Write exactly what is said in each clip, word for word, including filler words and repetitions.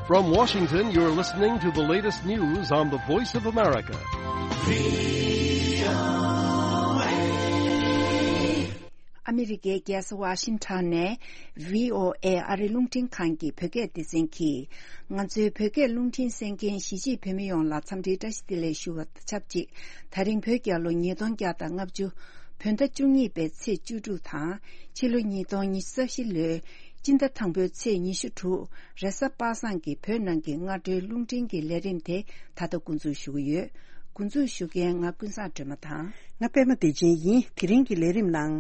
From Washington, you're listening to the latest news on the Voice of America. ཨ་མི་རི་ཀའི་རྒྱལ་ས་ཝ་ཤིང་ཊོན་ནས་བྷི་ཨོ་ཨེ་ཨ་རི་རླུང་འཕྲིན་ཁང་གི་བོད་སྐད་སྡེ་ཚན་གྱིས། ང་ཚོའི་བོད་སྐད་རླུང་འཕྲིན་གསན་མཁན་གཞིས་བྱེས་བོད་མི་ཡོངས་ལ་འཚམས་འདྲིའི་བཀྲ་ཤིས་བདེ་ལེགས་ཞུ་བ་དང་ཆབས་ཅིག་ད་རིང་བོད་རྒྱལ་ལོ་ཉིས་སྟོང་བརྒྱ་དང་ལྔ་བཅུ། བོད་ཟླ་བཅུ་གཉིས་པའི་ཚེས་བཅུ་དྲུག་དང་། ཕྱི་ལོ་ཉིས་སྟོང་ཉི་ཤུ་རྩ་བཞི་ལོའི་སྤྱི་ཟླ་དང་པོའི་ཚེས་ཉི་ཤུ་དྲུག་རེས་གཟའ་པ་སངས་ཀྱི་བོད་ནང་གི་སྔ་དྲོའི་རླུང་འཕྲིན་གྱི་ལས་རིམ་དེ་ད་ལྟ་འགོ་འཛུགས་ཞུ་གི་ཡོད། འགོ་འཛུགས་ཞུ་མཁན་ང་ཀུན་བཟང་སྒྲོལ་མ་དང་། ང་པད་མ་བདེ་ཆེན་ཡིན། དེ་རིང་གི་ལས་རིམ་ནང་།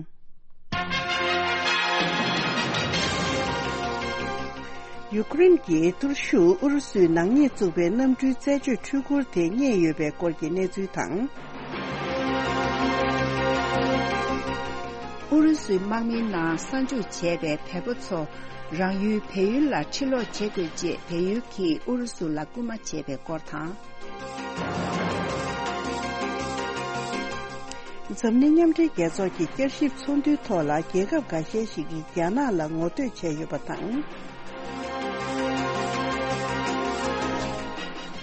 ཡུ་ཀེ་རེན་གྱི་གཏོར་ཤུགས་ཨུ་རུ་སུས་ནག་ཉེས་བཙུགས་པའི་གནམ་གྲུའི་རྩད་གཅོད་འཕྲུལ་འཁོར་དེ་རྙེད་ཡོད་པའི་སྐོར་གྱི་གནས་ཚུལ་དང་། ཨུ་རུ་སུའི་དམག་མིའི་ནང་གསར་འཇུག་བྱས་པའི་བལ་པོ་ཚོ་རང་ཡུལ་བལ་ཡུལ་ལ་ཕྱིར་ལོག་བྱེད་དགོས་ཅེས་བལ་ཡུལ་གྱིས་ཨུ་རུ་སུ་ལ་སྐུལ་མ་བྱས་པའི་སྐོར་དང་། འཛམ་གླིང་མཉམ་འབྲེལ་རྒྱལ་ཚོགས་ཀྱི་བསྐྱར་ཞིབ་ཚོགས་འདུའི་ཐོག་ལ་རྒྱལ་ཁབ་འགའ་ཤས་ཤིག་གིས་རྒྱ་ནག་ལ་ངོ་བསྟོད་བྱས་ཡོད་པ་དང་།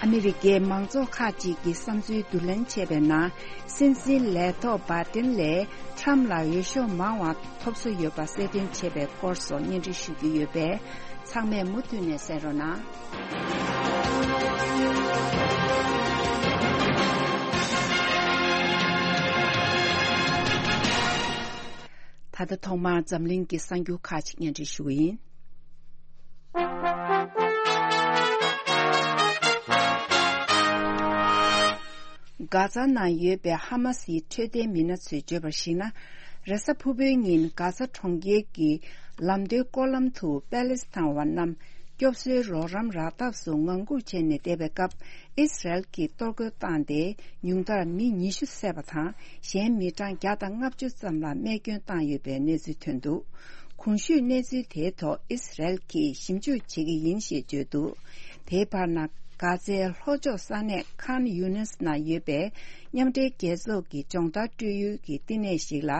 ཨ་མི་རི་ཀའི་མང་ཚོགས་ཁག་ཅིག་གིས་བསམ་ཚུལ་བསྡུ་ལེན་བྱས་པའི་ནང་། སྲིད་འཛིན་ལས་ཐོག་བྷའི་ཏིན་ལས་ཁྲམ་ལ་འོས་ཤོག་མང་བ་ཐོབ་སྲོལ་ཡོད་པ་གསལ་སྟོན་བྱས་པའི་སྐོར་སོགས་སྙན་སྒྲོན་ཞུ་རྒྱུ་ཡོད་པས། ཚང་མས་མུ་མཐུད་ནས་གསན་རོགས་གནང་། ད་ལྟ་ཐོག་མར་འཛམ་གླིང་གི་གསར་འགྱུར་ཁག་ཅིག་སྙན་སྒྲོན་ཞུ་གི་ཡིན། གྷ་ཛ་ནང་ཡོད་པའི་ཧ་མ་སིའི་འཕྲོད་བསྟེན་མི་སྣ་ཚོས་བརྗོད་པར་གཞིགས་ན། རེས་གཟའ་ཕུར་བུའི་ཉིན་གྷ་ཛ་གྲོང་ཁྱེར་གྱི་ལམ་མདོའི་སྐོར་ལམ་དུ་པེ་ལེ་སི་ཐན་བ་རྣམས་སྐྱོབ་གསོའི་རོགས་རམ་རག་ཐབས་སུ་ངང་སྒུག་བྱས་ནས་བསྡད་པའི་སྐབས། ཨི་སི་རལ་གྱིས་གཏོར་རྒོལ་བཏང་སྟེ་ཉུང་མཐར་མི་ཉི་ཤུ་བསད་པ་དང་། གཞན་མི་གྲངས་བརྒྱ་དང་ལྔ་བཅུ་ཙམ་ལ་རྨས་སྐྱོན་བཏང་ཡོད་པའི་གནས་ཚུལ་ཐོན་འདུག་གོང་ཞུས་གནས་ཚུལ་དེའི་ཐོག་ཨི་སི་རལ་གྱིས་ཞིབ་འཇུག་བྱེད་ཀྱི་ཡིན་ཞེས་བརྗོད་འདུག་དེའི་བར་ན། གྷ་ཛའི་ལྷོ་ཕྱོགས་ས་གནས་ཁཱན་ཡུ་ནིས་ནང་ཡོད་པའི་མཉམ་འབྲེལ་རྒྱལ་ཚོགས་ཀྱི་སྦྱོང་བརྡར་སྤྲོད་ཡུལ་གྱི་བསྟི་གནས་ཤིག་ལ།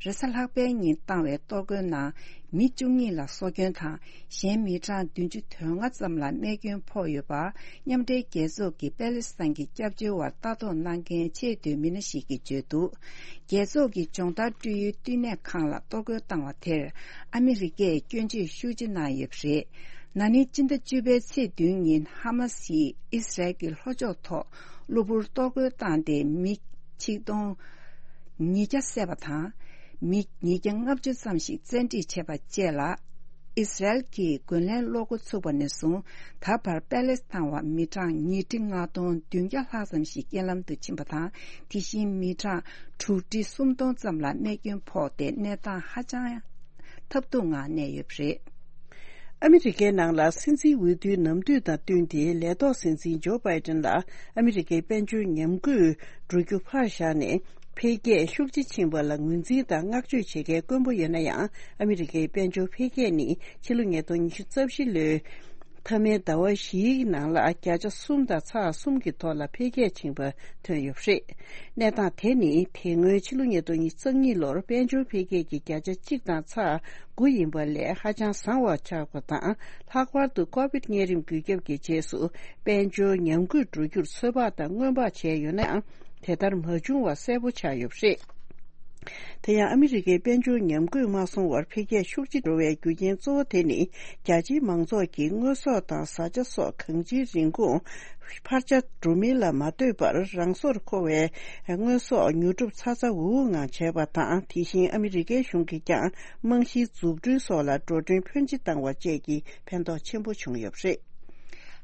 རེས་གཟའ་ལྷག་པའི་ཉིན་བཏང་བའི་གཏོར་རྒོལ་ནང་མི་བཅུ་གཉིས་ལ་སྲོག་སྐྱོན་དང་། གཞན་མི་གྲངས་བདུན་ཅུ་དོན་ལྔ་ཙམ་ལ་རྨས་སྐྱོན་ཕོག་ཡོད་པ། མཉམ་འབྲེལ་རྒྱལ་ཚོགས་ཀྱི་པེ་ལེ་སི་ཐན་གྱི་སྐྱབས་བཅོལ་བར་ལྟ་རྟོག་གནང་མཁན་ཆེས་མཐོའི་མི་སྣ་ཞིག་གིས་བརྗོད་འདུག་རྒྱལ་ཚོགས་ཀྱི་སྦྱོང་བརྡར་སྤྲོད་ཡུལ་བསྟི་གནས་ཁང་ལ་གཏོར་རྒོལ་བཏང་བ་དེར་ཨ་མི་རི་ཀས་སྐྱོན་བརྗོད་ཤུགས་ཆེ་གནང་ཡོད་པ་རེད། ན་ནིང་སྤྱི་ཟླ་བཅུ་པའི་ཚེས་བདུན་ཉིན་ཧ་མ་སིས་ཨི་སི་རལ་གྱི་ལྷོ་ཕྱོགས་ཐོག་གློ་བུར་གཏོར་རྒོལ་བཏང་སྟེ་མི་ཆིག་སྟོང་ཉིས་བརྒྱ་བསད་པ་དང་། མི་ཉིས་བརྒྱ་ལྔ་བཅུ་ཙམ་ཞིག་བཙན་ཁྲིད་བྱས་པ་བཅས་ལ། ཨི་སི་རལ་གྱིས་རྒོལ་ལན་སློག་འགོ་ཚུགས་པ་ནས་བཟུང་ད་བར་པེ་ལེ་སི་ཐན་བ་མི་གྲངས་ཉིས་ཁྲི་ལྔ་སྟོང་བདུན་བརྒྱ་ལྷག་ཙམ་ཞིག་རྐྱེན་ལམ་དུ་ཕྱིན་པ་དང་། དེ་བཞིན་མི་གྲངས་དྲུག་ཁྲི་སུམ་སྟོང་ཙམ་ལ་རྨས་སྐྱོན་ཕོག་སྟེ་གནས་སྟངས་ཧ་ཅང་ཐབས་སྡུག་ངང་གནས་ཡོད་པ་རེད། ཨ་མི་རི་ཀའི་ནང་ལ་སྲིད་འཛིན་འོས་བསྡུའི་ནམ་དུས་དང་བསྟུན་ཏེ་ལས་ཐོག་སྲིད་འཛིན་ཇོ་བྷའི་ཏིན་ལ་ཨ་མི་རི་ཀའི་དཔལ་འབྱོར་ཉམས་རྒུད་འགྲོ་རྒྱུ་ཕར་བཞག་ནས། འཕེལ་རྒྱས་ཤུགས་ཆེ་ཕྱིན་པ་ལ་ངོས་འཛིན་དང་བསྔགས་བརྗོད་བྱེད་མཁན་དཀོན་པོ་ཡོད་ན་ཡང་། ཨ་མི་རི་ཀའི་དཔལ་འབྱོར་འཕེལ་རྒྱས་ནི་ཕྱི་ལོ་ཉིས་སྟོང་ཉི་ཤུ་རྩ་བཞི་ལོའི་མཐའ་མའི་ཟླ་བ་བཞིའི་ནང་ལ་བརྒྱ་ཆ་གསུམ་དང་ཚེག་གསུམ་གྱི་ཐོག་ལ་འཕེལ་རྒྱས་ཕྱིན་པ་ཐོན་ཡོད་པ་རེད། གནས་སྟངས་དེ་ནི་དེ་སྔོན་ཕྱི་ལོ་ཉིས་སྟོང་ཉི་ཤུ་རྩ་གཉིས་ལོར་དཔལ་འབྱོར་འཕེལ་རྒྱས་ཀྱི་བརྒྱ་ཆ་གཅིག་དང་ཚེག་དགུ་ཡིན་པ་ལས་ཧ་ཅང་བཟང་བ་ཆགས་པ་དང་། ལྷག་པར་དུ་ཀོ་བིད་གཉན་རིམས་འགོས་ཁྱབ་ཀྱི་རྗེས་སུ་དཔལ་འབྱོར་ཉམས་རྒུད་འགྲོ་རྒྱུར་ཚོད་དཔག་དང་སྔོན་དཔག་བྱས་ཡོད་ན་ཡང་། དེ་ལྟར་མ་བྱུང་བ་གསལ་པོ་ཆགས་ཡོད་པ་རེད། དེ་ཡང་ཨ་མི་རི་ཀའི་དཔལ་འབྱོར་ཉམས་རྒུད་མ་སོང་བར་འཕེལ་རྒྱས་ཤུགས་ཆེ་འགྲོ་བའི་རྒྱུ་རྐྱེན་གཙོ་བོ་དེ་ནི། རྒྱ་ཆེའི་མང་ཚོགས་ཀྱིས་དངོས་ཟོག་དང་བཟའ་བཅའ་སོགས་གང་ཅིའི་རིན་གོང་འཕར་ཆ་འགྲོ་མིན་ལ་མ་ལྟོས་པར་རང་སོར་མཁོ་བའི་དངོས་ཟོག་ཉོ་སྒྲུབ་ཚ་ཚ་འུར་འུར་ངང་བྱས་པ་དང་། དེ་བཞིན་ཨ་མི་རི་ཀའི་གཞུང་གིས་ཀྱང་རྨང་གཞིའི་འཛུགས་སྐྲུན་སོགས་ལ་འགྲོ་གྲོན་ཕོན་ཆེ་བཏང་བ་བཅས་ཀྱི་ཕན་ཐོགས་ཆེན་པོ་བྱུང་ཡོད་པ་རེད།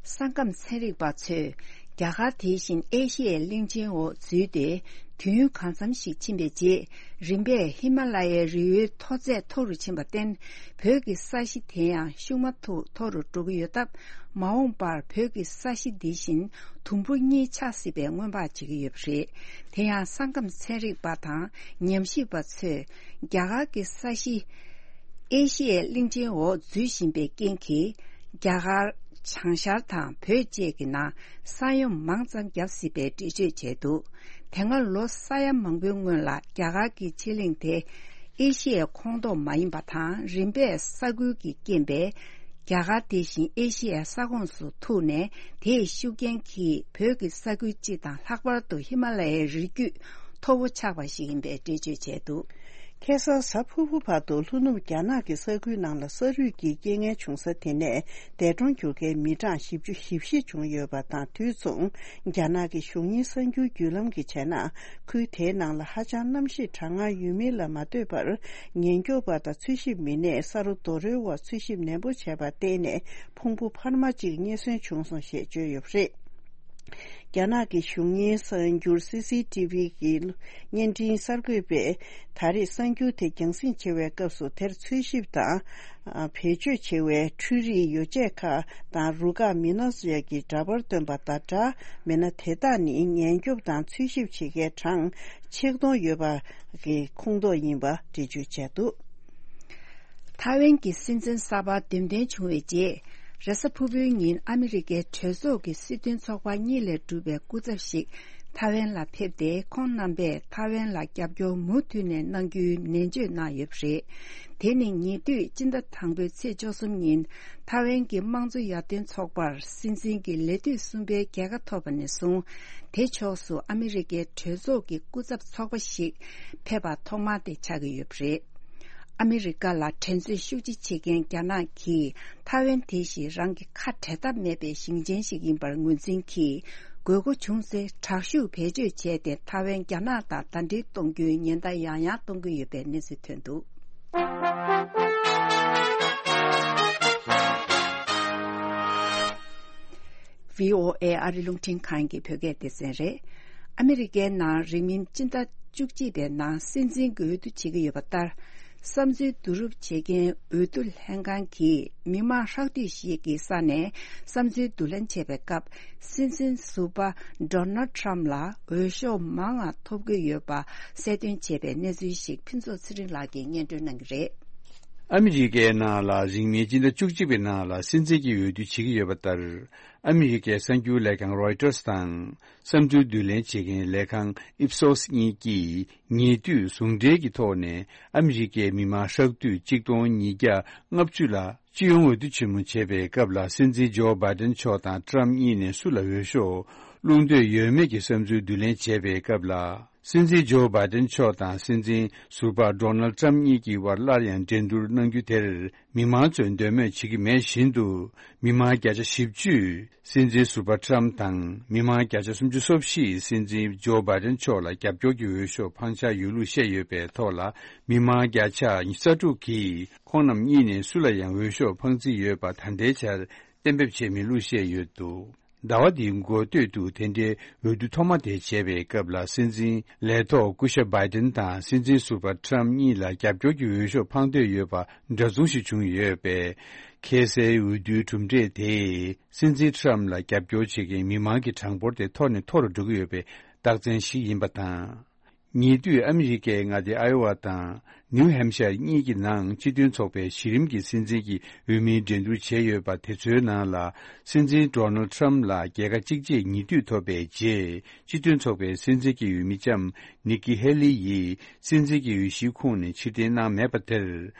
ས་ཁམས་ཚན་རིག་པ་ཚོས་རྒྱ་གར་དེ་བཞིན་ཨེ་ཤི་ཡའི་གླིང་ཆེན་འོག་འཛུལ་ཏེ། དུས་ཡུན་གང་འཚམ་ཞིག་ཕྱིན་པའི་རྗེས། རིམ་པས་ཧི་མ་ལ་ཡའི་རི་བོའི་མཐོ་ཚད་མཐོ་རུ་ཕྱིན་པར་བརྟེན། བོད་ཀྱི་ས་གཞི་དེ་ཡང་ཤུགས་མ་ཐུག་མཐོ་རུ་འགྲོ་གི་ཡོད་སྟབས། མ་འོངས་པར་བོད་ཀྱི་ས་གཞི་འདི་བཞིན་དུམ་བུ་གཉིས་ཆགས་སྲིད་པའི་སྔོན་དཔག་བྱེད་ཀྱི་ཡོད་པ་རེད། དེ་ཡང་ས་ཁམས་ཚན་རིག་པ་དང་ཉམས་ཞིབ་པ་ཚོས། རྒྱ་གར་གྱི་ས་གཞི། ཨེ་ཤི་ཡའི་གླིང་ཆེན་འོག་འཛུལ་བཞིན་པའི་རྐྱེན་གྱིས། རྒྱ་གར། བྱང་ཤར་དང་བོད་བཅས་ཀྱི་ནང་ས་ཡོམ་མང་ཙམ་བརྒྱབ་སྲིད་པའི་འགྲེལ་བརྗོད་བྱས་འདུག་དེ་སྔ་ལོ་ས་ཡ་མང་པོའི་སྔོན་ལ་རྒྱ་གར་གྱི་ཕྱེད་གླིང་དེ་ཨེ་ཤི་ཡའི་ཁོངས་གཏོགས་མ་ཡིན་པ་དང་། རིམ་པས་ས་ཁུལ་གྱི་རྐྱེན་པས། རྒྱ་གར་དེ་བཞིན་ཨེ་ཤེ་ཡའི་ས་ཁོངས་སུ་ཐུག་ནས། དེའི་ཤུགས་རྐྱེན་གྱིས་བོད་ཀྱི་ས་ཁུལ་སྤྱི་དང་ལྷག་པར་དུ་ཧི་མ་ལ་ཡའི་རི་རྒྱུད་མཐོ་བོ་ཆགས་པ་ཞིག་ཡིན་པའི་འགྲེལ་བརྗོད་བྱས་འདུག། ཁ་སང་གཟའ་ཕུར་བུ་བར་དུ་ལྷོ་ནུབ་རྒྱ་ནག་གི་ས་ཁུལ་ནང་ལ་ས་རུད་ཀྱི་རྐྱེན་ངན་བྱུང་ས་དེ་ནས་འདས་གྲོངས་གྱུར་མཁན་མི་གྲངས་བཞི་བཅུ་ཞེ་བཞི་བྱུང་ཡོད་པ་དང་། དུས་མཚུངས་རྒྱ་ནག་གི་གཞུང་གཉེར་གསར་འགྱུར་བརྒྱུད་ལམ་གྱིས་བྱས་ན། ཁུལ་དེའི་ནང་ལ་ཧ་ཅང་གནམ་གཤིས་གྲང་ངར་ཡོད་མིན་ལ་མ་ལྟོས་པར། ཉེན་སྐྱོབ་པ་དང་འཚོལ་ཞིབ་མི་སྣས་ས་རོ་རྡོ་རོལ་བར་འཚོལ་ཞིབ་ནན་པོ་བྱས་པར་བརྟེན་ནས། ཕུང་པོ་འཕར་མ་གཅིག་རྙེད་སོན་བྱུང་སོང་ཞེས་བརྗོད་ཡོད་པ་རེད། རྒྱ་ནག་གི་གཞུང་གཉེར་གསར་འགྱུར་སི་སི་ཏི་ཝི་གི་བརྙན་འཕྲིན་གསར་འགོད་པས། ད་རེས་གསར་འགྱུར་དེ་རྒྱང་སྲིང་བྱེད་པའི་སྐབས་སུ། དེར་འཚོལ་ཞིབ་དང་བེད་སྤྱོད་བྱེད་པའི་འཕྲུལ་རིག་ཡོ་བྱད་ཁག་དང་རུ་ཁག་མི་སྣ་སོགས་ཀྱི་འདྲ་པར་བཏོན་པ་དང་སྦྲགས། མི་སྣ་དེ་དག་ནི་ཉེན་སྐྱོབ་དང་འཚོལ་ཞིབ་བྱེད་མཁན་གྲངས་ཆིག་སྟོང་ཡོད་པ་གི་ཁོངས་གཏོགས་ཡིན་པ་འགྲེལ་བརྗོད་བྱས་འདུག། ཐའེ་ཝན་གྱི་སྲིད་འཛིན་གསར་པ་འདེམས་ཐོན་བྱུང་བའི་རྗེས། རེས་གཟའ་ཕུར་བུའི་ཉིན་ཨ་མི་རི་ཀའི་གྲོས་ཚོགས་ཀྱི་སྲིད་དོན་ཚོགས་པ་གཉིས་ལས་གྲུབ་པའི་སྐུ་ཚབ་ཞིག་ཐའེ་ཝན་ལ་ཕེབས་ཏེ། ཁོང་རྣམ་པས་ཐའེ་ཝན་ལ་རྒྱབ་སྐྱོར་མུ་མཐུད་ནས་གནང་རྒྱུའི་ནན་བརྗོད་གནང་ཡོད་པ་རེད། དེ་ནི་ཉེ་དུས་སྤྱི་ཟླ་དང་པོའི་ཚེས་བཅུ་གསུམ་ཉིན། ཐའེ་ཝན་གྱི་དམངས་གཙོ་ཡར་ཐོན་ཚོགས་པར་སྲིད་འཛིན་གྱི་ལས་དུས་གསུམ་པའི་རྒྱལ་ཁ་ཐོབ་པ་ནས་བཟུང་། དེ་ཕྱོགས་སུ་ཨ་མི་རི་ཀའི་གྲོས་ཚོགས་ཀྱི་སྐུ་ཚབ་ཚོགས་པ་ཞིག་ཕེབས་པ་ཐོག་མ་དེ་ཆགས་ཀྱི་ཡོད་པ་རེད། ཨ་མི་རི་ཀ་ལ་འགྲན་རྩོད་ཤུགས་ཆེ་བྱེད་མཁན་རྒྱ་ནག་གིས་ཐའེ་ཝན་དེ་བཞིན་རང་གི་ཁ་བྲལ་ཐབས་མེད་པའི་ཞིང་ཆེན་ཞིག་ཡིན་པར་ངོས་འཛིན་གྱིས། དགོས་མཁོ་བྱུང་ཚེ་དྲག་ཤུགས་བེད་སྤྱོད་བྱས་ཏེ། ཐའེ་ཝན་རྒྱ་ནག་དང་ཟླ་སྒྲིལ་གཏོང་རྒྱུའི་ཉེན་བརྡ་ཡང་ཡང་གཏོང་གི་ཡོད་པའི་གནས་ཚུལ་ཐོན་འདུག། བྷི་ཨོ་ཨེ་ཨ་རི་རླུང་འཕྲིན་ཁང་གི་བོད་སྐད་སྡེ་ཚན་རེད། ཨ་མི་རི་ཀའི་ནང་རིང་མིན་སྤྱི་ཟླ་བཅུ་གཅིག་པའི་ནང་སྲིད་འཛིན་གྱི་འོས་བསྡུ་བྱེད་ཀྱི་ཡོད་པ་ལྟར། བསམ་ཚུལ་བསྡུ་རུབ་བྱེད་མཁན་འོས་བསྡུ་ལྷན་ཁང་གིས་མི་མང་ཧྲག་བསྡུས་ཤིག་གི་ས་ནས་བསམ་ཚུལ་བསྡུ་ལེན་བྱས་པའི་སྐབས། སྲིད་འཛིན་ཟུར་པ་Donald Trump ལ་འོས་ཤོག་མང་བ་ཐོབ་ཀྱི་ཡོད་པ་གསལ་སྟོན་བྱས་པའི་གནས་ཚུལ་ཞིག་ཕུན་ཚོགས་ཚེ་རིང་ལགས་ཀྱིས་སྙན་སྒྲོན་གནང་གི་རེད། ཨ་མི་རི་ཀའི་ནང་ལ་རིང་མིན་སྤྱི་ཟླ་བཅུ་གཅིག་པའི་ནང་ལ་སྲིད་འཛིན་གྱི་འོས་བསྡུ་བྱེད་ཀྱི་ཡོད་པ་ལྟར། ཨ་མི་རི་ཀའི་གསར་འགྱུར་ལས་ཁང་Reuters དང་། བསམ་ཚུལ་བསྡུ་ལེན་བྱེད་མཁན་ལས་ཁང་Ipsos་གཉིས་ཀྱིས་ཉེ་དུས་ཟུང་འབྲེལ་གྱི་ཐོག་ནས་ཨ་མི་རི་ཀའི་མི་མང་ཧྲག་བསྡུས་གཅིག་སྟོང་ཉིས་བརྒྱ་ལྔ་བཅུ་ལ་སྤྱི་ཡོངས་འོས་བསྡུ་ཆེན་མོ་བྱེད་པའི་སྐབས་ལ། སྲིད་འཛིན་ཇོ་བྷའི་ཏན་མཆོག་དང་ཊམ་གཉིས་ནས་སུ་ལ་འོས་ཤོག་བླུག་འདོད་ཡོད་མེད་ཀྱི་བསམ་ཚུལ་བསྡུ་ལེན་བྱེད་པའི་སྐབས་ལ། སྲིད་འཛིན་ཇོ་བྷའི་ཏན་མཆོག་དང་སྲིད་འཛིན་ཟུར་པ་Donald Trump་གཉིས་ཀྱི་དབར་སླར་ཡང་འགྲན་བསྡུར་གནང་རྒྱུ་དེར། མི་མང་ཚོས་འདོད་མོས་བྱེད་ཀྱི་མེད་བཞིན་དུ། མི་མང་བརྒྱ་ཆ་བཞི་བཅུས་སྲིད་འཛིན་ཟུར་པ་Trump་དང་། མི་མང་བརྒྱ་ཆ་སུམ་ཅུ་སོ་བཞིས་སྲིད་འཛིན་ཇོ་བྷའི་ཏན་མཆོག་ལ་རྒྱབ་སྐྱོར་གྱི་འོས་ཤོག་འཕང་འཆར་ཡོད་ལུགས་བཤད་ཡོད་པའི་ཐོག་ལ། མི་མང་བརྒྱ་ཆ་ཉི་ཤུ་རྩ་དྲུག་གིས་ཁོང་རྣམས་གཉིས་ནས་སུ་ལ་ཡང་འོས་ཤོག་འཕང་རྩིས་ཡོད་པ་ད་ལྟའི་ཆར་གཏན་འབེབས་བྱས་མེད་ལུགས་བཤད་ཡོད་འདུག། ཟླ་བ་འདིའི་འགོ་སྟོད་དུ་དེ་འདྲའི་འོས་བསྡུ་ཐོག་མ་དེ་བྱས་པའི་སྐབས་ལ། སྲིད་འཛིན་ལས་ཐོག་སྐུ་ཞབས་བྷའི་ཏན་དང་སྲིད་འཛིན་ཟུར་པ་Trump་གཉིས་ལ་རྒྱབ་སྐྱོར་གྱི་འོས་ཤོག་འཕང་འདོད་ཡོད་པ་འདྲ་མཚུངས་ཤིག་བྱུང་ཡོད་པས། ཁ་སའི་འོས་བསྡུའི་གྲུབ་འབྲས་དེས་སྲིད་འཛིན་Trump་ལ་རྒྱབ་སྐྱོར་བྱེད་མཁན་མི་མང་གི་གྲངས་འབོར་དེ་མཐོ་ནས་མཐོ་རུ་འགྲོ་གི་ཡོད་པའི་རྟགས་མཚན་ཞིག་ཡིན་པ་དང་། ཉེ་དུས་ཨ་མི་རི་ཀའི་མངའ་སྡེ་ཨའི་ཝ་དང་ནིའུ་ཧེམ་ཤར་གཉིས་ཀྱི་ནང་སྤྱི་མཐུན་ཚོགས་པའི་གཞི་རིམ་གྱི་སྲིད་འཛིན་གྱི་འོས་མིའི་འགྲན་བསྡུར་བྱས་ཡོད་པ་དེ་ཚོའི་ནང་ལ། སྲིད་འཛིན་Donald Trump་ལ་རྒྱལ་ཁ་གཅིག་རྗེས་ཉེ་དུས་ཐོབ་པའི་རྗེས། སྤྱི་མཐུན་ཚོགས་པའི་སྲིད་འཛིན་གྱི་འོས་མི་ལྕམ་Nikki Haley་ཡིས་སྲིད་འཛིན་གྱི་འོས་གཞིའི་ཁོངས་ནས་ཕྱིར་འཐེན་གནང་མེད་པ་དེར།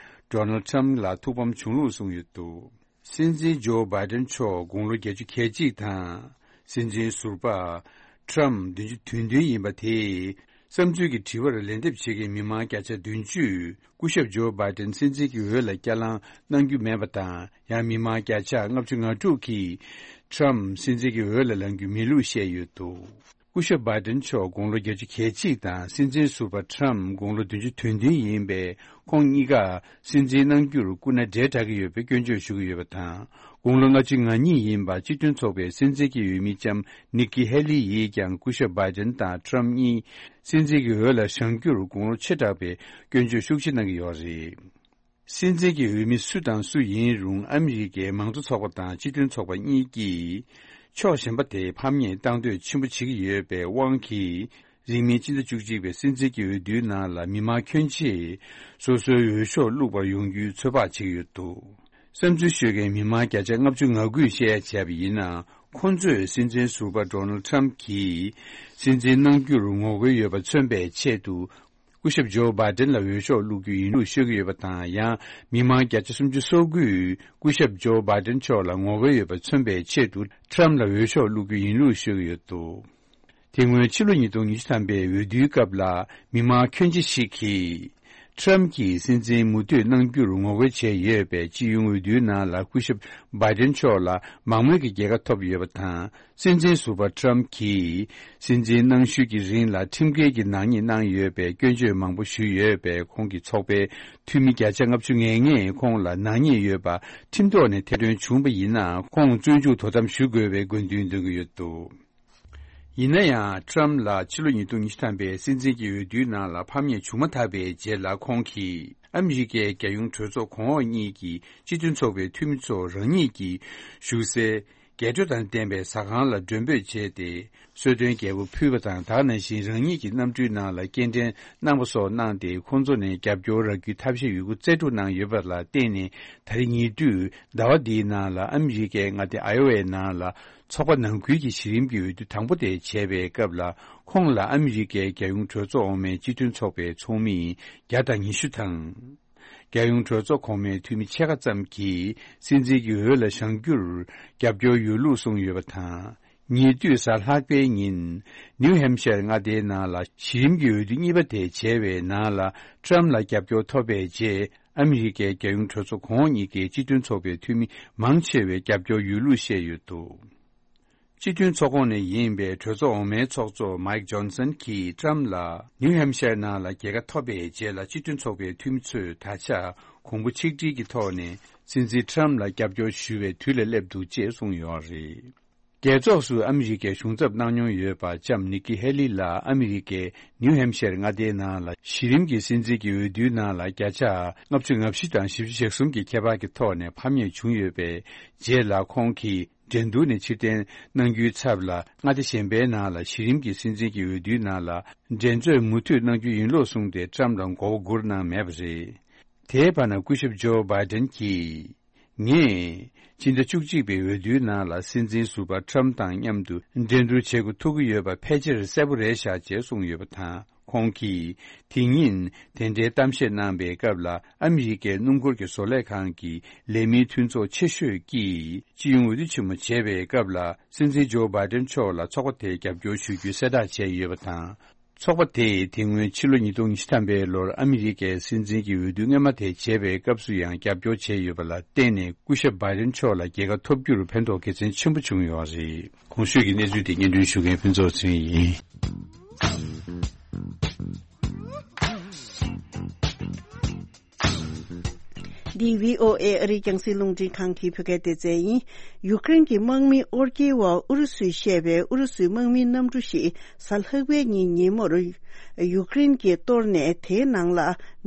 Donald Trump་ལ་ཐུགས་ཕམ་བྱུང་ལུགས་གསུངས་ཡོད་འདུག། སྲིད་འཛིན་ཇོ་བྷའི་ཏན་མཆོག་དགུང་ལོ་བརྒྱད་ཅུ་གྱ་གཅིག་དང་། སྲིད་འཛིན་ཟུར་པ་Trump་བདུན་ཅུ་དོན་བདུན་ཡིན་པ་དེས། བསམ་ཚུལ་གྱི་དྲི་བར་ལན་འདེབས་བྱེད་མཁན་མི་མང་བརྒྱ་ཆ་བདུན་ཅུས་སྐུ་ཞབས་ཇོ་བྷའི་ཏན་སྲིད་འཛིན་གྱི་འོས་ལ་བསྐྱར་ལངས་གནང་རྒྱུ་མེད་པ་དང་། ཡང་མི་མང་བརྒྱ་ཆ་ལྔ་བཅུ་ང་དྲུག་གིས་Trump་སྲིད་འཛིན་གྱི་འོས་ལ་ལངས་རྒྱུ་མེད་ལུགས་བཤད་ཡོད་འདུག། སྐུ་ཞབས་བྷའི་ཏན་མཆོག་དགུང་ལོ་བརྒྱད་ཅུ་གྱ་གཅིག་དང་། སྲིད་འཛིན་ཟུར་པ་Trump་དགུང་ལོ་བདུན་ཅུ་དོན་བདུན་ཡིན་པས། ཁོང་གཉིས་ཀ་སྲིད་འཛིན་གནང་རྒྱུར་སྐུ་ན་བགྲེས་དྲགས་ཀྱི་ཡོད་པའི་སྐྱོན་བརྗོད་ཞུ་གི་ཡོད་པ་དང་། དགུང་ལོ་ལྔ་བཅུ་ང་གཉིས་ཡིན་པ་སྤྱི་མཐུན་ཚོགས་པའི་སྲིད་འཛིན་གྱི་འོས་མི་ལྕམ་Nikki Haley་ཡིས་ཀྱང་སྐུ་ཞབས་བྷའི་ཏན་དང་Trump་གཉིས་སྲིད་འཛིན་གྱི་འོས་ལ་བཞེངས་རྒྱུར་དགུང་ལོ་ཆེ་དྲགས་པའི་སྐྱོན་བརྗོད་ཤུགས་ཆེ་གནང་གི་ཡོད་རེད། སྲིད་འཛིན་གྱི་འོས་མི་སུ་དང་སུ་ཡིན་རུང་ཨ་མི་རི་ཀའི་མང་གཙོ་ཚོགས་པ་དང་སྤྱི་མཐུན་ཚོགས་པ་གཉིས་ཀྱིས་ཕྱོགས་གཞན་པ་དེ་ཕམ་ཉེས་བཏང་འདོད་ཆེན་པོ་བྱེད་ཀྱི་ཡོད་པའི་དབང་གིས། རིང་མིན་སྤྱི་ཟླ་བཅུ་གཅིག་པའི་སྲིད་འཛིན་གྱི་འོས་བསྡུའི་ནང་ལ་མི་མང་ཁྱོན་ཆེས་སོ་སོའི་འོས་ཤོག་བླུག་པར་ཡོང་རྒྱུའི་ཚོད་དཔག་བྱེད་ཀྱི་ཡོད་འདུག། བསམ་ཚུལ་ཤོད་མཁན་མི་མང་བརྒྱ་ཆ་ལྔ་བཅུ་ང་དགུས་བཤད་ཡ་བྱས་པ་ཡིན་ན། ཁོང་ཚོས་སྲིད་འཛིན་ཟུར་པ་Donald Trump་གྱིས་སྲིད་འཛིན་གནང་རྒྱུར་ངོ་རྒོལ་ཡོད་པ་མཚོན་པའི་ཆེད་དུ། སྐུ་ཞབས་ཇོ་བྷའི་ཏན་ལ་འོས་ཤོག་བླུག་རྒྱུ་ཡིན་ལུགས་ཤོད་ཀྱི་ཡོད་པ་དང་། ཡང་མི་མང་བརྒྱ་ཆ་སུམ་ཅུ་སོ་དགུས་སྐུ་ཞབས་ཇོ་བྷའི་ཏན་མཆོག་ལ་ངོ་རྒོལ་ཡོད་པ་མཚོན་པའི་ཆེད་དུ་ཊམ་ལ་འོས་ཤོག་བླུག་རྒྱུ་ཡིན་ལུགས་ཤོད་ཀྱི་ཡོད་འདུག་དེ་སྔོན་ཕྱི་ལོ་ཉིས་སྟོང་ཉི་ཤུ་ཐམ་པའི་འོས་བསྡུའི་སྐབས་ལ་མི་མང་ཁྱོན་ཆེ་ཞིག་གིས་ཊམ་གྱིས་སྲིད་འཛིན་མུ་མཐུད་གནང་རྒྱུར་ངོ་རྒོལ་བྱས་ཡོད་པས། སྤྱི་ཡོངས་འོས་བསྡུའི་ནང་ལ་སྐུ་ཞབས་བྷའི་ཏན་མཆོག་ལ་མང་མོས་ཀྱི་རྒྱལ་ཁ་ཐོབ་ཡོད་པ་དང་། སྲིད་འཛིན་ཟུར་པ་ཊམ་གྱིས་སྲིད་འཛིན་གནང་ཤུལ་གྱི་རིང་ལ་ཁྲིམས་འགལ་གྱི་ནག་ཉེས་གནང་ཡོད་པའི་སྐྱོན་བརྗོད་མང་པོ་ཞུས་ཡོད་པས། ཁོང་གི་ཚོགས་པའི་འཐུས་མི་བརྒྱ་ཆ་ལྔ་བཅུ་ང་ལྔས་ཁོང་ལ་ནག་ཉེས་ཡོད་པ་ཁྲིམས་ཐོག་ནས་ཐེར་འདོན་བྱུང་པ་ཡིན་ན། ཁོང་བཙོན་འཇུག་དོ་དམ་ཞུ་དགོས་པའི་དགོས་འདུན་འདོན་གྱི་ཡོད་འདུག་ཡིན་ན་ཡང་། ཊམ་ལ་ཕྱི་ལོ་ཉིས་སྟོང་ཉི་ཤུ་ཐམ་པའི་སྲིད་འཛིན་གྱི་འོས་བསྡུའི་ནང་ལ་ཕམ་ཉེས་བྱུང་མ་ཐག་པའི་རྗེས་ལ། ཁོང་གིས་ཨ་མི་རི་ཀའི་རྒྱལ་ཡོངས་གྲོས་ཚོགས་གོང་འོག་གཉིས་ཀྱི་སྤྱི་མཐུན་ཚོགས་པའི་འཐུས་མི་ཚོ་རང་ཉིད་ཀྱི་བཞུགས་སའི་རྒྱལ་སྒྲོལ་དང་ལྡན་པའི་ཟ་ཁང་ལ་མགྲོན་འབོད་བྱས་ཏེ། གསོལ་སྟོན་རྒྱལ་པོ་ཕུལ་བ་དང་། དེ་ནང་བཞིན་རང་ཉིད་ཀྱི་གནམ་གྲུའི་ནང་ལ་སྐྱེལ་འདྲེན་གནང་པ་སོགས་གནང་སྟེ། ཁོང་ཚོ་ནས་རྒྱབ་སྐྱོར་རག་རྒྱུའི་ཐབས་ཤེས་ཡོད་རྒུ་རྩལ་སྤྲུགས་གནང་ཡོད་པ་ལ་བརྟེན་ནས། ད་རེས་ཉེ་དུས་ཟླ་བ་འདིའི་ནང་ལ་ཨ་མི་རི་ཀའི་མངའ་སྡེ་ཨའི་ཝའི་ནང་ལ་ཚོགས་པ་ནང་ཁུལ་གྱི་གཞི་རིམ་གྱི་འོས་བསྡུ་དང་པོ་དེ་བྱས་པའི་སྐབས་ལ། ཁོང་ལ་ཨ་མི་རི་ཀའི་རྒྱལ་ཡོངས་གྲོས་ཚོགས་འོག་མའི་སྤྱི་མཐུན་ཚོགས་པའི་ཚོགས་མི་བརྒྱ་དང་ཉི་ཤུ་དང་། རྒྱལ་ཡོངས་གྲོས་ཚོགས་གོང་མའི་འཐུས་མི་ཕྱེད་ཀ་ཙམ་གྱིས་སྲིད་འཛིན་གྱི་འོས་ལ་བཞེངས་རྒྱུར་རྒྱབ་སྐྱོར་ཡོད་ལུགས་གསུངས་ཡོད་པ་དང་། ཉེ་དུས་གཟའ་ལྷག་པའི་ཉིན་ནིའུ་ཧེམ་ཤར་མངའ་སྡེའི་ནང་ལ་གཞི་རིམ་གྱི་འོས་བསྡུ་གཉིས་པ་དེ་བྱས་པའི་ནང་ལ་ཊམ་ལ་རྒྱབ་སྐྱོར་ཐོབ་པའི་རྗེས། ཨ་མི་རི་ཀའི་རྒྱལ་ཡོངས་གྲོས་ཚོགས་གོང་འོག་གཉིས་ཀའི་སྤྱི་མཐུན་ཚོགས་པའི་འཐུས་མི་མང་ཆེ་བས་རྒྱབ་སྐྱོར་ཡོད་ལུགས་བཤད་ཡོད་འདུག་སྤྱི་མཐུན་ཚོགས་ཁོངས་ནས་ཡིན་པའི་གྲོས་ཚོགས་འོག་མའི་ཚོགས་གཙོ་མའིག་ཇོན་སན་གྱིས་ཊམ་ལ་ནིའུ་ཧེམ་ཤར་ནང་ལ་རྒྱལ་ཁ་ཐོབ་པའི་རྗེས་ལ། སྤྱི་མཐུན་ཚོགས་པའི་འཐུས་མི་ཚོས་ད་ཆ་གོང་བུ་ཆིག་སྒྲིལ་གྱི་ཐོག་ནས་སྲིད་འཛིན་ཊམ་ལ་རྒྱབ་སྐྱོར་ཞུ་བའི་དུས་ལ་སླེབས་འདུག་ཅེས་གསུངས་ཡོད་རེད། རྒྱལ་ཚོགས་སུ་ཨ་མི་རི་ཀའི་གཞུང་ཚབ་གནང་མྱོང་ཡོད་པ་ལྕམ་ནིག་ཀི་ཧེ་ལི་ལ་ཨ་མི་རི་ཀའི་ནིའུ་ཧེམ་ཤར་མངའ་སྡེའི་ནང་ལ་གཞི་རིམ་གྱི་སྲིད་འཛིན་གྱི་འོས་བསྡུའི་ནང་ལ་བརྒྱ་ཆ་ལྔ་བཅུ་ང་བཞི་དང་བཞི་བཅུ་ཞེ་གསུམ་གྱི་ཁྱད་པར་གྱི་ཐོག་ནས་ཕམ་ཉེས་བྱུང་ཡོད་པའི་རྗེས་ལ། ཁོང་གིས་འགྲན་བསྡུར་ནས་ཕྱིར་འཐེན་གནང་རྒྱུའི་ཚབ་ལ། མངའ་སྡེ་གཞན་པའི་ནང་ལ་གཞི་རིམ་གྱི་སྲིད་འཛིན་གྱི་འོས་བསྡུའི་ནང་ལ་འགྲན་རྩོད་མུ་མཐུད་གནང་རྒྱུ་ཡིན་ལུགས་གསུངས་ཏེ། ཊམ་ལ་མགོ་བོ་སྒུར་གནང་མེད་པ་རེད། དེའི་བར་ན། སྐུ་ཞབས་ཇོ་བྷའི་ཏན་གྱིས། ངས་ཕྱི་ཟླ་བཅུ་གཅིག་པའི་འོས་བསྡུའི་ནང་ལ་སྲིད་འཛིན་ཟུར་པ་ཊམ་དང་མཉམ་དུ་འགྲན་བསྡུར་བྱེད་དགོས་ཐུག་གི་ཡོད་པ་ཕལ་ཆེར་གསལ་པོ་རེད་ཤག་ཅེས་གསུངས་ཡོད་པ་དང་། ཁོང་གིས་དེ་ཉིན་དེ་འདྲའི་གཏམ་བཤད་གནང་པའི་སྐབས་ལ། ཨ་མི་རི་ཀའི་སྣུམ་འཁོར་གྱི་བཟོ་ལས་ཁང་གི་ལས་མིའི་མཐུན་ཚོགས་ཆེ་ཤོས་ཀྱིས་སྤྱི་ཡོངས་འོས་བསྡུ་ཆེན་མོ་བྱས་པའི་སྐབས་ལ། སྲིད་འཛིན་ཇོ་བྷའི་ཏན་མཆོག་ལ་ཚོགས་པ་དེས་རྒྱབ་སྐྱོར་ཞུ་རྒྱུའི་གསལ་བསྒྲགས་བྱས་ཡོད་པ་དང་། ཚོགས་པ་དེས་དེ་སྔོན་ཕྱི་ལོ་ཉིས་སྟོང་ཉི་ཤུ་ཐམ་པའི་ལོར་ཨ་མི་རི་ཀའི་སྲིད་འཛིན་གྱི་འོས་བསྡུ་སྔོན་མ་དེ་བྱས་པའི་སྐབས་སུ་ཡང་རྒྱབ་སྐྱོར་བྱས་ཡོད་པ་ལ་བརྟེན་ནས། སྐུ་ཞབས་བྷའི་ཏན་མཆོག་ལ་རྒྱལ་ཁ་ཐོབ་རྒྱུར་ཕན་ཐོགས་དགེ་མཚན་ཆེན་པོ་བྱུང་ཡོད་རེད། གོང་ཞུས་ཀྱི་གནས་ཚུལ་དེ་སྙན་སྒྲོན་ཞུ་མཁན་ཕུན་ཚོགས་ཚེ་རིང་ཡིན། འདི་བྷི་ཨོ་ཨེ་ཨ་རིའི་རྒྱང་སྲིང་རླུང་འཕྲིན་ཁང་གི་བོད་སྐད་སྡེ་ཚན་ཡིན། ཡུཀ་རེན་གྱི་དམག་མི་ཨོ་རྒྱལ་བ་ཨུ་རུ་སུས་བཤད་པའི་ཨུ་རུ་སུའི་དམག་མིའི་གནམ་གྲུ་ཞིག་གཟའ་ལྷག་པའི་ཉིན་ཉིན་མོར་ཡུཀ་རེན་གྱིས་གཏོར་ནས། དེའི་ནང་ལ་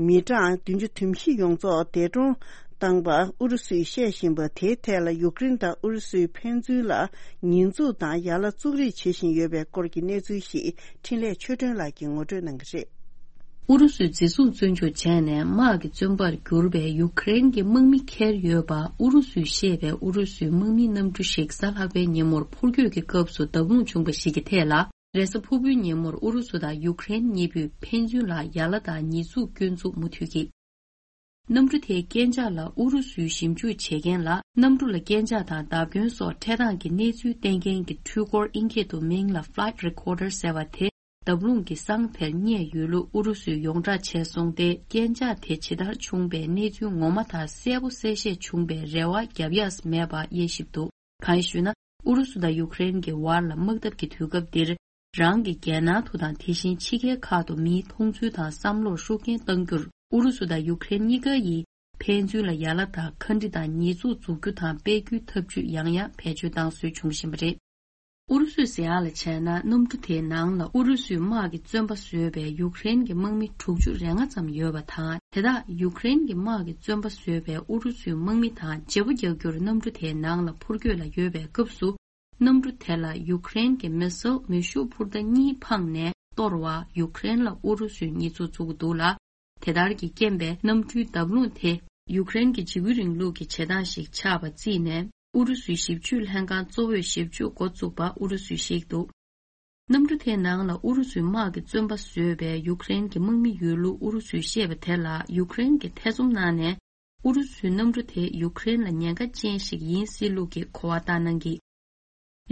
མི་གྲངས་བདུན་ཅུ་དོན་བཞི་ཡོངས་རྫོགས་འདས་གྲོངས་བཏང་པ་ཨུ་རུ་སུས་བཤད་བཞིན་པ་དེའི་ཐད་ལ། ཡུཀ་རེན་དང་ཨུ་རུ་སུའི་ཕན་ཚུན་ལ་ཉེས་འཛུགས་དང་ཡ་ལ་བཙུགས་རེས་བྱེད་བཞིན་ཡོད་པའི་སྐོར་གྱི་གནས་ཚུལ་ཞིག་འཕྲིན་ལས་ཆོས་སྒྲོན་ལགས་ཀྱིས་ངོ་སྤྲོད་གནང་གི་རེད། ཨུ་རུ་སུས་འཛིན་བཟུང་བཙོན་འཇུག་བྱས་ནས་དམག་གི་བཙོན་པར་གྱུར་པའི་ཡུཀ་རེན་གྱི་དམག་མི་འཁྱེར་ཡོད་པ་ཨུ་རུ་སུས་བཤད་པའི་ཨུ་རུ་སུའི་དམག་མིའི་གནམ་གྲུ་ཞིག་གཟའ་ལྷག་པའི་ཉིན་མོར་འཕུར་སྐྱོད་ཀྱི་སྐབས་སུ་བརྡབ་ལྷུང་བྱུང་བ་ཞིག་གི་ཐད་ལ། རེས་གཟའ་ཕུར་བུའི་ཉིན་མོར་ཨུ་རུ་སུ་དང་ཡུཀ་རེན་གཉིས་པོས་ཕན་ཚུན་ལ་ཡ་ལ་དང་ཉེས་འཛུགས་སྐྱོན་འཛུགས་མུ་མཐུད་ཀྱིས། གནམ་གྲུ་དེའི་རྐྱེན་ཆག་ལ་ཨུ་རུ་སུས་ཞིབ་འཇུག་བྱེད་མཁན་ལ། གནམ་གྲུ་ལ་རྐྱེན་ཆག་དང་བརྡབ་སྐྱོན་སོགས་འཕྲད་སྟངས་ཀྱི་གནས་ཚུལ་བསྟན་མཁན་གྱི་འཕྲུལ་འཁོར་ཨིན་སྐད་དུ་མིང་ལ་Flight Recorder ཟེར་བ་དེ། བརྡབ་ལྷུང་གི་སང་དེར་རྙེད་ཡོད་ལུགས་ཨུ་རུ་སུས་ཡོངས་བསྒྲགས་བྱས་སོང་སྟེ། རྐྱེན་ཆག་དེ་ཇི་ལྟར་བྱུང་པའི་གནས་ཚུལ་ངོ་མ་དང་གསལ་པོ་གསལ་བཤད་བྱུང་པའི་རེ་བ་བརྒྱབ་ཡས་མེད་པ་དབྱེ་ཞིབ་འདུག་གང་ཡིན་ཞུས་ན། ཨུ་རུ་སུ་དང་ཡུཀ་རེན་གྱི་བར་ལ་དམག་འཐབ་ཀྱི་དུས་སྐབས་འདིར། རང་གི་རྒྱལ་ནང་དུ་དང་། དེ་བཞིན་ཕྱི་རྒྱལ་ཁག་ཏུ་མིའི་མཐོང་ཚུལ་དང་བསམ་བློར་ཤུགས་རྐྱེན་གཏང་རྒྱུར། ཨུ་རུ་སུ་དང་ཡུཀ་རེན་གཉིས་ཀ་ཡིས་ཕན་ཚུན་ལ་ཡ་ལ་དང་ཁ་འདྲི་དང་ཉེས་འཛུགས་འཛུགས་རྒྱུ་དང་སྤེལ་རྒྱུའི་ཐབས་ཇུས་ཡང་ཡང་བེད་སྤྱོད་བཏང་སྲོལ་བྱུང་བཞིན་པ་རེད། ཨུ་རུ་སུའི་ཟེར་ཡག་ལ་བྱས་ན། གནམ་གྲུ་དེའི་ནང་ལ་ཨུ་རུ་སུའི་དམག་གི་བཙོན་པ་བཟོས་པའི་ཡུཀ་རེན་གྱི་དམག་མི་དྲུག་ཅུ་རེ་ལྔ་ཙམ་ཡོད་པ་དང་། དེ་དག་ཡུཀ་རེན་གྱི་དམག་གི་བཙོན་པ་བཟོས་པའི་ཨུ་རུ་སུའི་དམག་མི་དང་བརྗེ་པོ་རྒྱག་རྒྱུར་གནམ་གྲུ་དེའི་ནང་ལ་འཕུར་སྐྱོད་ལ་ཡོད་པའི་སྐབས་སུ། གནམ་གྲུ་དེ་ལ་ཡུཀ་རེན་གྱི་མི་སིལ་མེ་ཤུགས་འཕུར་མདའ་གཉིས་འཕངས་ནས་གཏོར་བར་ཡུཀ་རེན་ལ་ཨུ་རུ་སུས་ཉེས་འཛུགས་བཙུགས་འདུག་ལ། དེ་ལྟར་གྱི་རྐྱེན་པས་གནམ་གྲུའི་བརྡབ་ལྷུང་དེ་ཡུཀ་རེན་གྱི་འཇིགས་སྐུལ་རིང་ལུགས་ཀྱི་བྱེད་སྟངས་ཤིག་ཆགས་པ་བརྩིས་ནས། ཨུ་རུ་སུའི་ཞིབ་དཔྱོད་ལྷན་ཁང་གཙོ་བོས་ཞིབ་དཔྱོད་འགོ་བཙུགས་པ་ཨུ་རུ་སུས་བཤད་འདུག་གནམ་གྲུ་དེའི་ནང་ལ་ཨུ་རུ་སུའི་དམག་གི་བཙོན་པ་བཟོས་པའི་ཡུཀ་རེན་གྱི་དམག་མི་ཡོད་ལུགས་ཨུ་རུ་སུས་བཤད་པ་དེ་ལ་ཡུཀ་རེན་གྱིས་ཐེ་ཚོམ་གནང་ནས། ཨུ་རུ་སུའི་གནམ་གྲུ་དེ་ཡུཀ་རེན་ལ་ཉེན་ཁ་ཅན་ཞིག་ཡིན་སྲིད་ལུགས་ཀྱི་གོ་བ་བཏང་གནང་གིས།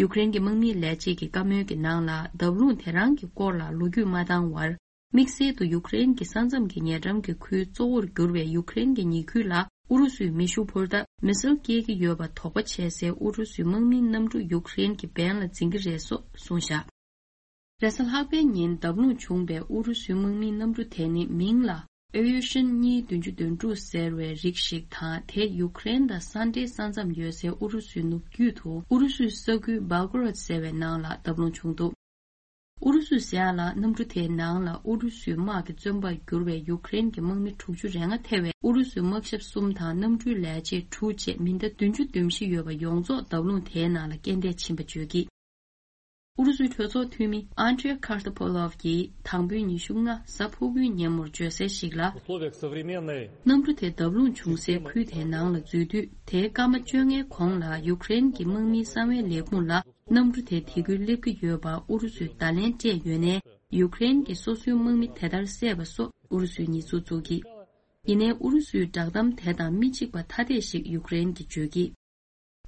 ཡུཀ་རེན་གྱི་དམག་མིའི་ལས་བྱེད་ཀྱི་བཀའ་མོལ་གྱི་ནང་ལ། བརྡབ་ལྷུང་དེ་རང་གི་སྐོར་ལ་ལོ་རྒྱུས་མ་བཏང་བར། དམིགས་བསལ་དུ་ཡུཀ་རེན་གྱི་ས་མཚམས་ཀྱི་ཉེ་འགྲམ་གྱི་ཁུལ་གཙོ་བོར་གྱུར་བའི་ཡུཀ་རེན་གྱི་ཉེ་ཁུལ་ལ་ཨུ་རུ་སུས་མེ་ཤུགས་འཕུར་མདའ་མི་སིལ་སྐྱེལ་གྱི་ཡོད་པ་དོགས་པ་བྱས་སའི་ཨུ་རུ་སུའི་དམག་མིའི་གནམ་གྲུ་ཡུཀ་རེན་གྱི་འབེན་ལ་འཛིན་གྱི་རེད་སོགས་གསུངས་བཞག་རེས་གཟའ་ལྷག་པའི་ཉིན་བརྡབ་ལྷུང་བྱུང་བའི་ཨུ་རུ་སུའི་དམག་མིའི་གནམ་གྲུ་དེ་ནི་མིང་ལ་ཨེ་ཡུ་ཤིན་གཉིས་བདུན་ཅུ་དོན་དྲུག་ཟེར་བའི་རིགས་ཤིག་དང་། དེ་ཡུཀ་རེན་དང་ས་འབྲེལ་ས་མཚམས་ཡོད་སའི་ཨུ་རུ་སུའི་ནུབ་རྒྱུད་དུ་ཨུ་རུ་སུའི་ས་ཁུལ་སྦེལ་ཀོ་རོད་ཟེར་བའི་ནང་ལ་བརྡབ་ལྷུང་བྱུང་འདུག་ཨུ་རུ་སུས་ཟེར་ཡག་ལ། གནམ་གྲུ་དེའི་ནང་ལ་ཨུ་རུ་སུའི་དམག་གི་བཙོན་པར་གྱུར་བའི་ཡུཀ་རེན་གྱི་དམག་མི་དྲུག་ཅུ་རེ་ལྔ་ཐེ་བའི་ཨུ་རུ་སུའི་དམག་ཞབས་གསུམ་དང་གནམ་གྲུའི་ལས་བྱེད་དྲུག་བཅས་མི་སྣ་བདུན་ཅུ་དོན་བཞི་ཡོད་པ་ཡོངས་རྫོགས་བརྡབ་ལྷུང་དེའི་ནང་ལ་རྐྱེན་འདས་ཕྱིན་པ་བརྗོད་ཀྱིས། ཨུ་རུ་སུའི་གྲོས་ཚོགས་འཐུས་མི་ཨན་ཏྲེ་ཁར་ཏོ་པོ་ལོབ་ཀྱིས་དང་པོའི་ཉི་ཤུ་ལྔ་གཟའ་ཕུར་བུའི་ཉིན་མོར་བརྗོད་གསལ་ཞིག་ལ། условиях современной གནམ་གྲུ་དེ་བརྡབ་ལྷུང་བྱུང་སའི་ཁུལ་དེའི་ནང་ལ་འཛུལ་དུས། དེའི་སྐར་མ་བཅོ་ལྔའི་གོང་ལ་ཡུཀ་རེན་གྱི་དམག་མིའི་གསང་བའི་ལས་ཁུངས་ལ། གནམ་གྲུ་དེ་དེ་ཁུལ་སླེབས་ཀྱི་ཡོད་པ་ཨུ་རུ་སུས་བརྡ་ལན་སྤྲད་ཡོད་ནའི། ཡུཀ་རེན་གྱིས་སོ་སོའི་དམག་མི་དེ་ལྟར་བསད་པ་སོགས་ཨུ་རུ་སུས་ཉེས་འཛུགས་བཙུགས་ཀྱིས། ཡིན་ནའི་ཨུ་རུ་སུའི་བསྒྲགས་གཏམ་དེ་དང་མི་གཅིག་པ་ཐ་དད་ཞིག་ཡུཀ་རེན་གྱིས་བརྗོད་ཀྱིས།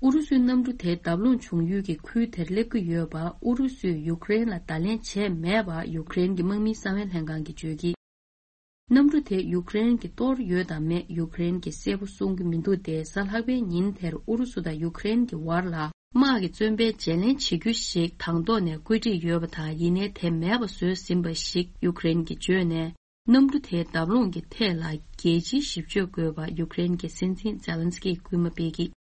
ཨུ་རུ་སུའི་གནམ་གྲུ་དེ་བརྡབ་ལྷུང་བྱུང་ཡུལ་གྱི་ཁུལ་དེར་སླེབས་ཀྱི་ཡོད་པ་ཨུ་རུ་སུས་ཡུཀ་རེན་ལ་བརྡ་ལན་བྱས་མེད་པ་ཡུཀ་རེན་གྱི་དམག་མིའི་གསང་བའི་ལྷན་ཁང་གིས་བརྗོད་ཀྱིས། གནམ་གྲུ་དེ་ཡུཀ་རེན་གྱིས་གཏོར་ཡོད་དམ་མེད་ཡུཀ་རེན་གྱིས་གསལ་པོ་གསུང་གི་མི་འདུག་སྟེ། གཟའ་ལྷག་པའི་ཉིན་དེར་ཨུ་རུ་སུ་དང་ཡུཀ་རེན་གྱི་བར་ལ་དམག་གི་བཙོན་པའི་བརྗེ་ལེན་བྱེད་རྒྱུ་ཞིག་དང་ཐོག་ནས་བཀོད་སྒྲིག་ཡོད་པ་དང་། ཡིན་ནའི་དེ་མེད་པ་བཟོས་ཟིན་པ་ཞིག་ཡུཀ་རེན་གྱིས་བརྗོད་ནས། གནམ་གྲུ་དེའི་བརྡབ་ལྷུང་གི་ཐད་ལ་རྒྱལ་སྤྱིའི་ཞིབ་དཔྱོད་དགོས་པ་ཡུཀ་རེན་གྱི་སྲིད་འཛིན་ཛེ་ལན་སི་ཀིས་སྐུལ་མ་སྤེལ་གྱིས།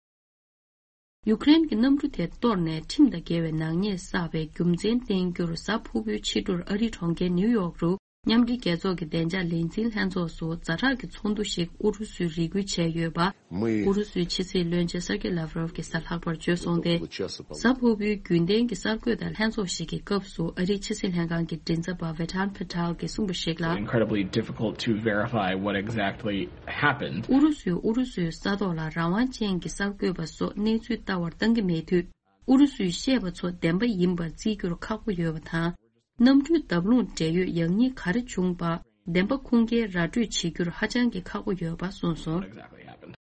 ཡུཀ་རེན་གྱི་གནམ་གྲུ་དེ་གཏོར་ནས་ཁྲིམས་དང་འགལ་བའི་ནག་ཉེས་བསགས་པའི་རྒྱུ་མཚན་བསྟན་རྒྱུར། གཟའ་ཕུར་བུའི་ཕྱི་དྲོར་ཨ་རིའི་གྲོང་ཁྱེར་ནིའུ་ཡོག་རུ་མཉམ་འབྲེལ་རྒྱལ་ཚོགས་ཀྱི་བདེ་འཇགས་ལས་འཛིན་ལྷན་ཚོགས་སུ་ཛ་དྲག་གི་ཚོགས་འདུ་ཞིག་ཨུ་རུ་སུས་རེ་སྐུལ་བྱས་ཡོད་པ། ཨུ་རུ་སུའི་ཕྱི་སྲིད་བློན་ཆེན་སར་ཀེ་ལབ་རོབ་ཀྱིས་གཟའ་ལྷག་པར་བརྗོད་སོང་སྟེ། གཟའ་ཕུར་བུའི་རྒྱུན་ལྡན་གྱི་གསར་འགོད་དང་ལྷན་ཚོགས་ཤིག་གི་སྐབས་སུ་ཨ་རིའི་ཕྱི་སྲིད་ལྷན་ཁང་གི་མགྲིན་ཚབ་པ་ཝེ་ཐན་ཕེ་ཐལ་གྱིས་གསུངས་པ་ཞིག་ལ། Incredibly difficult to verify what exactly happened. ཨུ་རུ་སུས་ཨུ་རུ་སུའི་ས་ཐོག་ལ་རང་དབང་ཅན་གྱི་གསར་འགོད་པ་སོགས་གནས་ཚུལ་ལྟ་བར་བཏང་གི་མེད་དུས། ཨུ་རུ་སུས་བཤད་པ་ཚོ་བདེན་པ་ཡིན་པར་བརྩི་རྒྱུར་ཁག་པོ་ཡོད་པ་དང་། གནམ་གྲུའི་བརྡབ་ལྷུང་འབྲེལ་ཡོད་ཡག་ཉེས་ག་རེ་བྱུང་པ་བདེན་པ་ཁུངས་སྐྱེལ་ར་སྤྲོད་བྱེད་རྒྱུར་ཧ་ཅང་གི་ཁག་པོ་ཡོད་པ་གསུངས་སོང་།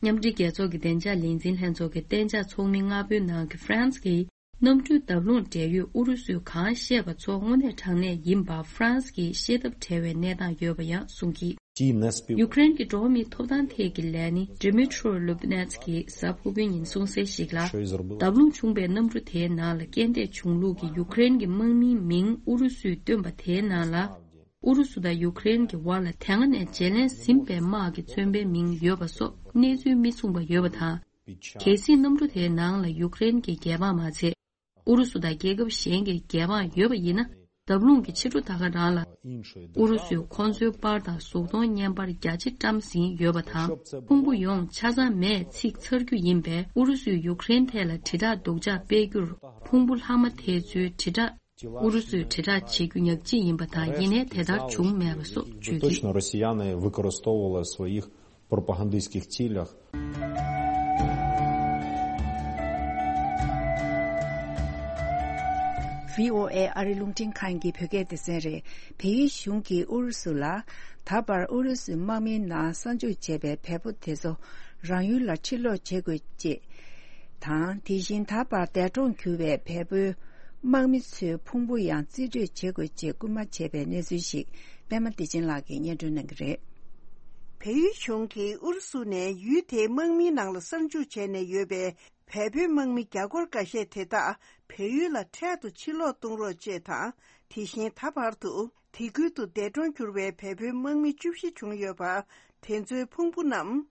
མཉམ་འབྲེལ་རྒྱལ་ཚོགས་ཀྱི་བདེ་འཇགས་ལས་འཛིན་ལྷན་ཚོགས་ཀྱི་གཏན་འཇགས་ཚོགས་མི་ལྔ་པོའི་ནང་གི་ཧྥ་རན་སི་གིས། གནམ་གྲུའི་བརྡབ་ལྷུང་འབྲེལ་ཡོད་ཨུ་རུ་སུས་གང་བཤད་པ་ཚོ་དངོས་གནས་དྲང་གནས་ཡིན་པ་ཧྥ་རན་སི་གིས་ཤེས་ཐབས་བྲལ་བའི་གནས་སྟངས་ཡོད་པ་ཡང་གསུངས་ཀྱིས། ཡུཀ་རེན་གྱི་འགྲོ་བ་མིའི་ཐོབ་ཐང་ཐད་ཀྱི་ལས་སྣེ་Dmytro Lubnets གྱིས་གཟའ་ཕུར་བུའི་ཉིན་གསུངས་གསལ་ཞིག་ལ། བརྡབ་ལྷུང་བྱུང་བའི་གནམ་གྲུ་དེའི་ནང་ལ་རྐྱེན་འདས་བྱུང་ལུགས་ཀྱི་ཡུཀ་རེན་གྱི་དམག་མིའི་མིང་ཨུ་རུ་སུས་བཏོན་པ་དེའི་ནང་ལ། ཨུ་རུ་སུ་དང་ཡུཀ་རེན་གྱི་བར་ལ་དེ་སྔ་ནས་བརྗེ་ལེན་ཟིན་པའི་དམག་གི་བཙོན་པའི་མིང་ཡོད་པ་སོགས་གནས་ཚུལ་མི་མཚུངས་པ་ཡོད་པ་དང་། གལ་སྲིད་གནམ་གྲུ་དེའི་ནང་ལ་ཡུཀ་རེན་གྱི་རྒྱལ་འབངས་མ་ཚད། ཨུ་རུ་སུ་དང་རྒྱལ་ཁབ་གཞན་གྱི་རྒྱལ་འབངས་ཡོད་པ་ཡིན་ན། བརྡབ་ལྷུང་གི་ཕྱི་དྲོ་ད་ག་རང་ལ། ཨུ་རུ་སུས་ཁོང་ཚོའི་པར་དང་གཟུགས་མཐོང་བརྙན་པར་རྒྱ་ཆེ་བཀྲམ་ཟིན་ཡོད་པ་དང་། ཕུང་པོ་ཡོངས་ཆ་ཚང་མེད་ཚིག་ཚར་རྒྱུ་ཡིན་པས། ཨུ་རུ་སུས་ཡུཀ་རེན་ཐད་ལ་དྲིལ་བསྒྲགས་སྡུག་ཅག་སྤེལ་རྒྱུར། ཕུང་པོ་ལྷག་མ་དེ་ཚོའི་དྲིལ་བསྒྲགས། ཨུ་རུ་སུས་དྲིལ་བསྒྲགས་བྱེད་རྒྱུ་ཉག་གཅིག་ཡིན་པ་དང་། ཡིན་ནའི་དེ་ལྟར་བྱུང་མེད་པ་སོགས་བརྗོད་ཀྱིས། Точно россияне використовували в своїх пропагандистських цілях. བྷི་ཨོ་ཨེ་ཨ་རི་རླུང་འཕྲིན་ཁང་གི་བོད་སྐད་སྡེ་ཚན་རེད། བལ་ཡུལ་གཞུང་གིས་ཨུ་རུ་སུ་ལ། ད་བར་ཨུ་རུ་སུའི་དམག་མིའི་ནང་གསར་འཇུག་བྱས་པའི་བལ་པོ་དེ་ཚོ་རང་ཡུལ་ལ་ཕྱིར་ལོག་བྱེད་དགོས་ཅེས་དང་། དེ་བཞིན་ད་བར་འདས་གྲོངས་གྱུར་བའི་བལ་པོའི་དམག་མི་ཚོའི་ཕུང་པོ་ཡང་རྩིས་སྤྲོད་བྱེད་དགོས་ཅེས་སྐུལ་མ་བྱས་པའི་གནས་ཚུལ་ཞིག་པད་མ་བདེ་ཆེན་ལགས་ཀྱིས་སྙན་སྒྲོན་གནང་གི་རེད། བལ་ཡུལ་གཞུང་གིས་ཨུ་རུ་སུ་ནས་ཡུལ་དེའི་དམག་མིའི་ནང་ལ་གསར་འཇུག་བྱས་ནས་ཡོད་པའི་བལ་པོའི་དམག་མི་རྒྱ་སྒོར་འགའ་ཤས་དེ་དག་བལ་ཡུལ་ལ་འཕྲལ་དུ་ཕྱིར་ལོག་གཏོང་རོགས་ཅེས་དང་། དེ་བཞིན་ད་བར་དུ་དེ་ཁུལ་དུ་འདས་གྲོངས་གྱུར་བའི་བལ་པོའི་དམག་མི་བཅུ་བཞི་བྱུང་ཡོད་པ། དེ་ཚོའི་ཕུང་པོ་རྣམས་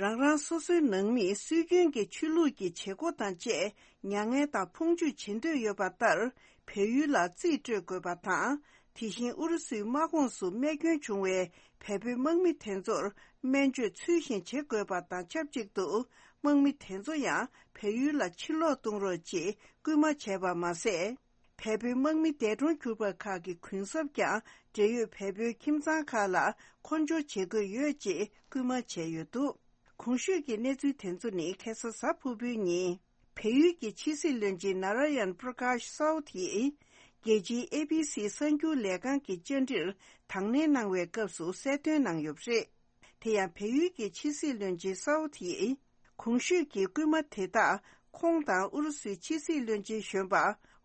རང་རང་སོ་སོའི་ནང་མིས་སྲོལ་རྒྱུན་གྱི་ཆོས་ལུགས་ཀྱི་བྱེད་སྒོ་དང་བཅས་མྱ་ངན་དང་ཕུང་འཇུག་བྱེད་འདོད་ཡོད་པ་ལྟར། བལ་ཡུལ་ལ་རྩིས་སྤྲོད་དགོས་པ་དང་། དེ་བཞིན་ཨུ་རུ་སུའི་དམག་ཁོངས་སུ་རྨས་སྐྱོན་བྱུང་བའི་བལ་པོའི་དམག་མི་དེ་ཚོར་སྨན་བཅོས་ཚུལ་བཞིན་བྱེད་དགོས་པ་དང་ཆབས་ཅིག་ཏུ། དམག་མི་དེ་ཚོ་ཡང་བལ་ཡུལ་ལ་ཕྱིར་ལོག་གཏོང་རོགས་ཅེས་སྐུལ་མ་བྱས་པ་མ་ཟད། བལ་པོའི་དམག་མི་འདས་གྲོངས་གྱུར་པ་ཁག་གི་གུན་གསབ་ཀྱང་འབྲེལ་ཡོད་བལ་པོའི་ཁྱིམ་ཚང་ཁག་ལ་མཁོ་འབྱོར་བྱེད་དགོས་ཡོད་ཅེས་སྐུལ་མ་བྱས་ཡོད་འདུག་གོང་ཞུས་ཀྱི་གནས་ཚུལ་དེ་ཚོ་ནི་ཁ་སང་གཟའ་ཕུར་བུའི་ཉིན། བལ་ཡུལ་གྱི་ཕྱི་སྲིད་བློན་ཆེན་ནཱ་ར་ཡན་པྲ་ཀཱཤ་སའོ་ཐིས་ རྒྱལ་སྤྱིའི་ཨེ་བི་སི་གསར་འགྱུར་ལས་ཁང་གི་བཅར་འདྲིར་དང་ལེན་གནང་བའི་སྐབས་སུ་གསལ་སྟོན་གནང་ཡོད་པ་རེད། དེ་ཡང་བལ་ཡུལ་གྱི་ཕྱི་སྲིད་བློན་ཆེན་སའོ་ཐི་ཡིས། གོང་ཞུས་ཀྱི་སྐུལ་མ་དེ་དག་ཁོང་དང་ཨུ་རུ་སུའི་ཕྱི་སྲིད་བློན་ཆེན་གཞོན་པ་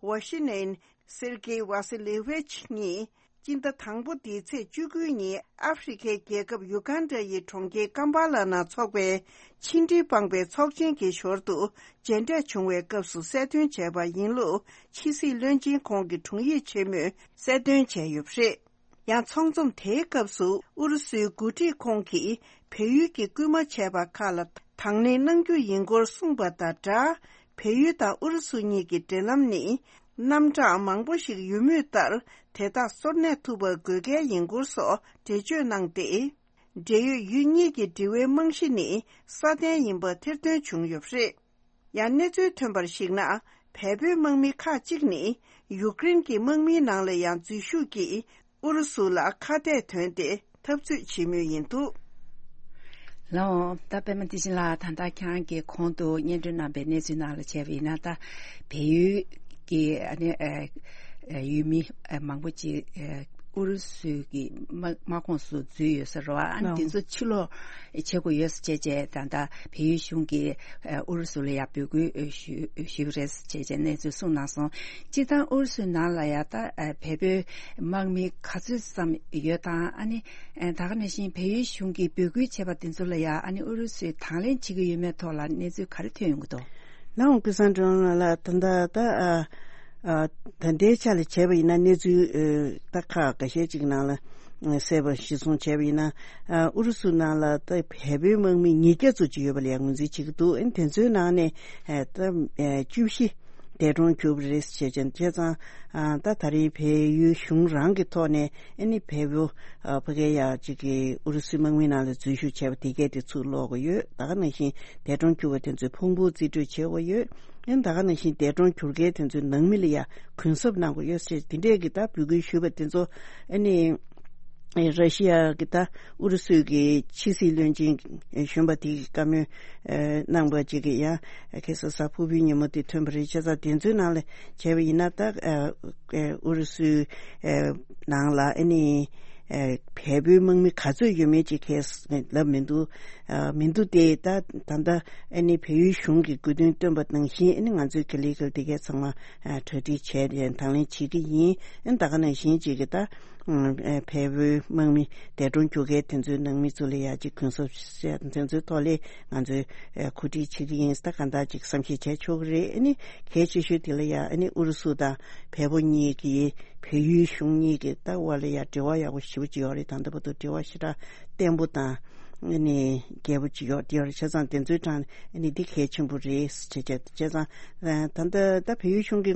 ཝ་ཤི་ནན་སེར་གེ་ཝ་སི་ལེ་ཝེ་ཆི་གཉིས་སྤྱི་ཟླ་དང་པོ་འདིའི་ཚེས་བཅུ་དགུ་ཉིན་ཨ་ཧྥེ་རི་ཁའི་རྒྱལ་ཁབ་ཡུ་གན་ཌ་ཡི་གྲོང་ཁྱེར་ཀམ་པ་ལ་ནང་འཚོགས་པའི་ཕྱི་འབྲེལ་དཔང་པའི་ཚོགས་ཆེན་གྱི་ཞོར་དུ་མཇལ་འཕྲད་བྱུང་བའི་སྐབས་སུ་གསལ་སྟོན་བྱས་པ་ཡིན་ལུགས་ཕྱི་སྲིད་བློན་ཆེན་ཁོང་གི་དྲུང་ཡིག་ཆེན་མོས་གསལ་སྟོན་བྱས་ཡོད་པ་རེད། ཡང་ཚོགས་འཛོམས་དེའི་སྐབས་སུ་ཨུ་རུ་སུའི་འགོ་ཁྲིད་ཁོང་གིས་བལ་ཡུལ་གྱི་སྐུལ་མ་བྱས་པ་ཁག་ལ་དང་ལེན་གནང་རྒྱུ་ཡིན་སྐོར་གསུངས་པ་དང་སྦྲགས། བལ་ཡུལ་དང་ཨུ་རུ་སུ་གཉིས་ཀྱི་འབྲེལ་ལམ་ནི་རྣམ་གྲངས་མང་པོ་ཞིག་ཡོད་མུས་ལྟར་དེ་དག་སོར་གནས་ཐུབ་པ་དགོས་གལ་ཡིན་སྐོར་སོགས་འགྲེལ་བརྗོད་གནང་སྟེ། འབྲེལ་ཡོད་ཡུལ་གཉིས་ཀྱི་འབྲེལ་བའི་རྨང་གཞི་ནི་སྲ་བརྟན་ཡིན་པ་ཐེར་འདོན་བྱུང་ཡོད་པ་རེད། ཡང་གནས་ཚུལ་ཐོན་པར་གཞིགས་ན། བལ་པོའི་དམག་མི་ཁག་ཅིག་ནི་ཡུཀ་རེན་གྱི་དམག་མིའི་ནང་ལ་ཡང་འཛུལ་ཞུགས་ཀྱིས་ཨུ་རུ་སུ་ལ་ཁ་གཏད་དོན་ཏེ་འཐབ་རྩོད་བྱེད་མུས་ཡིན་འདུག། ལགས་འོང་། ད་པད་མ་བདེ་ཆེན་ལགས། ད་ལྟ་ཁྱེད་རང་གིས་གོང་དུ་སྙན་སྒྲོན་གནང་པའི་གནས་ཚུལ་ནང་ལ་བྱས་པ་ཡིན་ན། ད་བལ་ཡུལ་གྱི་ཨ་ནི་ཨ་ཨ་ཡུལ་མི་ཨ་མང་པོ་ཅིག་ཨ་ཨུ་རུ་སུ་གི་དམག་དམག་ཁོངས་སུ་འཛུལ་ཡོད་ས་རེད་བ། ཨ་ནི་ལགས་འོང་། དེ་ཚོ་ཕྱིར་ལོག་བྱེད་དགོས་ཡོད་ཟེར་བྱས་བྱས་ད་ལྟ་བལ་ཡུལ་གཞུང་གིས་ཨུ་རུ་སུ་ལ་ཡང་འབོད་སྐུལ་ཞུ་ཞུས་པ་རེད་ཟེར་བྱས་བྱས་གནས་ཚུལ་གསུངས་གནང་སོང་། སྤྱིར་བཏང་ཨུ་རུ་སུའི་ནང་ལ་ཡང་ད་བལ་པོའི་དམག་མི་ག་ཚོད་ཙམ་ཡོད་དང་། ཨ་ནི་ད་ག་ནང་བཞིན་བལ་ཡུལ་གཞུང་གིས་འབོད་སྐུལ་བྱས་པ་དེ་ཚོ་ལ་ཡང་ཨ་ནི་ཨུ་རུ་སུས་དང་ལེན་བྱེད་ཀྱི་ཡོད་མེད་ཐོག་ལ་གནས་ཚུལ་ག་རེ་ཐོན་ཡོང་གི་འདུག། ལགས་འོང་། ཀུན་བཟང་སྒྲོལ་ལགས། ད་ལྟ་ད་ཨ་ཨ་ད་ལྟའི་ཆ་ལ་བྱས་པ་ཡིན་ན་གནས་ཚུལ་ཨ་ད་ཁག་འགའ་ཤས་ཅིག་ནང་ལ་ཨ་གསལ་པོ་གཞིར་བཟུང་བྱས་པ་ཡིན་ན། ཨ་ཨུ་རུ་སུ་ནང་ལ་ད་བལ་པོའི་དམག་མི་ཉིས་བརྒྱ་ཙམ་ཅིག་ཡོད་པ་ལ་ཡང་ངོས་འཛིན་བྱེད་ཀྱི་འདུག། ཨ་ནི་དེ་ཚོའི་ནང་ནས་ཨ་ད་ཨ་བཅུ་བཞི་འདས་གྲོངས་གྱུར་པ་རེད་ཟེར་བྱས་ཙང་། བྱས་ཙང་ཨ་ད་ད་རེས་བལ་ཡུལ་གཞུང་རང་གི་ཐོག་ནས་ཨ་ནི་བལ་པོ་ཨ་ཕ་གི་ཡ་ཅིག་གི་ཨུ་རུ་སུའི་དམག་མི་ནང་ལ་འཛུལ་ཞུགས་བྱས་པ་དེ་གས་དེ་ཚུར་སློག་གི་ཡོད། ད་ག་ནང་བཞིན་འདས་གྲོངས་གྱུར་པ་དེ་ཚོའི་ཕུང་པོ་རྩིས་སྤྲོད་བྱེད་དགོས་ཡོད། ཨ་ནི་ད་ག་ནང་བཞིན་འདས་གྲོངས་གྱུར་མཁན་དེ་ཚོའི་ནང་མི་ལ་ཡ་གུན་གསབ་གནང་དགོས་ཡོད་ཟེར། དེ་འདྲས་ཀྱི་ད་འབོད་སྐུལ་ཞུས་པ་དེ་ཚོ་ཨ་ནི་ར་ཤི་ཡ་གི་ད་ཨུ་རུ་སུའི་གི་ཕྱི་སྲིད་བློན་ཆེན་གཞོན་པ་དེ་གིས་བཀའ་མོལ་གནང་པ་ཅིག་གི་ཡང་ཁ་སང་གཟའ་ཕུར་བུའི་ཉིན་མོ་དེ་ཐོན་པ་རེད། བྱས་ཙང་དེ་ཚོའི་ནང་ལ་བྱས་པ་ཡིན་ན། ད་ཨུ་རུ་སུའི་ནང་ལ་ཨ་ནི་བལ་པོའི་དམག་མི་ག་ཚོད་ཡོད་མེད་ཅིག་ཁས་ལབ་མི་འདུག། མི་འདུག་སྟེ། ད་ད་ལྟ་ཨ་ནི་བལ་ཡུལ་གཞུང་གིས་དགོས་འདུན་བཏོན་པ་ནང་བཞིན་ཨ་ནི་ང་ཚོས་ག་ལེ་ག་ལེ་དེ་གས་ཚང་མ་གྲ་སྒྲིག་བྱས་ནས་དང་ལེན་བྱེད་ཀྱི་ཡིན། ཨ་ནི་ད་ག་ནང་བཞིན་ཅིག་གི་ད་བལ་པོའི་དམག་མི་འདས་གྲོངས་གྱུར་མཁན་དེ་ཚོའི་ནང་མི་ཚོ་ལ་ཡ་ཅིག་གུན་གསབ་བྱས་དེ་ཚོའི་ཐོག་ལ་ང་ཚོས་གོ་སྒྲིག་བྱེད་ཀྱི་ཡིན། ད་གང་ལྟར་ཅིག་བསམ་ཤེས་བྱས་ཆོག་གི་རེད། ཨ་ནི་གལ་ཆེ་ཤོས་དེ་ལ་ཡ་ཨ་ནི་ཨུ་རུ་སུ་དང་བལ་པོ་གཉིས་ཀྱི་བལ་ཡུལ་གཞུང་གཉིས་ཀྱི་ད་དབར་ལ་ཡ་འབྲེལ་བ་ཡག་པོ་ཞེ་པོ་ཅིག་ཡོད་རེད། ད་ལྟ་བར་དུ་འབྲེལ་བ་ཞེ་དྲག་བརྟན་པོ་དང་ཨ་ནི་རྒྱས་པོ་ཅིག་ཡོད་དེ་ཡོད་རེད། བྱས་ཙང་དེ་ཚོའི་གྲས་ཨ་ནི་འདི་གལ་ཆེན་པོ་རེད་ཟེར་བྱས། བྱས་ཙང་ད་ལྟ་ད་བལ་ཡུལ་གཞུང་གི་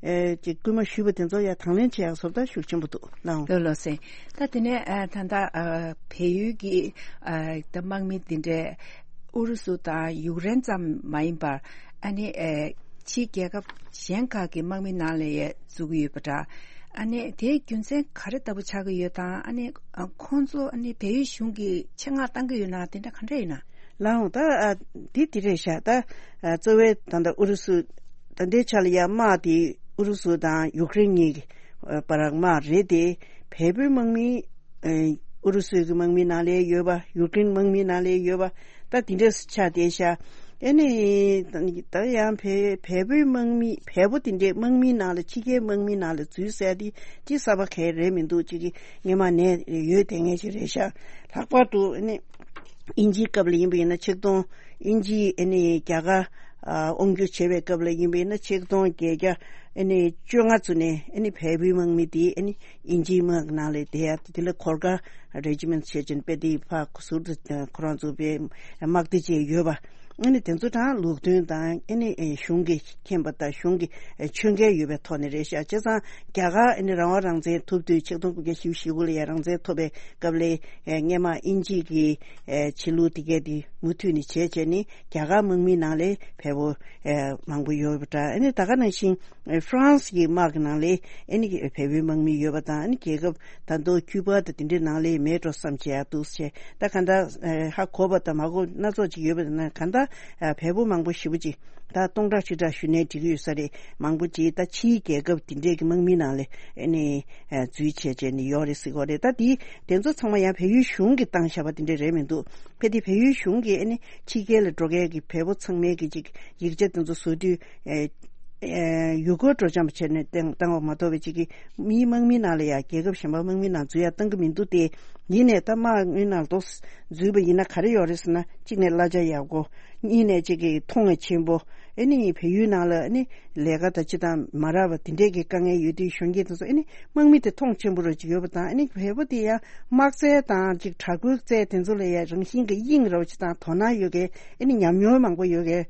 ཨ་ཅིག་སྐུལ་མ་ཞུས་པ་དེ་ཚོ་ཡ་དང་ལེན་བྱེད་ཡག་བཟོ་ལྟ་ཤུགས་ཆེན་པོ་འདུག་ལགས་འོང་། ལགས་ལགས་སེ། ད་དེ་ནས་ཨ་ད་ལྟ་ཨ་བལ་ཡུལ་གྱི་ཨ་ད་དམག་མི་དེ་འདྲས་ཨུ་རུ་སུ་དང་ཡུཀ་རེན་ཙམ་མ་ཡིན་པར་ཨ་ནི་ཨ་ཕྱིའི་རྒྱལ་ཁབ་གཞན་ཁག་གི་དམག་མི་ནང་ལ་ཡ་བཙུགས་ཀྱི་ཡོད་པ་འདྲ། ཨ་ནི་དེའི་རྒྱུ་མཚན་ག་རེ་ལྟ་བུ་ཆགས་ཀྱི་ཡོད་དང་། ཨ་ནི་ཨ་ཁོང་ཚོ་ཨ་ནི་བལ་ཡུལ་གཞུང་གིས་ཆེད་མངགས་བཏང་གི་ཡོད་ན་དེ་འདྲ་ག་འདྲ་ཡིན་ན། ལགས་འོང་། ད་ཨ་འདི་འདི་རེད་ཤག། ད་ཨ་གཙོ་བོའི་ད་ལྟ་ཨུ་རུ་སུ་ད་ལྟའི་ཆ་ལ་ཡ་དམག་དེ་ཨུ་རུ་སུ་དང་ཡུཀ་རེན་གཉིས་ཀྱི་ཨ་བར་དམག་རེད་དེ། བལ་པོའི་དམག་མི་ཨ་ཨུ་རུ་སུའི་གི་དམག་མི་ནང་ལ་ཡོད་པ། ཡུཀ་རེན་དམག་མི་ནང་ལ་ཡོད་པ། ད་དེ་འདྲས་ཆགས་བསྡད་ཤག། ཨ་ནི་ད་ཡང་བལ་བལ་པོའི་དམག་མི་བལ་པོ་དེ་འདྲའི་དམག་མིའི་ནང་ལ་ཕྱི་རྒྱལ་དམག་མིའི་ནང་ལ་འཛུལ་ཟེར་དེ་ཅི་གསར་པ་གང་རེད་མི་འདུག། ཅིག་གི་སྔོན་མ་ནས་ཡོད་བསྡད་མཁན་ཞིག་རེད་ཤག། ལྷག་པར་དུ་ཨ་ནི་དབྱིན་ཇིའི་སྐབས་ལ་ཡིན་པ་ཡིན་ན་ཆིག་སྟོང་། དབྱིན་ཇིས་ཨ་ནི་རྒྱ་གར་ཨ་དབང་སྒྱུར་བྱེད་པའི་སྐབས་ལ་ཡིན་པ་ཡིན་ན་ཆིག་སྟོང་བརྒྱད་བརྒྱ་ཨ་ནི་བཅོ་ལྔ་ཙམ་ནས་ཨ་ནི་བལ་པོའི་དམག་མི་དེ་ཨ་ནི་དབྱིན་ཇིའི་དམག་ནང་ལ་བསྡད་ཡ། དེ་ལ་གོར་ཁ་རེ་ཇི་མེན་ཊི་བྱས་ཅིང་དཔེ་དེ་ཕར་ཟུར་དུ་ཁོ་རང་ཚོ་དཔེ་དམག་སྡེ་བཅས་ཡོད་པ། ཨ་ནི་དེ་ཚོ་དང་ལུགས་མཐུན་དང་། ཨ་ནི་གཞུང་གི་མཁྱེན་པ་དང་གཞུང་གི་ཆོད་མཁས་ཡོད་པའི་ཐོག་ནས་རེད་ཤག། བྱས་ཙང་རྒྱ་གར་ཨ་ནི་རང་དབང་རང་བཙན་ཐོབ་དུས་ཆིག་སྟོང་དགུ་བརྒྱ་བཞི་བཅུ་ཞེ་དགུ་ལ་ཡ་རང་བཙན་ཐོབ་པའི་སྐབས་ལ་སྔས་མ་དབྱིན་ཇི་གི་ཆོས་ལུགས་དེ་གས་དེ་མུ་མཐུད་ནས་བྱས་བྱས་ནས་རྒྱ་གར་དམག་མིའི་ནང་ལ་བལ་པོ་མང་པོ་ཡོད་པ་འདྲ། ཨ་ནི་ད་ག་ནང་བཞིན་ཧྥ་རན་སི་གི་དམག་གི་ནང་ལ་ཨ་ནི་བལ་པོའི་དམག་མི་ཡོད་པ་དང་། ཨ་ནི་རྒྱལ་ཁབ་ད་དུང་ཁྱུ་པ་དང་དེ་འདྲའི་ནང་ལ་མེད་འགྲོ་བསམ་བྱས་ཡ་འདུག་ཟེར། ད་ག་འདྲ་ཧ་གོ་བ་དང་མ་གོ་སྣ་ཚོགས་ཅིག་ཡོད་པ་ན། ག་འདྲ་ ཨ་བལ་པོ་མང་པོ་ཞེ་པོ་ཅིག་ད་སྟོང་ཕྲག་ཁྲི་ཕྲག་ཞུ་ནས་འགྲིག་གི་ཡོད་ས་རེད། མང་པོ་ཅིག་ད་ཕྱིའི་རྒྱལ་ཁབ་དེ་འདྲས་ཀྱི་དམག་མིའི་ནང་ལ་ཨ་ནི་ཨ་འཛུལ་བྱས་བྱས་ནས་ཡོད་རེད་ཟེར་གྱི་ཡོད་རེད། ད་དེ་དེ་ཚོ་ཚང་མ་ཡང་བལ་ཡུལ་གཞུང་གིས་བཏང་བཞག་པ་དེ་འདྲས་རེད་མི་འདུག་ཕལ་དེ་བལ་ཡུལ་གཞུང་གིས་ཨ་ནི་ཕྱི་རྒྱལ་ལ་འགྲོ་མཁན་གྱི་བལ་པོ་ཚང་མའི་གི་ཅིག་ཡིག་ཆ་དེ་ཚོ་བཟོ་དུས་ཨ་ཨ་ཡུལ་སྐོར་སྤྲོ་འཆམ་བྱས་ནས་བཏང་བཏང་བ་མ་གཏོགས་པའི་ཅིག་གི་མིའི་དམག་མིའི་ནང་ལ་ཡང་རྒྱལ་ཁབ་གཞན་པ་དམག་མིའི་ནང་འཛུལ་ཡ་བཏང་གི་མི་འདུག་སྟེ། ཡིན་ནའི་ད་དམག་མིའི་ནང་ལ་འཛུལ་བ་ཡིན་ན་ག་རེ་ཡོད་རེད་ཟེར་ན། གཅིག་ནས་གླ་ཆ་ཡག་པོ། གཉིས་ནས་གཅིག་གི་མཐོང་བ་ཆེན་པོ། ཨ་ནི་བལ་ཡུལ་ནང་ལ་ཨ་ནི་ལས་ཀ་དང་ཅི་དང་མ་རག་པ་དེ་འདྲས་ཀྱི་དཀའ་ངལ་ཡོད་དུས་གཞོན་སྐྱེས་དེ་ཚོ་ཨ་ནི་དམག་མི་དེ་མཐོང་ཆེན་པོ་རུ་ཅིག་ཡོད་པ་དང་། ཨ་ནི་བལ་པོ་དེ་ཡང་དམག་རྩལ་དང་ཅིག་དྲག་པོའི་རྩལ་དེ་ཚོ་ལ་ཡང་རང་བཞིན་གྱི་དབྱིངས་རོགས་ཅིག་དང་དོ་སྣང་ཡོད་མཁན། ཨ་ནི་ཉམས་མྱོང་མང་པོ་ཡོད་མཁན།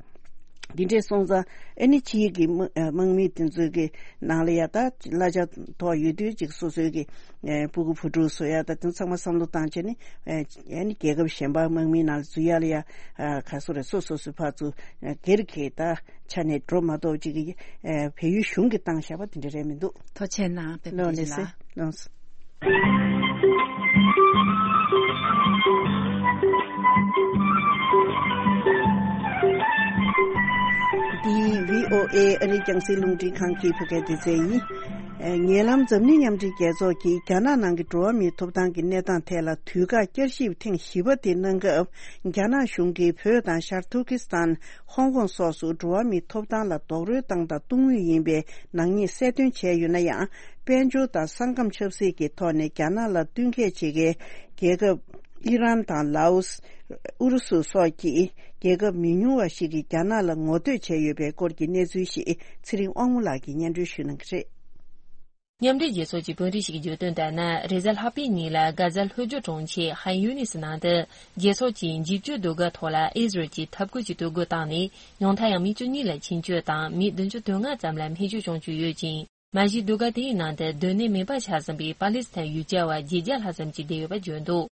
འདི་འདྲས་སོང་ཙང་ཨ་ནི་ཕྱིའི་གི་དམག་དམག་མི་དེ་ཚོའི་གི་ནང་ལ་ཡ་ད་གླ་ཆ་མཐོ་ཡོད་དུས་ཅིག་སོ་སོའི་གི་ཨ་སྤུ་གུ་བུ་ཕྲུག་བཟོ་ཡ་ད་དེ་ཚང་མ་བསམ་བློ་བཏང་བྱས་ནས་ཨ་ཨ་ནི་རྒྱལ་ཁབ་གཞན་པ་དམག་མིའི་ནང་ལ་འཛུལ་ཡ་ལ་ཡ་ཨ་ག་སོ་རེད། སོ་སོ་སོའི་ཕར་ཚུར་ཨ་སྒེར་གྱི་ད་ཆ་ནས་འགྲོ་མ་གཏོགས་ཅིག་གི་ཨ་བལ་ཡུལ་གཞུང་གིས་བཏང་བཞག་པ་དེ་འདྲ་རེད་མི་འདུག་ཐུགས་རྗེ་གནང་། དཔེ་མི་ལོ་སྲིད་ལ་ལོ་སྲིད། འདི་བྷི་ཨོ་ཨེ་ཨ་རིའི་རྒྱང་སྲིང་རླུང་འཕྲིན་ཁང་གི་བོད་སྐད་སྡེ་ཚན་ཡིན། ཨ་ཉེ་ལམ་འཛམ་གླིང་མཉམ་འབྲེལ་རྒྱལ་ཚོགས་ཀྱིས་རྒྱ་ནག་ནང་གི་འགྲོ་བ་མིའི་ཐོབ་ཐང་གི་གནས་སྟངས་ཐད་ལ་དུས་བཀག་བསྐྱར་ཞིབ་ཐེངས་བཞི་པ་དེ་གནང་སྐབས། རྒྱ་ནག་གཞུང་གིས་བོད་དང་ཤར་ཐུར་ཀི་སི་ཐན། ཧོང་ཀོང་སོགས་སུ་འགྲོ་བ་མིའི་ཐོབ་ཐང་ལ་རྡོག་རོལ་བཏང་དང་གཏོང་མུས་ཡིན་པའི་ནག་ཉེས་གསལ་སྟོན་བྱས་ཡོད་ན་ཡང་། དཔལ་འབྱོར་དང་ས་ཁམས་ཆབ་སྲིད་ཀྱི་ཐོག་ནས་རྒྱ་ནག་ལ་བསྟུན་མཁས་བྱེད་མཁན་རྒྱལ་ཁབ་ཨི་རན་དང་ལའོ་སི། ཨུ་རུ་སུ་སོགས་ཀྱི་རྒྱལ་ཁབ་མི་ཉུང་བ་ཞིག་གིས་རྒྱ་ནག་ལ་ངོ་བསྟོད་བྱས་ཡོད་པའི་སྐོར་གྱི་གནས་ཚུལ་ཞིག་ཚེ་རིང་དབང་མོ་ལགས་ཀྱིས་སྙན་སྒྲོན་ཞུ་གནང་གི་རེད། མཉམ་འབྲེལ་རྒྱལ་ཚོགས་ཀྱི་དཔོན་རིགས་ཤིག་གིས་བརྗོད་དོན་ལྟར་ན། རེས་གཟའ་ལྷག་པའི་ཉིན་ལ་གྷ་ཛ་ལྷོ་རྒྱུད་གྲོང་ཁྱེར་ཧན་ཡུ་ནི་སི་ནང་དུ་རྒྱལ་ཚོགས་ཀྱི་འཇིབ་སྐྱོར་ཟློས་གར་ཐོག་ལ་ཨི་ཟི་རལ་གྱི་འཐབ་རྒོལ་གྱི་སྡོད་སྒོ་བཏང་ནས་ཉུང་མཐར་ཡང་མི་བཅུ་གཉིས་ལ་འཆིང་སྐྱོད་དང་མི་བདུན་ཅུ་དོན་ལྔ་ཙམ་ལ་སྨན་བཅོས་བྱུང་བཅུག་ཡོད་ཅིང་། མ་གཞི་ཟློས་གར་དེའི་ནང་དུ་སྡོད་གནས་མེད་པར་ཆགས་ཟིན་པའི་པ་ལི་སི་ཐན་ཡུལ་གྱར་བ་བརྒྱད་བརྒྱ་ལྷག་ཙམ་ཅིག་བསྡད་ཡོད་པ་བརྗོད་འདུག་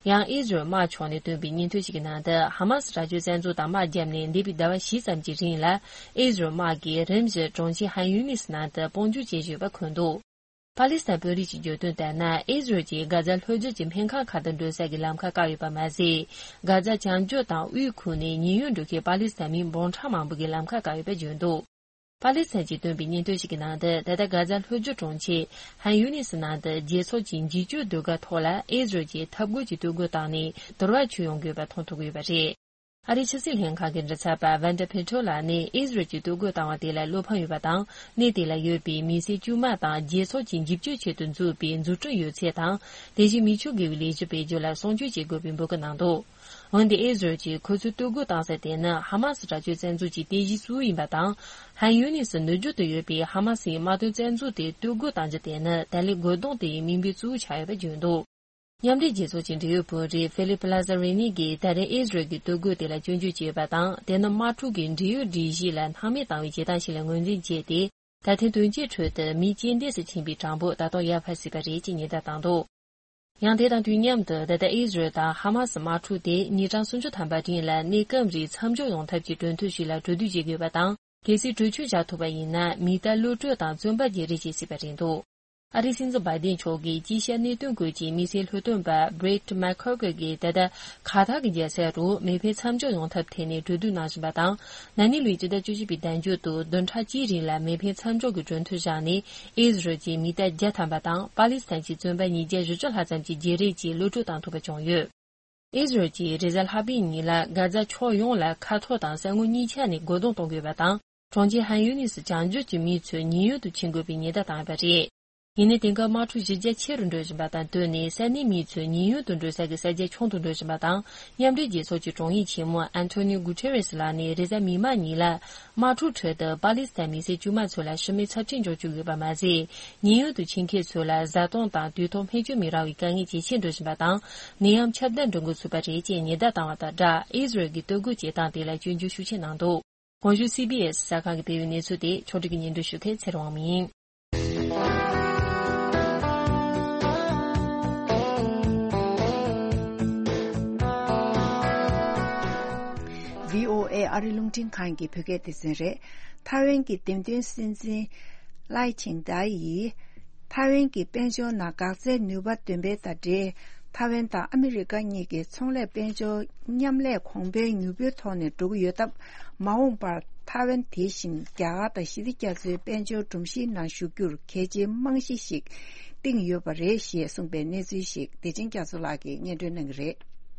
ཡང་ཨི་ཟི་རལ་དམག་ཕྱོགས་ནས་བཏོན་པའི་སྙན་ཐོ་ཞིག་གི་ནང་དུ། ཧ་མ་སི་དྲག་སྤྱོད་བཙན་འཛུལ་དང་དམག་བརྒྱབ་ནས་འདས་པའི་ཟླ་བ་བཞི་ཙམ་གྱི་རིང་ལ་ཨི་ཟི་རལ་དམག་གིས་རིམ་བཞིན་གྲོང་ཁྱེར་ཧན་ཡུ་ནི་སི་ནང་དུ་དཔུང་འཇུག་བྱེད་བཞིན་ཡོད་པ་འཁོད་འདུག་པ་ལི་སི་ཐན་དཔོན་རིགས་ཀྱིས་བརྗོད་དོན་ལྟར་ན། ཨི་ཟི་རལ་གྱིས་གྷ་ཛ་ལྷོ་རྒྱུད་ཀྱི་སྨན་ཁང་ཁག་ཏུ་འགྲོ་ས་ཀྱི་ལམ་ཁ་བཀག་ཡོད་པ་མ་ཟད། གྷ་ཛ་བྱང་ཕྱོགས་དང་དབུས་ཁུལ་ནས་ཉེན་གཡོལ་འགྲོ་མཁན་པ་ལི་སི་ཐན་མི་འབུམ་ཕྲག་མང་པོ་གི་ལམ་ཁ་བཀག་ཡོད་པ་བརྗོད་འདུག་པ་ལི་སི་ཐན་གྱིས་བཏོན་པའི་སྙན་ཐོ་ཞིག་གི་ནང་དུ། ད་ལྟ་གྷ་ཛ་ལྷོ་རྒྱུད་གྲོང་ཁྱེར་ཧན་ཡུ་ནི་སི་ནང་དུ་རྒྱལ་ཚོགས་ཀྱི་འཇིབ་སྐྱོར་ཟློས་གར་ཐོག་ལ་ཨི་ཟི་རལ་གྱིས་འཐབ་རྒོལ་གྱི་སྡོད་སྒོ་བཏང་ནས་དུར་བ་བྱུག་ཡོང་དགོས་པ་མཐོང་ཐུབ་ཀྱི་ཡོད་པ་རེད། ཨ་རིའི་ཕྱི་སྲིད་ལྷན་ཁང་གི་མགྲིན་ཚབ་པ་ཝན་ཌ་ཕེ་ཊོ་ལགས་ནས་ཨི་ཟི་རལ་གྱིས་སྡོད་སྒོ་བཏང་བ་དེ་ལ་བློ་ཕམ་ཡོད་པ་དང་། གནས་དེ་ལ་ཡོད་པའི་མི་སེར་དཀྱུས་མ་དང་རྒྱལ་ཚོགས་ཀྱི་འཇིབ་སྐྱོར་ཆེད་དུ་འཛུགས་པའི་འཛུགས་སྐྲུན་ཡོད་ཚད་དང་། དེ་བཞིན་མི་ཆོས་དགེ་བའི་ལས་གཞི་སྤེལ་རྒྱུ་ལ་སྲུང་སྐྱོབ་བྱེད་དགོས་པའི་འབོད་སྐུལ་གནང་འདུག་འོན་ཏེ་ཨི་ཟི་རལ་གྱིས་ཁོ་ཚོའི་སྡོད་སྒོ་བཏང་ས་དེ་ནི་ཧ་མ་སི་དྲག་སྤྱོད་བཙན་འཛུལ་གྱི་རྟེན་གཞི་གཙོ་བོ་ཡིན་པ་དང་། ཧན་ཡུ་ནི་སི་ནུབ་རྒྱུད་དུ་ཡོད་པའི་ཧ་མ་སིའི་དམག་དོན་བཙན་འཛུལ་དེ་སྡོད་སྒོ་བཏང་རྒྱུ་དེ་ནི་ད་ལན་རྒོལ་རྡུང་དེའི་མིང་དཔེ་གཙོ་བོ་ཆགས་ཡོད་པ་བརྗོད་འདུག་མཉམ་འབྲེལ་རྒྱལ་ཚོགས་ཀྱི་འབྲེལ་ཡོད་དཔོན་རིགས་ཧྥི་ལིབ་ལ་ཛ་རི་ནི་གིས་ད་རེས་ཨི་ཟི་རལ་གྱི་སྡོད་སྒོ་དེ་ལ་སྐྱོན་བརྗོད་བྱས་ཡོད་པ་དང་། དེ་ནི་དམག་འཁྲུག་གི་འབྲེལ་ཡོད་སྒྲིག་གཞི་ལ་སྣང་མེད་བཏང་བའི་བྱེད་སྟངས་ཤིག་ལ་ངོས་འཛིན་བྱས་ཏེ། ད་ཐེངས་དོན་རྐྱེན་ཁྲོད་དུ་མི་རྐྱེན་འདས་སུ་ཕྱིན་པའི་གྲངས་འབོར་ད་དུང་ཡར་འཕར་སྲིད་པ་རེད་ཅེས་ཉེན་བརྡ་བཏང་འདུག་ཡང་དེ་དང་དུས་མཉམ་དུ། ད་ལྟ་ཨི་ཟི་རལ་དང་ཧ་མ་སི་དམག་འཁྲུག་དེ་ཉིན་གྲངས་སུམ་ཅུ་ཐམ་པ་རིང་ལ་གནས་སྐབས་རིང་མཚམས་འཇོག་ཡོང་ཐབས་ཀྱི་གྲོས་མཐུན་ཞིག་ལ་གྲོས་བསྡུར་བྱེད་དགོས་པ་དང་། གལ་སྲིད་གྲོས་ཆོད་བཞག་ཐུབ་པ་ཡིན་ན། མི་གཏའ་གློད་གྲོལ་དང་བཙོན་པ་བརྗེ་རེས་བྱེད་སྲིད་པ་རེད་འདུག་ཨ་རིའི་སྲིད་འཛིན་བྷའི་ཏིན་མཆོག་གིས་དཀྱིལ་ཤར་གནད་དོན་སྐོར་གྱི་དམིགས་བསལ་ལྷོད་སྟོན་པ་Brett McCracken་གྱིས་ད་ལྟ་ཁ་ཐག་གི་རྒྱལ་ས་རུ་མེ་འཕེན་མཚམས་འཇོག་ཡོང་ཐབས་ཐད་ནས་གྲོས་བསྡུར་གནང་བཞིན་པ་དང་། ན་ནིང་ལོའི་སྤྱི་ཟླ་བཅུ་བཞི་པའི་ཟླ་མཇུག་ཏུ་བདུན་ཕྲག་གཅིག་རིང་ལ་མེ་འཕེན་མཚམས་འཇོག་གི་གྲོས་མཐུན་བཞག་ནས། ཨི་ཟི་རལ་གྱི་མི་གཏའ་བརྒྱ་ཐམ་པ་དང་། པ་ལི་སི་ཐན་གྱི་བཙོན་པ་ཉིས་བརྒྱ་བཞི་བཅུ་ལྷག་ཙམ་གྱི་བརྗེ་རེས་ཀྱི་གློད་གྲོལ་བཏང་ཐུབ་པ་བྱུང་ཡོད། ཨི་ཟི་རལ་གྱིས་རེས་གཟའ་ལྷག་པའི་ཉིན་ལ་གྷ་ཛ་ཕྱོགས་ཡོངས་ལ་མཁའ་ཐོག་དང་ས་ངོས་གཉིས་ཆ་ནས་རྒོལ་རྡུང་གཏོང་དགོས་པ་དང་། གྲོང་ཁྱེར་ཧན་ཡུ་ནི་སི་བྱང་རྒྱུད་ཀྱི་མི་ཚོས་ཉེན་གཡོལ་དུ་ཕྱིན་དགོས་པའི་ཉེན་བརྡ་བཏང་ཡོད་པ་རེད། ཡིན་ནའི་དེང་སྐབས་དམག་འཁྲུག་གཞི་རྒྱ་ཆེ་རུ་འགྲོ་བཞིན་པ་དང་བསྟུན་ནས། ས་གནས་མི་ཚོས་ཉེན་གཡོལ་དུ་འགྲོ་ས་ཀྱི་ས་ཆ་ཆུང་དུ་འགྲོ་བཞིན་པ་དང་། མཉམ་འབྲེལ་རྒྱལ་ཚོགས་ཀྱི་དྲུང་ཡིག་ཆེན་མོ་Antonio Guterres་ལགས་ནས་རེས་གཟའ་མིག་དམར་ཉིན་ལ། དམག་འཁྲུག་ཁྲོད་དུ་པ་ལི་སི་ཐན་མི་སེར་དཀྱུས་མ་ཚོ་ལ་ཤི་རྨས་ཚབས་ཆེན་འབྱུང་བཅུག་ཡོད་པ་མ་ཟད། ཉེན་གཡོལ་དུ་ཕྱིན་མཁན་ཚོ་ལ་བཟའ་བཏུང་དང་དུས་ཐོག་སྨན་བཅོས་མི་རག་པའི་དཀའ་ངལ་ཇེ་ཆེར་འགྲོ་བཞིན་པ་དང་། ནད་ཡམས་ཁྱབ་གདལ་འགྲོ་འགོ་ཚུགས་པ་རེད་ཅེས་ཉེན་བརྡ་བཏང་བ་དང་སྦྲགས། ཨི་ཟི་རལ་གྱི་སྡོད་སྒོ་བྱེད་སྟངས་དེ་ལ་སྐྱོན་བརྗོད་ཤུགས་ཆེ་གནང་འདུག་གོང་ཞུས་སི་བྷི་ཨེ་སི་གསར་ཁང་གི་བལ་ཡུལ་གནས་ཚུལ་དེ་ཕྱོགས་སྒྲིག་གིས་སྙན་སྒྲོན་ཞུ་མཁན་ཚེ་རིང་དབང་མོ་ཡིན། བྷི་ཨོ་ཨེ་ཨ་རི་རླུང་འཕྲིན་ཁང་གི་བོད་སྐད་སྡེ་ཚན་རེད། ཐའེ་ཝན་གྱི་འདེམས་ཐོན་སྲིད་འཛིན་ལའེ་ཆིང་ཏཱ་ཡིས། ཐའེ་ཝན་གྱི་དཔལ་འབྱོར་ནང་འགག་རྩའི་ནུས་པ་འདོན་སྤེལ་དང་འབྲེལ། ཐའེ་ཝན་དང་ཨ་མི་རི་ཀ་གཉིས་ཀྱི་ཚོང་ལས་དཔལ་འབྱོར་མཉམ་ལས་གོང་འཕེལ་མྱུར་པོའི་ཐོག་ནས་འགྲོ་གི་ཡོད་སྟབས། མ་འོངས་པར་ཐའེ་ཝན་དེ་བཞིན་རྒྱ་གར་དང་ཞི་བདེ་རྒྱ་མཚོའི་དཔལ་འབྱོར་སྒྲོམ་གཞིའི་ནང་ཞུགས་རྒྱུར་གལ་ཆེའི་རྨང་གཞི་ཞིག་བཏིང་ཡོད་པ་རེད་ཞེས་གསུངས་པའི་གནས་ཚུལ་ཞིག་བདེ་ཆེན་རྒྱ་མཚོ་ལགས་ཀྱིས་སྙན་སྒྲོན་གནང་གི་རེད།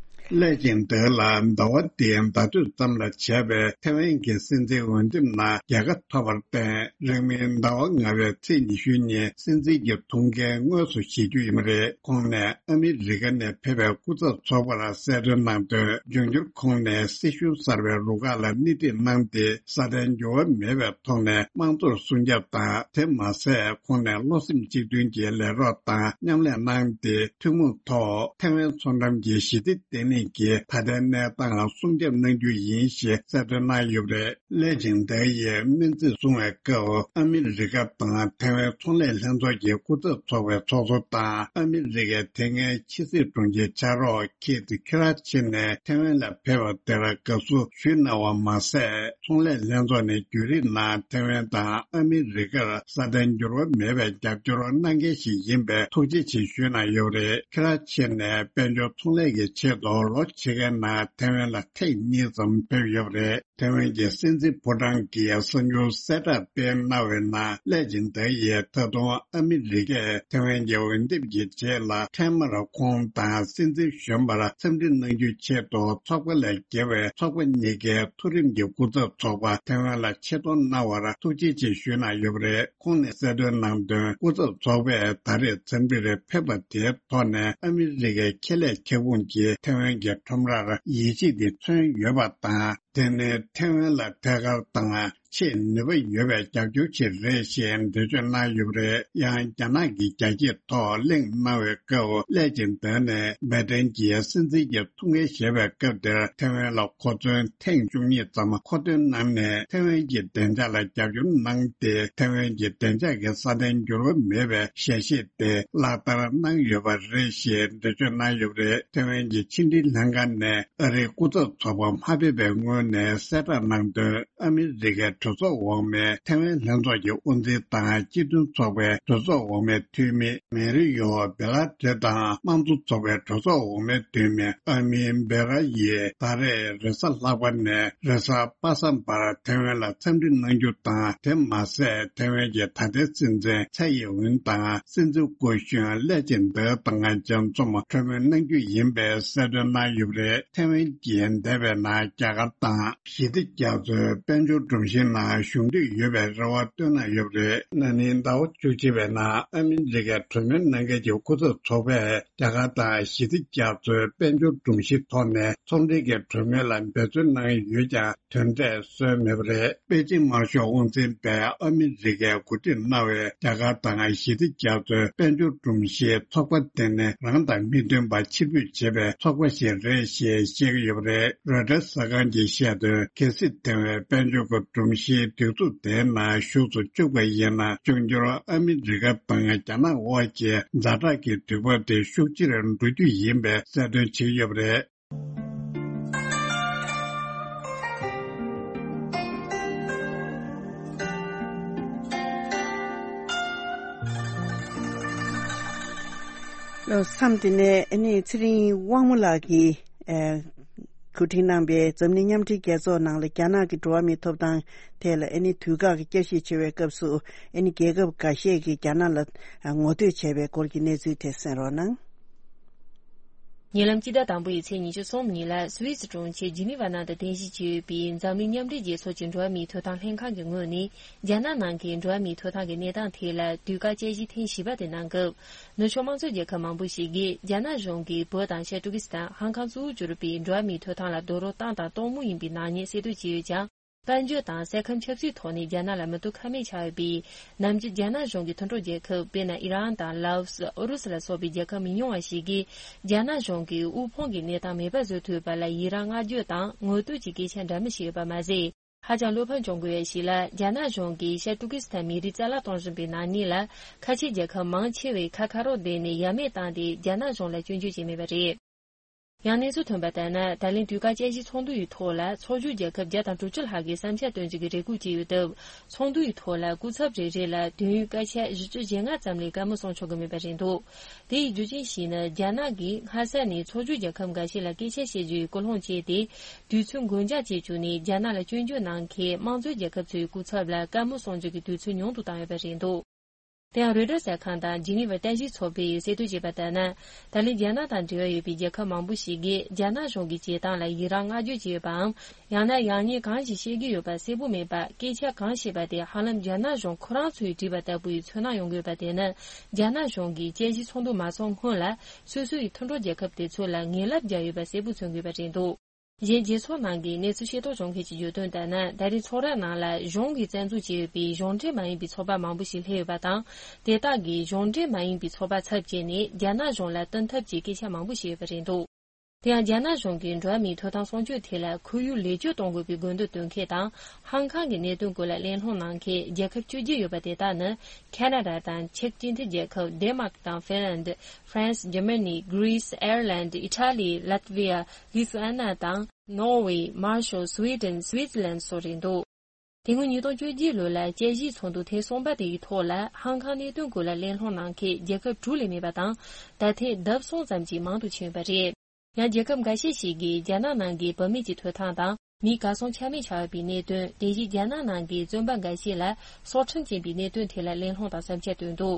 སླད་ཅིང་འདོད་ལ་ཟླ་བ་འདིའི་ཟླ་སྟོད་ཙམ་ལ་བྱས་པའི་ཐའེ་ཝན་གྱི་སྲིད་འཛིན་འོས་འདེམས་ནང་རྒྱལ་ཁ་ཐོབ་པར་བརྟེན། རིང་མིན་ཟླ་བ་ལྔ་པའི་ཚེས་ཉི་ཤུ་ཉིན་སྲིད་འཛིན་གྱི་ཐུགས་འགན་དངོས་སུ་བཞེས་རྒྱུ་ཡིན་པ་རེད། ཁོང་ནས་ཨ་མི་རི་ཀ་ནས་ཕེབས་པའི་སྐུ་ཚབ་ཚོགས་པར་གསལ་སྟོན་གནང་དོན། འབྱུང་འགྱུར་ཁོང་ནས་སྲིད་གཞུང་གསར་པའི་རུ་ཁག་ལ་སྣེ་ཁྲིད་གནང་སྟེ། སྲ་བརྟན་འགྱུར་བ་མེད་པའི་ཐོག་ནས་དམངས་གཙོར་སྲུང་སྐྱོབ་དང་། དེ་མ་ཟད། ཁོང་ནས་བློ་སེམས་གཅིག་མཐུན་གྱིས་ལས་རོགས་དང་མཉམ་ལས་གནང་སྟེ། ཐུན་མོང་ཐོག་ཐའེ་ཝན་མཚོ་འགྲམ་གྱི་ཞི་བདེ་བརྟན་ལྷིང་གི་ད་ལྟའི་གནས་སྟངས་ལ་སྲུང་སྐྱོབ་གནང་རྒྱུ་ཡིན་ཞེས་གསལ་སྟོན་གནང་ཡོད་པ་རེད། ལེ་ཅིང་ཏེ་ཡིས་སྨོན་ཚིག་གསུང་བའི་སྐབས། ཨ་མི་རི་ཀ་དང་ཐའེ་ཝན་ཚོང་ལས་ལྷན་ཚོགས་ཀྱི་སྐུ་ཚབ་ཚོགས་པའི་ཚོགས་གཙོ་དང་། ཨ་མི་རི་ཀའི་དེ་སྔའི་ཕྱི་སྲིད་དྲུང་ཆེ་ཕྱག་རོགས་ཁེ་ཏི་ཁི་ར་ཆེ་ནས་ཐའེ་ཝན་ལ་ཕེབས་པ་དེར་དགའ་བསུ་ཞུས་གནང་བ་མ་ཟད། ཚོང་ལས་ལྷན་ཚོགས་ནས་བརྒྱུད་རིམ་ནང་ཐའེ་ཝན་དང་ཨ་མི་རི་ཀར་སྲ་བརྟན་འགྱུར་བ་མེད་པའི་རྒྱབ་སྐྱོར་གནང་མཁན་ཞིག་ཡིན་པས་ཐུགས་རྗེ་ཆེ་ཞུས་གནང་ཡོད་པ་རེད། ཁི་ར་ཆེ་ནས་དཔལ་འབྱོར་ཚོང་ལས་ཀྱི་ཆེད་དུ་ལོ་ཕྱེད་ཀའི་ནང་ཐའེ་ཝན་ལ་ཐེངས་གཉིས་ཙམ་ཕེབས་ཡོད་པ་རེད། ཐའེ་ཝན་གྱི་སྲིད་འཛིན་ཕོ་བྲང་གིས་གསར་འགྱུར་གསལ་བསྒྲགས་སྤེལ་གནང་བའི་ནང་། ལེ་ཅིང་ཏེ་ཡིས་ད་དུང་ཨ་མི་རི་ཀས་ཐའེ་ཝན་གྱི་འོས་འདེམས་ཀྱི་རྗེས་ལ་འཕྲལ་མར་ཁོང་དང་སྲིད་འཛིན་གཞོན་པར་འཚམས་འདྲི་གནང་རྒྱུའི་ཆེད་དུ། ཚོགས་པ་ལས་བརྒལ་བའི་ཚོགས་པ་གཉིས་ཀའི་མཐོ་རིམ་གྱི་སྐུ་ཚབ་ཚོགས་པ་ཐའེ་ཝན་ལ་ཆེད་གཏོང་གནང་བར་ཐུགས་རྗེ་ཆེ་ཞུས་གནང་ཡོད་པ་རེད། ཁོང་ནས་གསལ་སྟོན་གནང་དོན། སྐུ་ཚབ་ཚོགས་པས་ད་རེས་འཚམས་འདྲིར་ཕེབས་པ་དེའི་ཐོག་ནས། ཨ་མི་རི་ཀའི་ཁེ་ལས་ཁྱབ་ཁོངས་ཀྱིས་ཐའེ་ཝན་གྱི་ཁྲོམ་རར་ཡིད་ཆེས་དེ་མཚོན་ཡོད་པ་དང་། དེ་ནི་ཐའེ་ཝན་ལ་ཐད་ཀར་དང་ཆེས་ནུས་པ་ཡོད་པའི་རྒྱབ་སྐྱོར་ཅིག་རེད་ཞེས་འགྲེལ་བརྗོད་གནང་ཡོད་པ་རེད། ཡང་རྒྱ་ནག་གིས་རྒྱ་སྐྱེད་ཐོག་གླེང་གནང་བའི་སྐབས། ལེ་ཅིང་ཏེ་ནས་སྦེ་ཏན་གྱི་སྲིད་འཛིན་གྱི་ཐུགས་འགན་བཞེས་པའི་སྐབས་དེར། ཐའེ་ཝན་ལ་གོ་མཚོན་ཐེངས་བཅུ་གཉིས་ཙམ་མཁོ་འདོན་གནང་ནས། ཐའེ་ཝན་གྱི་བདེ་འཇགས་ལ་རྒྱབ་སྐྱོར་གནང་སྟེ། ཐའེ་ཝན་གྱི་བདེ་འཇགས་ཀྱི་སྲ་བརྟན་འགྱུར་བ་མེད་པའི་ཞལ་བཞེས་དེ་ལག་བསྟར་གནང་ཡོད་པ་རེད་ཞེས་འགྲེལ་བརྗོད་གནང་ཡོད་པ་རེད། ཐའེ་ཝན་གྱི་ཕྱི་འབྲེལ་ལྷན་ཁང་ནས་ཨ་རིའི་སྐུ་ཚབ་ཚོགས་པ་མ་ཕེབས་པའི་སྔོན་ནས་གསལ་བསྒྲགས་གནང་དོན། ཨ་མི་རི་ཀའི་གྲོས་ཚོགས་འོག་མའི་ཐའེ་ཝན་ལྷན་ཚོགས་ཀྱི་དབུ་འཛིན་དང་། སྤྱི་མཐུན་ཚོགས་པའི་གྲོས་ཚོགས་འོག་མའི་འཐུས་མི་མེ་རི་ཡོ་བེ་ལ་ཏེ་དང་། དམངས་གཙོ་ཚོགས་པའི་གྲོས་ཚོགས་འོག་མའི་འཐུས་མི་ཨ་མི་བེ་ར་ཡིས་ད་རེས་རེས་གཟའ་ལྷག་པ་ནས་རེས་གཟའ་པ་སངས་བར་ཐའེ་ཝན་ལ་འཚམས་འདྲི་གནང་རྒྱུ་དང་། དེ་མ་ཟད། ཐའེ་ཝན་གྱི་ད་ལྟའི་སྲིད་འཛིན་ཚའེ་ཡིན་ཝུན་དང་། སྲིད་འཛིན་སྐུ་གཞོན་ལེ་ཅིང་ཏེ་དང་མཇལ་འཛོམས་གྲོས་མོལ་གནང་རྒྱུ་ཡིན་པའི་གསལ་སྟོན་གནང་ཡོད་པ་རེད། ཐའེ་ཝན་གྱིས་འདས་པའི་ནང་རྒྱ་གར་དང་ཞི་བདེ་རྒྱ་མཚོའི་དཔལ་འབྱོར་སྒྲོམ་གཞིའི་ནང་ཞུགས་འདོད་ཡོད་པའི་རེ་བ་བཏོན་གནང་ཡོད་པ་རེད། ན་ནིང་ཟླ་བ་བཅུ་གཅིག་པའི་ནང་ཨ་མི་རི་ཀའི་གྲོས་མོལ་གནང་མཁན་གྱི་སྐུ་ཚབ་ཚོགས་པས་རྒྱ་གར་དང་ཞི་བདེ་རྒྱ་མཚོའི་དཔལ་འབྱོར་སྒྲོམ་གཞིའི་ཐོག་ནས་ཚོང་འབྲེལ་གྱི་གྲོས་མོལ་ལ་འབད་བརྩོན་གནང་ཡོད་ཀྱང་། དོན་འབྲས་སོན་མེད་པ་རེད། པེ་ཅིང་དམར་ཤོག་དབང་འཛིན་པས་ཨ་མི་རི་ཀས་འགོ་ཁྲིད་གནང་བའི་རྒྱ་གར་དང་ཞི་བདེ་རྒྱ་མཚོའི་དཔལ་འབྱོར་སྒྲོམ་གཞིའི་ཚོགས་པ་དེ་ནི་རང་དང་མི་མཐུན་པ་ཕྱིར་འབུད་བྱེད་པའི་ཚོགས་པ་ཞིག་རེད་ཞེས་བཤད་ཀྱི་ཡོད་པ་རེད། རོའི་ཊར་གསར་ཁང་གིས་བཤད་དོན། གལ་སྲིད་ཐའེ་ཝན་དཔལ་འབྱོར་གྱི་སྒྲོམ་གཞིའི་སྒྲིག་འཛུགས་དེའི་ནང་ཞུགས་སུ་བཅུག་པ་ཡིན་ན། འབྱུང་འགྱུར་ཨ་མི་རི་ཀ་དང་རྒྱ་ནག་དབར་གྱི་ཛ་དྲག་གི་དུས་བབ་དེ་ཤུགས་ཆེར་འགྲོ་རྒྱུ་ཡིན་པའི་གསལ་སྟོན་བྱེད་ཀྱི་ཡོད་པ་རེད། ལོ་མཚམས་འདི་ནས་ཨ་ནི་ཚེ་རིང་དབང་མོ་ལགས་ཀྱིས་ཨེ་གོ་སྒྲིག་གནང་པའི་འཛམ་གླིང་མཉམ་འབྲེལ་རྒྱལ་ཚོགས་ནང་ལ་རྒྱ་ནག་གི་འགྲོ་བ་མིའི་ཐོབ་ཐང་ཐད་ལ་ཨ་ནི་དུས་བཀག་གི་བསྐྱར་ཞིབ་བྱེད་པའི་སྐབས་སུ། ཨ་ནི་རྒྱལ་ཁབ་འགའ་ཤས་ཀྱིས་རྒྱ་ནག་ལ་ངོ་བསྟོད་བྱས་པའི་སྐོར་གྱི་གནས་ཚུལ་དེ་གསན་རོགས་གནང་། ཉེ་ལམ་སྤྱི་ཟླ་དང་པོ་ཡི་ཚེས་ཉི་ཤུ་གསུམ་ཉིན་ལ་སུད་སི་གྲོང་ཁྱེར་ཇི་ནི་ཝ་ནང་དུ་རྟེན་གཞི་བྱས་ཡོད་པའི་འཛམ་གླིང་མཉམ་འབྲེལ་རྒྱལ་ཚོགས་ཀྱི་འགྲོ་བ་མིའི་ཐོབ་ཐང་ལྷན་ཁང་གི་ངོས་ནས་རྒྱ་ནག་ནང་གི་འགྲོ་བ་མིའི་ཐོབ་ཐང་གི་གནས་སྟངས་ཐད་ལ་དུས་བཀག་དཔྱད་གཞི་ཐེངས་བཞི་པ་དེ་གནང་སྐབས། ནུབ་ཕྱོགས་དམངས་གཙོ་རྒྱལ་ཁབ་མང་པོ་ཞིག་གིས་རྒྱ་ནག་གཞུང་གིས་བོད་དང་ཤར་ཏུར་ཀི་སི་ཐན། ཧང་ཀང་གཙོ་བོར་གྱུར་པའི་འགྲོ་བ་མིའི་ཐོབ་ཐང་ལ་རྡོག་རོལ་བཏང་དང་གཏོང་མུས་ཡིན་པའི་ནག་ཉེས་གསལ་སྟོན་བྱས་ཡོད་ཀྱང་། དཔལ་འབྱོར་དང་སའི་ཁམས་ཆབ་སྲིད་ཐོག་ནས་རྒྱ་ནག་ལ་མི་ཐོག་ཁ་མེད་ཆགས་ཡོད་པས། ནམ་རྒྱུན་རྒྱ་ནག་གཞུང་གི་མཐུན་གྲོགས་རྒྱལ་ཁབ། དཔེར་ན། ཨི་རན་དང་ལའོ་སི། ཨུ་རུ་སུ་ལ་སོགས་པའི་རྒྱལ་ཁབ་མི་ཉུང་བ་ཞིག་གིས་རྒྱ་ནག་གཞུང་གིས་དབུལ་ཕོངས་ཀྱི་གནས་སྟངས་མེད་པ་བཟོ་ཐུབ་པ་ལ་ཡི་རང་བསྔགས་བརྗོད་དང་ངོ་བསྟོད་ཀྱི་སྐད་ཆ་འདྲ་མིན་བཤད་ཡོད་པ་མ་ཟད། ཧ་ཅང་བློ་ཕམ་བྱུང་དགོས་ཡ་ཞིག་ལ། རྒྱ་ནག་གཞུང་གིས་ཤར་ཏུར་ཀི་སི་ཐན་མི་རིགས་རྩ་བརླག་གཏོང་བཞིན་པའི་ནག་ཉེས་ལ། ཁ་ཆེ་རྒྱལ་ཁབ་མང་ཆེ་བས་ཁ་ཁ་རོག་བསྡད་ནས་ཡ་མེད་བཏང་སྟེ་རྒྱ་ནག་གཞུང་ལ་སྐྱོན་བརྗོད་བྱས་མེད་པ་རེད། ཡང་གནས་ཚུལ་ཐོན་པ་ལྟར་ན། ད་ལན་དུས་བཀག་དཔྱད་གཞིའི་ཚོགས་འདུ་ཡི་ཐོག་ལ་ཚོགས་ཞུགས་རྒྱལ་ཁབ་བརྒྱ་དང་དྲུག་ཅུ་ལྷག་གིས་བསམ་འཆར་བཏོན་རྒྱུ་གི་རེ་སྐུལ་བྱས་ཡོད་སྟབས། ཚོགས་འདུ་ཡི་ཐོག་ལ་སྐུ་ཚབ་རེ་རེ་ལ་དུས་ཡུན་སྐར་ཆ་བཞི་བཅུ་ཞེ་ལྔ་ཙམ་ལས་བཀའ་མོལ་གསུང་ཆོག་གི་མེད་པ་རེད་འདུག་དེ་ཡི་རྒྱུ་རྐྱེན་ཞིག་ནི། རྒྱ་ནག་གིས་སྔ་ས་ནས་ཚོགས་ཞུགས་རྒྱལ་ཁབ་འགའ་ཤས་ལ་སྐད་ཆ་བཤད་རྒྱུ་ཡི་སྐུལ་སློང་བྱས་ཏེ། དུས་ཚོད་འགོར་འགྱངས་བྱས་བཅུག་ནས། རྒྱ་ནག་ལ་སྐྱོན་བརྗོད་གནང་མཁན་དམངས་གཙོའི་རྒྱལ་ཁབ་ཚོའི་སྐུ་ཚབ་ལ་བཀའ་མོལ་གསུང་རྒྱུ་གི་དུས་ཚོད་ཉུང་དུ་བཏང་ཡོད་པ་རེད་འདུག་དེ་ཡང་རོའི་ཊར་གསར་ཁང་དང་ཇི་ནི་ཝར་བརྟན་བཞུགས་ཚོགས་པས་གསལ་སྟོན་བྱས་པ་ལྟར་ན། ད་ལན་རྒྱ་ནག་དང་འབྲེལ་བ་ཡོད་པའི་རྒྱལ་ཁབ་མང་པོ་ཞིག་གིས་རྒྱ་ནག་གཞུང་གི་བྱེད་སྟངས་ལ་ཡི་རངས་བསྔགས་བརྗོད་བྱས་ཡོད་པའམ། ཡང་ན་ཡང་སྙིང་གང་ཞིག་བཤད་ཀྱི་ཡོད་པ་གསལ་པོ་མེད་པར། སྐད་ཆ་གང་བཤད་པ་དེ་ཧ་ལམ་རྒྱ་ནག་གཞུང་ཁོ་རང་ཚོས་བྲིས་པ་ལྟ་བུ་ཡི་ཚོར་སྣང་ཡོང་གི་ཡོད་པ་དེ་ནི། རྒྱ་ནག་གཞུང་གིས་དཔྱད་གཞིའི་ཚོགས་འདུ་མ་འཚོགས་སྔོན་ལ། སོ་སོ་ཡི་མཐུན་གྲོགས་རྒྱལ་ཁབ་དེ་ཚོ་ལ་ངན་ལབ་བརྒྱབ་ཡོད་པ་གསལ་པོ་མཚོན་གྱི་ཡོད་པ་རེད་འདུག་གཞན་རྒྱལ་ཚོགས་ནང་གི་གནས་ཚུལ་ཤེས་རྟོགས་བྱུང་མཁན་གྱིས་བརྗོད་དོན་ལྟར་ན། ད་རེས་ཚོགས་ར་ནང་ལ་གཞུང་གིས་རྩ་འཛུགས་བྱས་ཡོད་པའི་གཞུང་འབྲེལ་མ་ཡིན་པའི་ཚོགས་པ་མང་པོ་ཞིག་སླེབས་ཡོད་པ་དང་། དེ་དག་གིས་གཞུང་འབྲེལ་མ་ཡིན་པའི་ཚོགས་པ་ཚབ་བྱས་ནས་རྒྱ་ནག་གཞུང་ལ་བསྟུན་ཐབས་ཀྱི་སྐད་ཆ་མང་པོ་བཤད་ཡོད་པ་རེད་འདུག་དེ་ཡང་རྒྱ་ནག་གཞུང་གིས་འགྲོ་བ་མིའི་ཐོབ་ཐང་སྲུང་སྐྱོབ་ཐད་ལ་ཁོར་ཡུག་ལེགས་བཅོས་གཏོང་དགོས་པའི་དགོས་འདུན་འདོན་མཁན་དང་། ཧང་ཀང་གི་གནད་དོན་སྐོར་ལ་གླེང་སློང་གནང་མཁན་རྒྱལ་ཁབ་བཅུ་བརྒྱད་ཡོད་པ་དེ་དག་ནི། ཁ་ན་ཌ་དང་ཆེག་སྤྱི་མཐུན་རྒྱལ་ཁབ། ཌེན་མཱག་དང་ཧྥིན་ལན་ཌི། ཧྥ་རན་སི། འཇར་མ་ནི། གྷི་རི་སི། ཨེར་ལན་ཌི། ཨི་ཊ་ལི། ལཱ་ཏི་ཝི་ཡ། ལི་ཐུ་ཨ་ན་དང་། ནོར་ཝེ། མར་ཤལ། སུའེ་ཌེན། སུའི་ཙི་ལན་སོགས་རེད་འདུག་དེ་སྔོན་ཉིས་སྟོང་བཅོ་བརྒྱད་ལོ་ལ་དཔྱད་གཞིའི་ཚོགས་འདུ་ཐེངས་གསུམ་པ་དེ་ཡི་ཐོག་ལ་ཧང་ཀང་གནད་དོན་སྐོར་ལ་གླེང་སློང་གནང་མཁན་རྒྱལ་ཁབ་དྲུག་ལས་མེད་པ་དང་། ད་ཐེངས་ལྡབ་གསུམ་ཙམ་གྱིས་མང་དུ་ཕྱིན་ཡོད་པ་རེད། ཡང་རྒྱལ་ཁབ་འགའ་ཤས་ཤིག་གིས་རྒྱ་ནག་ནང་གི་བུད་མེད་ཀྱི་ཐོབ་ཐང་དང་། མིའི་གར་སོང་ཆ་མེད་ཆགས་ཡོད་པའི་གནད་དོན། དེ་བཞིན་རྒྱ་ནག་ནང་གི་བཙོན་པ་འགའ་ཤས་ལ་སྲོག་ཁྲིམས་བཅད་པའི་གནད་དོན་ཐད་ལ་གླེང་སློང་དང་བསམ་འཆར་བཏོན་འདུག་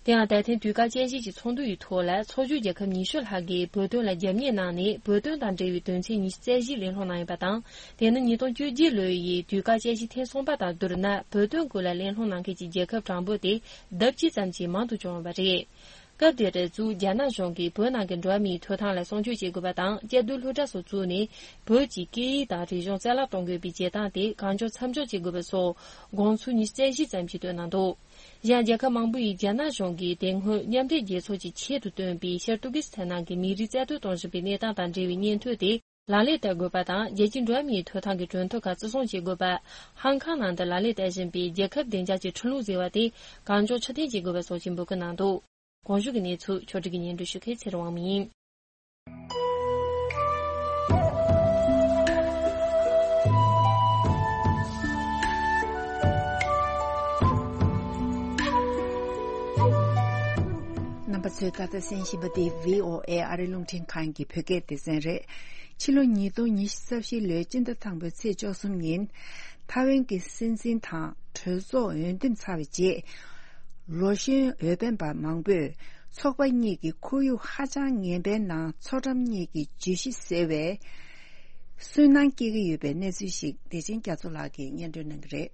དེ་ཡང་ད་ཐེངས་དུས་བཀག་དཔྱད་གཞི་གྱི་ཚོགས་འདུ་ཡི་ཐོག་ལ་ཚོགས་ཞུགས་རྒྱལ་ཁབ་ཉི་ཤུ་ལྷག་གིས་བོད་དོན་ལ་རྒྱབ་གཉེར་གནང་ནས། བོད་དོན་དང་འབྲེལ་བའི་དོན་ཚན་ཉི་ཤུ་རྩ་བཞི་གླེང་སློང་གནང་ཡོད་པ་དང་། དེ་ནི་ཉིས་སྟོང་བཅོ་བརྒྱད་ལོ་ཡི་དུས་བཀག་དཔྱད་གཞི་ཐེངས་གསུམ་པ་དང་བསྡུར་ན། བོད་དོན་སྐོར་ལ་གླེང་སློང་གནང་མཁན་གྱི་རྒྱལ་ཁབ་གྲངས་འབོར་དེ་ལྡབ་གཅིག་ཙམ་གྱིས་མང་དུ་བྱུང་ཡོད་པ་རེད། སྐབས་དེར་གཙོས་རྒྱ་ནག་གཞུང་གིས་བོད་ནང་གི་འགྲོ་བ་མིའི་ཐོབ་ཐང་ལ་སྲུང་སྐྱོབ་བྱེད་དགོས་པ་དང་། བཅའ་སྡོད་སློབ་གྲྭ་སོགས་བཙུགས་ནས་བོད་ཀྱི་སྐད་ཡིག་དང་རིག་གཞུང་རྩ་བརླག་གཏོང་དགོས་པའི་བྱེད་སྟངས་དེ་གང་མགྱོགས་མཚམས་འཇོག་བྱེད་དགོས་པ་སོགས་དགོངས་ཚུལ་ཉི་ཤུ་རྩ་བཞི་ཙམ་ཞིག་བཏོན་གནང་འདུག་གཞན་རྒྱལ་ཁབ་མང་པོ་ཡིས་རྒྱ་ནག་གཞུང་གིས་དེ་སྔོན་མཉམ་འབྲེལ་རྒྱལ་ཚོགས་ཀྱིས་ཆེད་དུ་བཏོན་པའི་ཤར་ཏུར་ཀི་སི་ཐན་ནང་གི་མི་རིགས་རྩ་གཏོར་གཏོང་བཞིན་པའི་གནས་སྟངས་དང་འབྲེལ་བའི་སྙན་ཐོ་དེ་ལག་ལེན་བསྟར་དགོས་པ་དང་། རྒྱལ་སྤྱིའི་འགྲོ་བ་མིའི་ཐོབ་ཐང་གི་གྲོས་ཐོབ་ཁག་བརྩི་སྲུང་བྱེད་དགོས་པ། ཧང་ཀང་ནང་དུ་ལག་ལེན་བསྟར་བཞིན་པའི་རྒྱལ་ཁབ་བདེ་འཇགས་ཀྱི་ཁྲིམས་ལུགས་ཟེར་བ་དེ་གང་མགྱོགས་ཕྱིར་འཐེན་བྱེད་དགོས་པ་སོགས་ཀྱི་འབོད་སྐུལ་གནང་འདུག་གོང་ཞུས་ཀྱི་གནས་ཚུལ་ཕྱོགས་སྒྲིག་གིས་སྙན་སྒྲོན་ཞུ་མཁན་ཚེ་རིང་དབང་མོ་ཡིན། རྣམ་པ་ཚོས་ད་ལྟ་གསན་བཞིན་པ་འདི་བྷི་ཨོ་ཨེ་ཨ་རིའི་རླུང་འཕྲིན་ཁང་གི་བོད་སྐད་སྡེ་ཚན་རེད། ཕྱི་ལོ་ཉིས་སྟོང་ཉི་ཤུ་རྩ་བཞི་ལོའི་སྤྱི་ཟླ་དང་པོའི་ཚེས་བཅུ་གསུམ་ཉིན། ཐའེ་ཝན་གྱི་སྲིད་འཛིན་དང་གྲོས་ཚོགས་འོས་འདེམས་ཚར་བའི་རྗེས། ལོ་གཞོན་འོས་འཕེན་པ་མང་པོས་ཚོགས་པ་གཉིས་ཀྱི་ཁོར་ཡུག་ཧ་ཅང་ངན་པའི་ནང་མཚོ་འགྲམ་གཉིས་ཀྱི་བརྗོད་གཞི་ཟེར་བའི་སུན་སྣང་སྐྱེ་གི་ཡོད་པའི་གནས་ཚུལ་ཞིག་བདེ་ཆེན་རྒྱ་མཚོ་ལགས་ཀྱིས་སྙན་སྒྲོན་གནང་གི་རེད།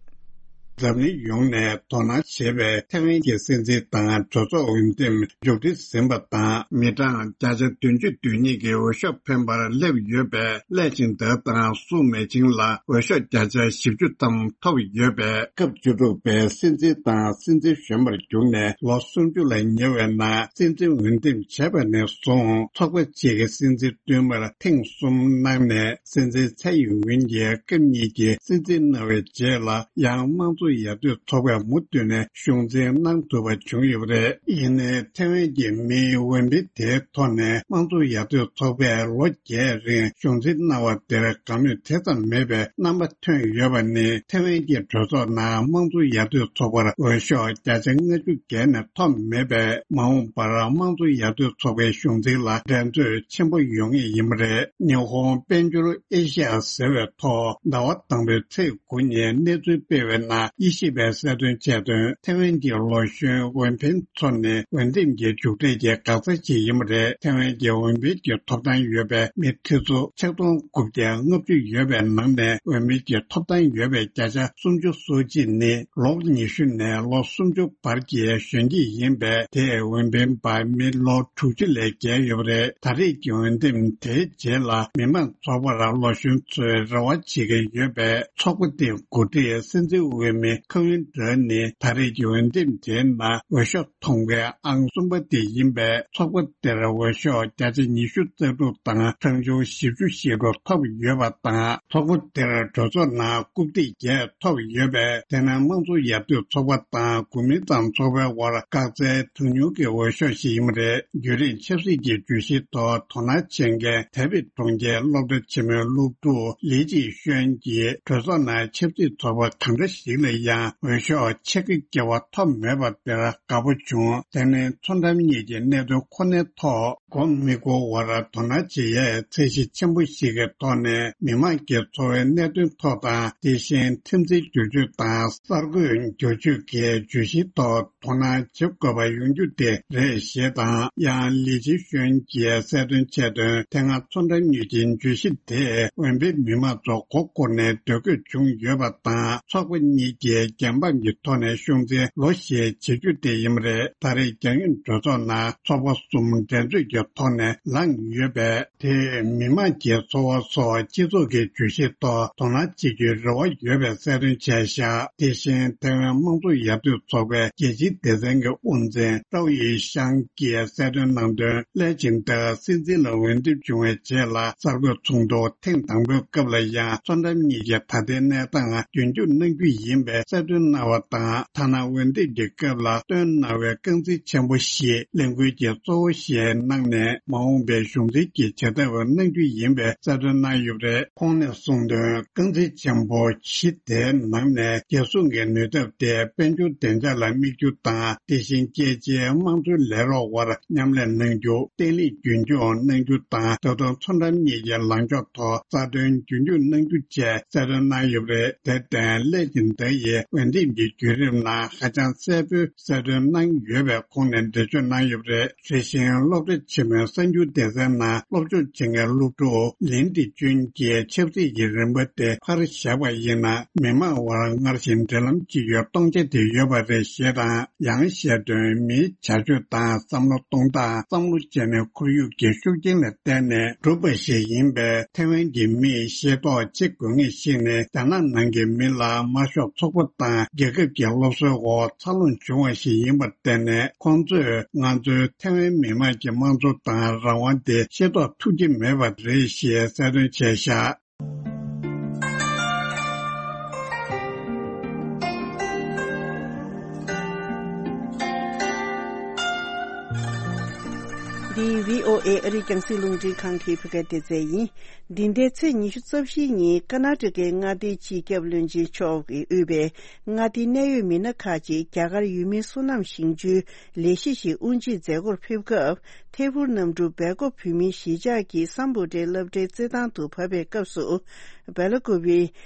འཛམ་གླིང་ཡོངས་ནས་དོ་སྣང་བྱེད་པའི་ཐའེ་ཝན་གྱི་སྲིད་འཛིན་དང་གྲོས་ཚོགས་འོས་འདེམས་མཇུག་སྒྲིལ་ཟིན་པ་དང་། མི་གྲངས་བརྒྱ་ཆ་བདུན་ཅུ་དོན་གཉིས་ཀྱིས་འོས་ཤོག་འཕེན་པར་སླེབས་ཡོད་པས། ལའེ་ཆིང་ཏེ་དང་སུའུ་མེ་ཆིང་ལ་འོས་ཤོག་བརྒྱ་ཆ་བཞི་བཅུ་ཙམ་ཐོབ་ཡོད་པས། སྐབས་བཅུ་དྲུག་པའི་སྲིད་འཛིན་དང་སྲིད་འཛིན་གཞོན་པར་གྱུར་ནས་ལོ་སུམ་ཅུ་ལ་ཉེ་བའི་ནང་སྲིད་འཛིན་འོས་འདེམས་བྱས་པ་ནས་བཟུང་ཚོགས་པ་གཅིག་གི་སྲིད་འཛིན་བསྟུད་མར་ཐེངས་གསུམ་གནང་ནས། སྲིད་འཛིན་ཚའེ་ཡིན་ཝིན་གྱིས་སྐབས་གཉིས་ཀྱི་སྲིད་འཛིན་གནང་བའི་རྗེས་ལ་ཡང་དམངས་གཙོ་ཡར་ཐོན་ཚོགས་པས་མུ་མཐུད་ནས་གཞུང་འཛིན་གནང་ཐུབ་པ་བྱུང་ཡོད་པ་རེད། ཡིན་ནའི་ཐའེ་ཝན་གྱི་མིའི་འོས་འཕེན་དེའི་ཐོག་ནས་དམངས་གཙོ་ཡར་ཐོན་ཚོགས་པས་ལོ་བརྒྱད་རིང་གཞུང་འཛིན་གནང་བ་དེར་དགའ་མོས་དེ་ཙམ་མེད་པའི་རྣམ་པ་ཐོན་ཡོད་པ་ནི། ཐའེ་ཝན་གྱི་གྲོས་ཚོགས་ནང་དམངས་གཙོ་ཡར་ཐོན་ཚོགས་པར་འོས་ཤོག་བརྒྱ་ཆ་ལྔ་བཅུ་བརྒལ་ནས་ཐོབ་མེད་པས། མ་འོངས་པར་དམངས་གཙོ་ཡར་ཐོན་ཚོགས་པའི་གཞུང་འཛིན་ལ་འགྲན་རྩོད་ཆེན་པོ་ཡོང་ངེས་ཡིན་པ་རེད། ཉི་ཧོང་དཔལ་འབྱོར་ཨེ་ཤི་ཡ་ཟེར་བའི་ཐོག་ཟླ་བ་དང་པོའི་ཚེས་དགུ་ཉིན་གནས་ཚུལ་སྤེལ་བའི་ནང་དབྱེ་ཞིབ་པས་གསལ་སྟོན་བྱས་དོན། ཐའེ་ཝན་གྱི་ལོ་གཞོན་འོས་འཕེན་ཚོ་ནི་འོས་འདེམས་ཀྱི་མཇུག་འབྲས་ཀྱི་འགག་རྩ་ཅིག་ཡིན་པ་རེད། ཐའེ་ཝན་གྱི་འོས་འཕེན་གྱི་ཐོབ་ཐང་ཡོད་པའི་མི་ཁྲི་ཚོ་ཆིག་སྟོང་དགུ་བརྒྱ་ལྔ་བཅུ་ཡོད་པའི་ནང་ནས་འོས་མི་གྱི་ཐོབ་ཐང་ཡོད་པའི་བརྒྱ་ཆ་སུམ་ཅུ་སོ་གཅིག་ནི་ལོ་ཉི་ཤུ་ནས་ལོ་སུམ་ཅུ་བར་གྱི་གཞོན་སྐྱེས་ཡིན་པས། དེས་འོས་འཕེན་པ་མི་ལོ་དྲུག་ཅུ་ལས་བརྒལ་ཡོད་པ་རེད། ད་རེས་ཀྱི་འོས་འདེམས་དེའི་རྗེས་ལ་མི་མང་ཚོགས་པར་ལོ་གཞོན་ཚོས་རེ་བ་བྱེད་ཀྱི་ཡོད་པས། ཚོགས་པ་དེའི་འགོ་ཁྲིད་སྲིད་འཛིན་འོས་མི། ཁ་ཝིན་ཏྲ་ནི་ད་རེས་ཀྱི་འོས་འདེམས་དེའི་ནང་འོས་ཤོག་ཐོངས་པའི་ཨང་གསུམ་པ་དེ་ཡིན་པས། ཚོགས་པ་དེར་འོས་ཤོག་བརྒྱ་ཆ་ཉི་ཤུ་རྩ་དྲུག་དང་གྲངས་ཆུང་བཞི་བཅུ་ཞེ་དྲུག་ཐོབ་ཡོད་པ་དང་། ཚོགས་པ་དེར་གྲོས་ཚོགས་ནང་རྐུབ་སྟེགས་བརྒྱད་ཐོབ་ཡོད་པས། དེ་ནི་དམངས་གཙོ་ཡར་ཐོན་ཚོགས་པ་དང་གོ་མིན་ཏང་ཚོགས་པའི་དབར་བཀག་རྩའི་གྲངས་ཉུང་གི་འོས་ཤོག་ཞིག་ཡིན་པ་རེད། བརྒྱུད་རིམ་ཆབ་སྲིད་ཀྱི་བརྗོད་གཞིའི་ཐོག་དོ་སྣང་བྱེད་མཁན་ཐའེ་པེ་གྲོང་ཁྱེར་སློབ་གྲྭ་ཆེན་མོའི་སློབ་ཕྲུག་ལི་ཅི་ཤོན་གྱིས། གྲོས་ཚོགས་ནང་ཆབ་སྲིད་ཚོགས་པ་གང་འདྲ་ཞིག་ལ་ཡང་འོས་ཤོག་ཕྱེད་ཀ་བརྒལ་བ་ཐོབ་མེད་པ་དེར་དགའ་པོ་བྱུང་། དེ་ནི་མཚོ་འགྲམ་གཉིས་ཀྱི་གནད་དོན་ཁོ་ནའི་ཐོག་མགོ་མི་འཁོར་བར་དོ་སྣང་བྱེད་ཡས་ཚད་གཞི་ཆེན་པོ་ཞིག་གི་ཐོག་ནས་མི་དམངས་ཀྱི་འཚོ་བའི་གནད་དོན་ཐོག་དང་། དེ་བཞིན་ཁྲིམས་འཛིན་སྒྱུར་བཅོས་དང་གསར་འགོད་སྒྱུར་བཅོས་ཀྱི་བརྗོད་གཞིའི་ཐོག་དོ་སྣང་བྱེད་དགོས་པ་ཡོང་རྒྱུ་དེ་རེད་ཞེས་དང་། ཡང་ལི་ཅི་ཤོན་གྱིས་གསལ་སྟོན་བྱས་དོན། དེ་སྔ་མཚོ་འགྲམ་གཉིས་ཀྱི་བརྗོད་གཞི་དེས་འོས་འཕེན་མི་མང་ཚོ་མགོ་སྐོར་ནས་འདོད་དགོས་བྱུང་ཡོད་པ་དང་། ཚོགས་པ་གཉིས་ཀྱིས་འགན་འབངས་ཀྱི་ཐོག་ནས་ཤོང་ཚེ་ལོ་ཞེས་བྱེད་རྒྱུ་དེ་ཡིན་པ་རེད། ད་རེས་རྒྱང་ཡོད་གྲོས་ཚོགས་ནང་ཚོགས་པ་གསུམ་འགྲན་རྩོད་ཀྱི་ཐོག་ནས་ལངས་ཡོད་པས། དེས་མི་དམངས་ཀྱི་འཚོ་བ་སོགས་སྤྱི་ཚོགས་ཀྱི་བརྗོད་གཞིའི་ཐོག་དོ་སྣང་བྱེད་རྒྱུའི་རེ་བ་ཡོད་པའི་གསལ་སྟོན་བྱས་བཞག་དེ་བཞིན་ཐའེ་ཝན་དམངས་གཙོ་ཡར་ཐོན་ཚོགས་པའི་རྒྱལ་སྤྱིའི་སྡེ་ཚན་གྱི་དབུ་འཛིན་ཀྲའོ་ཡི་ཤང་གིས་གསལ་སྟོན་གནང་དོན། སླད་ཕྱིན་ད་སྲིད་འཛིན་ལ་འོས་འདེམས་བྱུང་བའི་རྗེས་ལ་གསར་འགོད་ཚོགས་འདུ་ཐེངས་དང་པོའི་སྐབས་ལ་ཡང་མཚོ་འགྲམ་གཉིས་ཀྱི་ད་ལྟའི་གནས་སྟངས་རྒྱུན་འཁྱོངས་གནང་རྒྱུ་ཡིན་པའི་གསལ་སྟོན་གནང་བ་དང་། ཐ་ན་འོས་འདེམས་ཀྱི་སྐབས་ལ་བཏོན་གནང་བའི་རྐང་འཛིན་ཆེན་པོ་བཞི་གླེང་སྐུལ་གྱི་གཙོ་བོ་ཞིག་གནང་ནས། མ་འོངས་པའི་གཞུང་འཛིན་གྱི་བྱེད་ཐབས་གནང་རྒྱུ་ཡིན་པའི་གསལ་སྟོན་གནང་ཡོད་པ་རེད། ཁོང་ནས་གསུངས་དོན། རྐང་འཛིན་ཆེན་པོ་བཞི་དེའི་ནང་ནས་རྒྱལ་སྲུང་གི་ནུས་སྟོབས་དེ་དཔལ་འབྱོར་བདེ་འཇགས་ལ་དམིགས་རྒྱུ་དང་། དེ་བཞིན་རྒྱལ་སྤྱིའི་དམངས་གཙོའི་ལས་རོགས་དབར་མཉམ་ལས་གནང་རྒྱུ། བརྟན་ལྷིང་རྒྱུན་འཁྱོངས་གནང་རྒྱུ་དང་། ད་དུང་མཚོ་འགྲམ་གཉིས་ཀྱི་ལངས་ཕྱོགས་ཐོག་རྩ་དོན་རྒྱུན་འཁྱོངས་གནང་རྒྱུ་བཅས་གསལ་སྟོན་གནང་ཡོད་པ་རེད། དེར་བརྟེན་སླད་ཕྱིན་ད་ཡི་འོས་འདེམས་ཀྱི་བརྒྱུད་རིམ་ནང་ཧ་ཅང་གསལ་པོའི་གསལ་སྟོན་གནང་ཡོད་པའི་ཁོང་ནས་འགྲེལ་བརྗོད་གནང་ཡོད་པ་རེད། དེ་བཞིན་སློབ་གྲྭ་ཆེན་མོའི་གསར་འགྱུར་སྡེ་ཚན་ནང་སློབ་སྦྱོང་བྱེད་མཁན་སློབ་ཕྲུག་ལིན་ཏི་ཅུན་གྱིས་ཆབ་སྲིད་ཀྱི་རིམ་པ་དེ་ཕར་བཞག་པ་ཡིན་ན། མི་དམངས་དབར་སྔར་བཞིན་འབྲེལ་ལམ་གཅིག་ཡོད་གཏོང་ཆ་དེ་ཡོད་པ་རེད་ཞེས་དང་། ཡང་བཤད་དོན། མིའི་བྱ་སྤྱོད་དང་བསམ་བློ་གཏོང་སྟངས། བསམ་བློ་བྱས་ནས་ཁོར་ཡུག་གི་ཤུགས་རྐྱེན་ལ་བརྟེན་ནས་གྲུབ་པ་ཞིག་ཡིན་པས། ཐའེ་ཝན་གྱི་མིས་ཤེས་རྟོགས་བྱེད་དགོས་ངེས་ཤིག་ནི། རྒྱ་ནག་ནང་གི་མི་ལ་དམར་ཤོག་ཚོགས་པ་དང་རྒྱལ་ཁབ་ཀྱི་སློབ་གསོའི་འོག་འཚར་ལོངས་བྱུང་བ་ཞིག་ཡིན་པར་བརྟེན་ནས། ཁོང་ཚོས་ང་ཚོའི་ཐའེ་ཝན་མི་དམངས་ཀྱི་དམངས་གཙོ་དང་རང་དབང་དེ་ཤེས་རྟོགས་ཐུབ་ཀྱི་མེད་པ་རེད་ཞེས་གསལ་སྟོན་བྱས་བཞག་འདི་བྷི་ཨོ་ཨེ་ཨ་རིའི་རྒྱང་སྲིང་རླུང་འཕྲིན་ཁང་གི་བོད་སྐད་སྡེ་ཚན་ཡིན། འདི་ཟླའི་ཚེས་ཉི་ཤུ་རྩ་བཞིའི་ཉིན་ཀར་ནཱ་ཊ་ཀའི་མངའ་སྡེའི་སྤྱི་ཁྱབ་བློན་ཆེན་མཆོག་གིས་དབུས་པའི་མངའ་སྡེའི་གནད་ཡོད་མི་སྣ་ཁག་ཅིག་རྒྱ་གར་ཡུལ་མིའི་སོ་ནམ་ཞིང་ཆུའི་ལས་གཞི་ཞིག་དབུ་འབྱེད་མཛད་སྒོར་ཕེབས་སྐབས། ཐད་འཕུར་གནམ་གྲུ་སྦེལ་ཀོབ་བོད་མིའི་གཞིས་ཆགས་ཀྱི་སམ་བྷོ་ཊའི་སློབ་གྲྭའི་རྩེད་ཐང་དུ་བབས་པའི་སྐབས་སུ། སྦེལ་ཀོབ་པའི་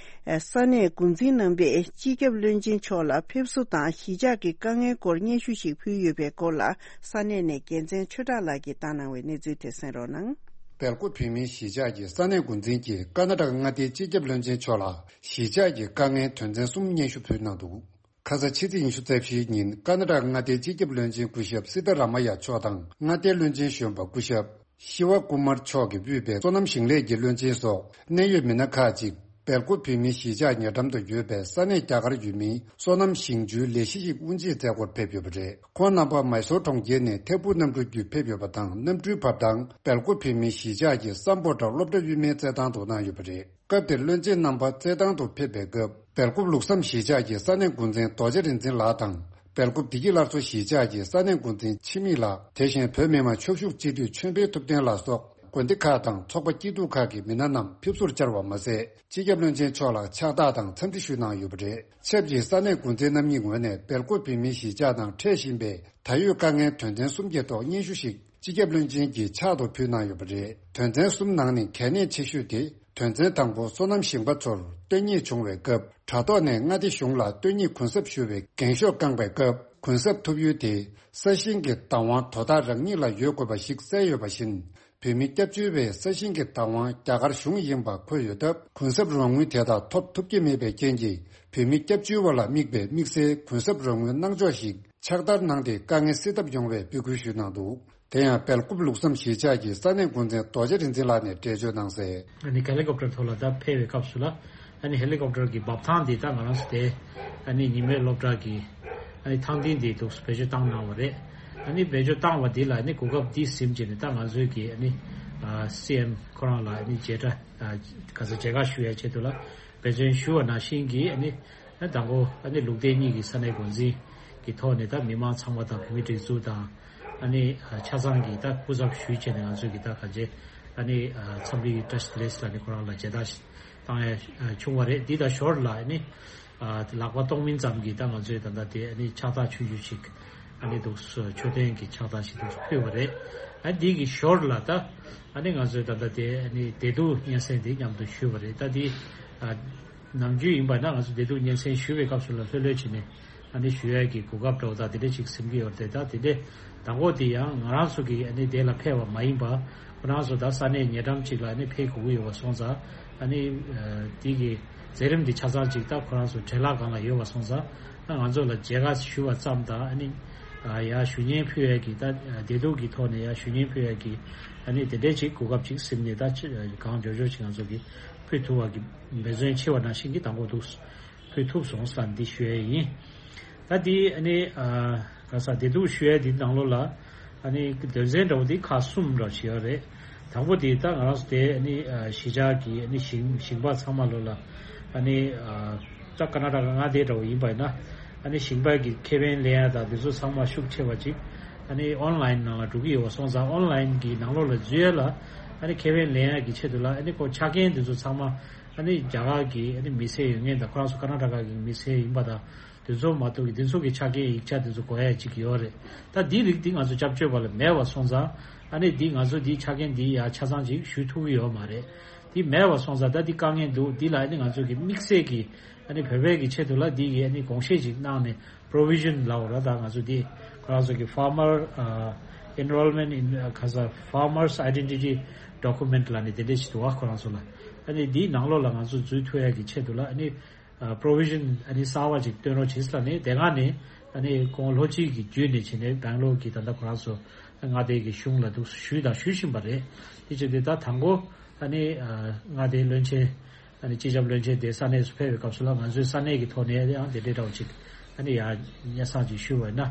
ས་གནས་འགོ་འཛིན་རྣམ་པས་སྤྱི་ཁྱབ་བློན་ཆེན་མཆོག་ལ་ཕེབས་བསུ་དང་གཞིས་ཆགས་ཀྱི་དཀའ་ངལ་སྐོར་སྙན་ཞུ་ཞིག་ཕུལ་ཡོད་པའི་སྐོར་ལ། ས་གནས་ནས་རྒྱལ་མཚན་ཆོས་གྲགས་ལགས་ཀྱིས་བཏང་གནང་བའི་གནས་ཚུལ་དེ་གསན་རོགས་གནང་། སྦེལ་ཀོབ་བོད་མིའི་གཞིས་ཆགས་ཀྱི་ས་གནས་འགོ་འཛིན་གྱིས་ཀར་ནཱ་ཊ་ཀ་མངའ་སྡེའི་སྤྱི་ཁྱབ་བློན་ཆེན་མཆོག་ལ་གཞིས་ཆགས་ཀྱི་དཀའ་ངལ་དོན་ཚན་གསུམ་སྙན་ཞུ་ཕུལ་གནང་འདུག་ཁ་ས་ཕྱི་ཚེས་ཉི་ཤུ་རྩ་བཞིའི་ཉིན་ཀར་ནཱ་ཊ་ཀ་མངའ་སྡེའི་སྤྱི་ཁྱབ་བློན་ཆེན་སྐུ་ཞབས་སི་ཏཱ་ར་མ་ཡ་མཆོག་དང་མངའ་སྡེའི་བློན་ཆེན་གཞོན་པ་སྐུ་ཞབས་ཤི་ཝ་ཀུ་མར་མཆོག་གིས་དབུས་པའི་སོ་ནམ་ཞིང་ལས་ཀྱི་བློན་ཆེན་སོགས་གནད་ཡོད་མི་སྣ་ཁག་ཅིག་སྦེལ་ཀོབ་བོད་མིའི་གཞིས་ཆགས་ཉེ་འགྲམ་དུ་ཡོད་པའི་ས་གནས་རྒྱ་གར་ཡུལ་མིའི་སོ་ནམ་ཞིང་ཆུའི་ལས་གཞི་ཞིག་དབུ་འབྱེད་མཛད་སྒོར་ཕེབས་ཡོད་པ་རེད། ཁོང་རྣམ་པ་མའི་སོར་གྲོང་ཁྱེར་ནས་ཐད་འཕུར་གནམ་གྲུ་བརྒྱུད་ཕེབས་ཡོད་པ་དང་། གནམ་གྲུའི་བབས་ཐང་སྦེལ་ཀོབ་བོད་མིའི་གཞིས་ཆགས་ཀྱི་སམ་བྷོ་ཊ་སློབ་གྲྭ་དབུས་མའི་རྩེད་ཐང་དུ་གནང་ཡོད་པ་རེད། སྐབས་དེར་བློན་ཆེན་རྣམ་པ་རྩེད་ཐང་དུ་ཕེབས་པའི་སྐབས། སྦེལ་ཀོབ་ལུགས་བསམ་གཞིས་ཆགས་ཀྱི་ས་གནས་འགོ་འཛིན་རྡོ་རྗེ་རིག་འཛིན་ལགས་དང་། སྦེལ་ཀོབ་བདེ་སྐྱིད་སླར་གསོ་གཞིས་ཆགས་ཀྱི་ས་གནས་འགོ་འཛིན་འཆི་མེད་ལགས། དེ་བཞིན་བོད་མི་མང་ཆོས་ཞབས་སྤྱི་འཐུས་ཆོས་འཕེལ་ཐུབ་བསྟན་ལགས་སོགས་དགོན་སྡེ་ཁག་དང་ཚོགས་པ་སྐྱིད་སྡུག་ཁག་གི་མི་སྣ་རྣམས་ཕེབས་བསུར་བཅར་བ་མ་ཟད། སྤྱི་ཁྱབ་བློན་ཆེན་མཆོག་ལ་ཕྱག་རྟགས་དང་འཚམས་འདྲི་ཞུས་གནང་ཡོད་པ་རེད། ཆབས་ཅིག་ས་གནས་འགོ་འཛིན་རྣམ་གཉིས་ངོས་ནས་སྦེལ་ཀོབ་བོད་མིའི་གཞིས་ཆགས་ནང་འཕྲད་བཞིན་པའི་ད་ཡོད་དཀའ་ངལ་དོན་ཚན་གསུམ་གྱི་ཐོག་སྙན་ཞུ་ཞིག་སྤྱི་ཁྱབ་བློན་ཆེན་གྱིས་ཕྱག་ཏུ་ཕུལ་གནང་ཡོད་པ་རེད། དོན་ཚན་གསུམ་ནང་ནས་གལ་གནད་ཆེ་ཤོས་དེ། དོན་ཚན་དང་པོ། སོ་ནམ་ཞིང་པ་ཚོར་སྟོན་ཉེས་བྱུང་བའི་སྐབས། དྲ་ཐོག་ནས་མངའ་སྡེ་གཞུང་ལ་སྟོན་ཉེས་གུན་གསབ་ཞུ་བའི་འགེངས་ཤོག་བསྐངས་པའི་སྐབས། གུན་གསབ་ཐོབ་ཡུལ་དེ་ས་ཞིང་གི་བདག་དབང་དོ་བདག་རང་ཉིད་ལ་ཡོད་དགོས་པ་ཞིག་གསལ་ཡོད་པ་བཞིན། བོད་མི་སྐྱབས་བཅོལ་བའི་ས་ཞིང་གི་བདག་དབང་རྒྱ་གར་གཞུང་ཡིན་པ་འཁོད་ཡོད་སྟབས། གུན་གསབ་རོགས་དངུལ་དེ་དག་ཐོབ་ཐུབ་ཀྱི་མེད་པའི་རྐྱེན་གྱིས། བོད་མི་སྐྱབས་བཅོལ་བ་ལ་དམིགས་པའི་དམིགས་བསལ་གུན་གསབ་རོགས་དངུལ་གནང་ཕྱོགས་ཤིག་ཕྱག་བསྟར་གནང་སྟེ། དཀའ་ངལ་སེལ་ཐབས་ཡོང་བའི་འབོད་སྐུལ་ཞུས་གནང་འདུག་དེ་ཡང་སྦེལ་ཀོབ་ལུགས་བསམ་གཞིས་ཆགས་ཀྱི་ས་གནས་འགོ་འཛིན་རྡོ་རྗེ་རིག་འཛིན་ལགས་ནས་འགྲེལ་བརྗོད་གནང་གསལ། ཨ་ནི་ཧེ་ལི་ཀོབ་ཊར་ཐོག་ལ་ད་ཕེབས་པའི་སྐབས་སུ་ལ། ཨ་ནི་ཧེ་ལི་ཀོབ་ཊར་གྱི་འབབ་ཐང་འདི་ད་ང་རང་ཚོ་དེ་ཨ་ནི་ཉི་མའི་སློབ་གྲྭ་གི་ཨ་ནི་ཐང་སྟེང་འདི་འདུག་བེད་སྤྱོད་བཏང་གནང་བ་རེད། ཨ་ནི་བེད་སྤྱོད་བཏང་བ་འདི་ལ་ཨ་ནི་གོ་སྐབས་འདི་ཟིན་བྱས་ནས་ད་ང་ཚོའི་གི་ཨ་ནི་ཨ་སི་ཨེམ་ཁོ་རང་ལ་ཨ་ནི་མཇལ་ཁྲ་ཨ་ག་ཚོད་མཇལ་ཁ་ཞུ་ཡ་ཆེད་དུ་ལ་འབད་བརྩོན་ཞུ་བ་ནང་བཞིན་གྱི་ཨ་ནི་ཨ་དང་པོ་ཨ་ནི་ལུགས་བདེ་གཉིས་ཀྱི་ས་གནས་འགོ་འཛིན་གྱི་ཐོག་ནས་ད་མི་མང་ཚང་མ་དང་བོད་མི་སྒྲིག་འཛུགས་དང་ཨ་ནི་ཨ་ཆ་ཚང་གི་ད་སྐུ་ཚབ་ཞུས་བྱས་ནས་ང་ཚོས་ཀྱི་ད་ག་ཚོད་ཨ་ནི་ཨ་འཚམས་འདྲི་བཀྲ་ཤིས་བདེ་ལེགས་ལ་ནི་ཁོ་རང་ལ་མཇལ་དར་བཏང་ཡ་བྱུང་བ་རེད། འདི་དང་ཞོར་ལ་ཨ་ནི་ཨ་ལག་པ་གཏོང་མིན་ཙམ་གྱིས་ད་ང་ཚོས་ད་ལྟ་དེ་ཨ་ནི་ཕྱག་རྟགས་ཆུང་ཆུང་ཞིག་ཨ་ནི་འདུག་མཆོད་རྟེན་གྱི་ཕྱག་རྟགས་ཤིག་འདུག་ཕུལ་བ་རེད། ཨ་འདི་གི་ཞོར་ལ་ད་ཨ་ནི་ང་ཚོས་ད་ལྟ་དེ་ཨ་ནི་བདེ་སྡུག་སྙན་སེང་དེ་མཉམ་དུ་ཞུས་པ་རེད། ད་འདི་ཨ་ནམ་རྒྱུན་ཡིན་པ་ན་ང་ཚོ་བདེ་སྡུག་སྙན་སེང་ཞུ་བའི་སྐབས་སུ་ལ་ལྷོད་ལྷོད་བྱས་ནས་ཨ་ནི་ཞུ་ཡས་ཀྱི་གོ་སྐབས་འདྲ་བོ་དང་དེ་འདྲ་ཅིག་ཟིན་གྱི་ཡོད་རེད། ད་དེ་འདྲ་དང་པོ་དེ་ཡང་ང་རང་ཚོ་གི་ཨ་ནི་དེ་ལ་ཕེབས་པ་མ་ཡིན་པ་ཁོ་རང་ཚོ་ད་ས་གནས་ཉེ་འགྲམ་ཅིག་ལ་ཨ་ནི་ཕེབས་དགོས་ཀྱི་ཡོད་པ་སོང་ཙང་ཨ་ནི་དེ་གི་མཛད་རིམ་འདི་ཆ་ཚང་ཅིག་ད་ཁོ་རང་ཚོ་བྲེལ་ལྷག་སྒང་ལ་ཡོད་པ་སོང་ཙང་ཨ་ང་ཚོ་ལ་མཇལ་ཁ་ཞུ་བ་ཙམ་དང་ཨ་ནི་ཡར་ཞུ་སྙན་ཕུལ་ཡས་ཀྱི་ད་བདེ་སྡུག་གི་ཐོག་ནས་ཡར་ཞུ་སྙན་ཕུལ་ཡས་ཀྱི་ཨ་ནི་དེ་འདྲའི་ཅིག་གོ་སྐབས་ཅིག་ཟིན་ནས་ད་གང་མགྱོགས་མགྱོགས་ཅིག་ང་ཚོ་གི་ཕུལ་ཐུབ་པ་གི་འབད་བརྩོན་ཆེ་བ་ནང་བཞིན་གྱི་དང་པོ་འདུག་ཕུལ་ཐུབ་སོང་བསམ་འདི་ཞུ་ཡས་ཡིན། ད་འདི་ཨ་ནི་ཨ་ག་ས་བདེ་སྡུག་ཞུ་ཡས་འདི་ནང་ལོགས་ལ་ཨ་ནི་དོན་ཚན་འདྲ་བོ་འདི་ཁག་གསུམ་འདྲ་བོ་ཞིག་ཡོད་རེད། དང་པོ་འདི་ད་ང་རང་ཚོ་དེ་ཨ་ནི་ཨ་གཞིས་ཆགས་ཀྱི་ཨ་ནི་ཞིང་ཞིང་པ་ཚང་མ་ལོ་ལ་ཨ་ནི་ཨ་ད་ཀར་ནཱ་ཊ་ཀ་མངའ་སྡེ་འདྲ་བོ་ཡིན་པ་ཡིན་ན་ཨ་ནི་ཞིང་པ་གི་ཁེ་ཕན་ལེན་ཡ་དང་འདི་ཚོ་ཚང་མ་ཤུགས་ཆེ་བ་ཅིག་ཨ་ནི་ཨོན་ལན་ནང་ལ་འགྲོ་གི་ཡོད་པ་སོང་ཙང་ཨོན་ལན་གྱི་ནང་ལོགས་ལ་འཛུལ་ཡ་ལ་ཨ་ནི་ཁེ་ཕན་ལེན་ཡ་གི་ཆེད་དུ་ལ་ཨ་ནི་ཁོ་ཆ་རྐྱེན་འདི་ཚོ་ཚང་མ་ཨ་ནི་རྒྱ་གར་གྱི་ཨ་ནི་མི་སེར་ཡོད་མཁན་དང་ཁོ་རང་ཚོ་ཀར་ནཱ་ཊ་ཀ་གི་མི་སེར་ཡིན་པ་དང་། དེ་ཚོ་མ་གཏོགས་ཀྱི་དེ་ཚོ་གི་ཆ་རྐྱེན་ཡིག་ཆ་དེ་ཚོ་དགོས་ཡ་ཅིག་ཡོད་རེད། ད་འདི་རིགས་འདི་ང་ཚོ་སྐྱབས་བཅོལ་བ་ལ་མེད་པ་སོང་ཙང་ཨ་ནི་འདི་ང་ཚོ་འདི་ཆ་རྐྱེན་འདི་ཡ་ཆ་ཚང་ཅིག་ཞུ་ཐུབ་ཀྱི་ཡོད་མ་རེད། འདི་མེད་པ་སོང་ཙང་ད་འདི་དཀའ་ངལ་འདུག་འདི་ལ་ཨ་ནི་ང་ཚོ་གི་དམིགས་བསལ་གྱི་ཨ་ནི་བོད་པའི་གི་ཆེད་དུ་ལ་འདི་གི་ཨ་ནི་དགོངས་བཞེས་ཅིག་གནང་ནས་པྲོ་བི་ཤན་ལབ་པ་ར། ད་ང་ཚོ་འདི་ཁོ་རང་ཚོ་གི་ཕར་མར་ཨ་ཨེན་རོལ་མེན་ཊི་ཨིན་ཁ་ས་ཕར་མར་སི་ཨའི་ཌེན་ཊི་ཊི་ཌོ་ཀུ་མེན་ཊི་ལབ་ནས་དེ་འདྲས་ཞིག་འདུག་བ། ཁོ་རང་ཚོ་ལ་ཨ་ནི་འདིའི་ནང་ལོགས་ལ་ང་ཚོ་འཛུལ་ཐུབ་ཡ་གི་ཆེད་དུ་ལ་ཨ་ནི། ཨ་པྲོ་བི་ཤན་ཨ་ནི་གསར་བ་ཅིག་བཏོན་རོགས་བྱེད་ཟེར་ལབ་ནས་དེ་སྒང་ནས་ཨ་ནི་ཁོང་ལྷོ་སྤྱི་གི་བརྒྱུད་ནས་བྱས་ནས་སྦེང་ལོར་གྱི་ད་ལྟ་ཁོ་རང་ཚོ་མངའ་སྡེ་གི་གཞུང་ལ་འདུག་ཞུས་དང་ཞུ་བཞིན་པ་རེད། དེ་བྱས་ཏེ་ད་དང་པོ་ཨ་ནི་ཨ་མངའ་སྡེའི་བློན་ཆེན་ཨ་ནི་སྤྱི་ཁྱབ་བློན་ཆེན་དེ་ས་གནས་སུ་ཕེབས་པའི་སྐབས་སུ་ལ་ང་ཚོའི་ས་གནས་ཀྱི་ཐོག་ནས་ཡང་དེ་འདྲའི་འདྲ་བོ་ཅིག་ཨ་ནི་ཡང་སྙན་སེང་ཅིག་ཞུས་པ་ཡིན་ན་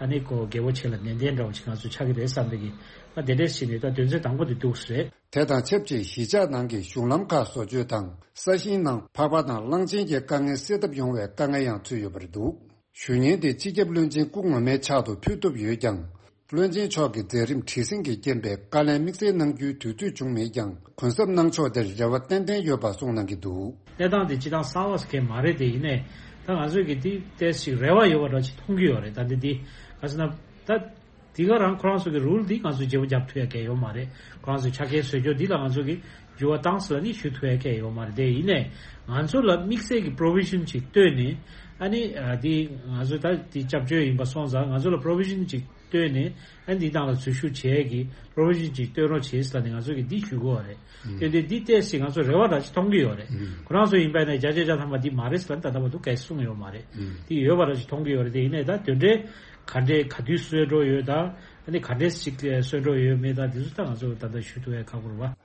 ཨ་ནི་ཁོ་རྒྱལ་པོ་ཆེ་ལ་ནན་ཏན་འདྲ་བོ་ཅིག་ང་ཚོ་ཆགས་ཀྱི་རེད་བསམ་པའི་གི་ཨ་དེ་འདྲས་བྱས་ནས་ད་དོན་ཚན་དང་པོ་དེ་འདུག་སེ་རེད། དེ་དང་ཆབས་ཅིག་གཞིས་ཆགས་ནང་གི་གཞུང་ལམ་ཁག་བཟོ་བཅོས་དང་ས་ཞིང་ནང་ཕག་པ་དང་གླང་ཆེན་གྱི་དཀའ་ངལ་སེལ་ཐབས་ཡོང་བའི་དཀའ་ངལ་ཡང་ཚུད་ཡོད་པ་རེད་འདུག་ཞུ་སྙན་དེ་སྤྱི་ཁྱབ་བློན་ཆེན་སྐུ་ངོ་མའི་ཕྱག་ཏུ་ཕུལ་ཐུབ་ཡོད་ཀྱང་། བློན་ཆེན་མཆོག་གི་མཛད་རིམ་བྲེལ་ཟིང་གིས་རྐྱེན་པས་བཀའ་ལན་དམིགས་བསལ་གནང་རྒྱུའི་དུས་ཚོད་བྱུང་མེད་ཀྱང་གུན་གསབ་གནང་ཕྱོགས་དེར་རེ་བ་ཏན་ཏན་ཡོད་པ་གསུངས་གནང་གི་འདུག་གནས་སྟངས་དེ་སྤྱི་བཏང་གསར་བ་ཟེར་མཁན་མ་རེད་དེ། ཡིན་ནའི་ད་ང་ཚོས་ཀྱི་དེ་ཏོག་ཙམ་རེ་བ་ཡོད་པ་འདྲ་ཅིག་མཐོང་གི་ཡོད་རེད། ད་འདི་འདི་ག་ཟེར་ན་ད། དེ་ག་རང་ཁོ་རང་ཚོ་གི་རུལ་འདི་ང་ཚོས་བརྗེ་པོ་རྒྱབ་ཐུབ་ཡ་གང་ཡང་ཡོད་མ་རེད། ཁོ་རང་ཚོའི་ཆ་རྐྱེན་བཟོ་རྒྱུ་འདི་ལ་ང་ཚོ་གི་འགྱུར་བ་བཏང་ཟེར་ལ་ནི་ཞུ་ཐུབ་ཡ་གང་ཡང་ཡོད་མ་རེད་དེ། ཡིན་ནའི་ང་ཚོ་ལ་དམིགས་བསལ་གྱི་པྲོ་བི་ཤན་ཅིག་བཏོན་ནས་ཨ་ནི་ཨ་འདི་ང་ཚོ་ད་འདི་སྐྱབས་བཅོལ་ཡིན་པ་སོང་ཙང་ང་ཚོ་ལ་པྲོ་བི་ཤན་ཅིག་བཏོན་ནས་ཨ་ནི་འདི་ནང་ལ་འཛུལ་ཞུགས་བྱེད་ཡ་གི་པྲོ་བི་ཤན་ཅིག་བཏོན་རོགས་བྱེད་ཟེར་ལ་ནི་ང་ཚོ་གི་འདི་ཞུ་དགོས་པ་རེད། ཨུམ། དེ་འདི་འདི་ཏོག་ཙམ་ང་ཚོ་རེ་བ་འདྲ་ཅིག་མཐོང་གི་ཡོད་རེད། ཨུམ། ཁོ་རང་ཚོ་ཡིན་པ་ཡིན་ན་བརྒྱ་ཆ་བརྒྱ་ཐམ་པ་འདི་མ་རེད་ཟེར་ལ་ནི་ད་ལྟ་བར་དུ་གང་ཡང་གསུངས་ཡོད་མ་རེད། ཨུམ། འདི་ཡོད་པ་འདྲ་ཅིག་མཐོང་གི་ཡོད་རེད་དེ། ཡིན་ནའི་ད་དེ་འདྲའི་ག་འདྲའི་ག་དུས་གསོལ་འགྲོ་ཡོད་དང་ཨ་ནི་ག་འདྲའི་ཞིག་གསོལ་འགྲོ་ཡོད་མེད་དང་དེ་ཚོ་ད་ང་ཚོ་ད་ལྟ་ཞུ་ཐུབ་ཡ་ཁག་པོ་རེད་བ།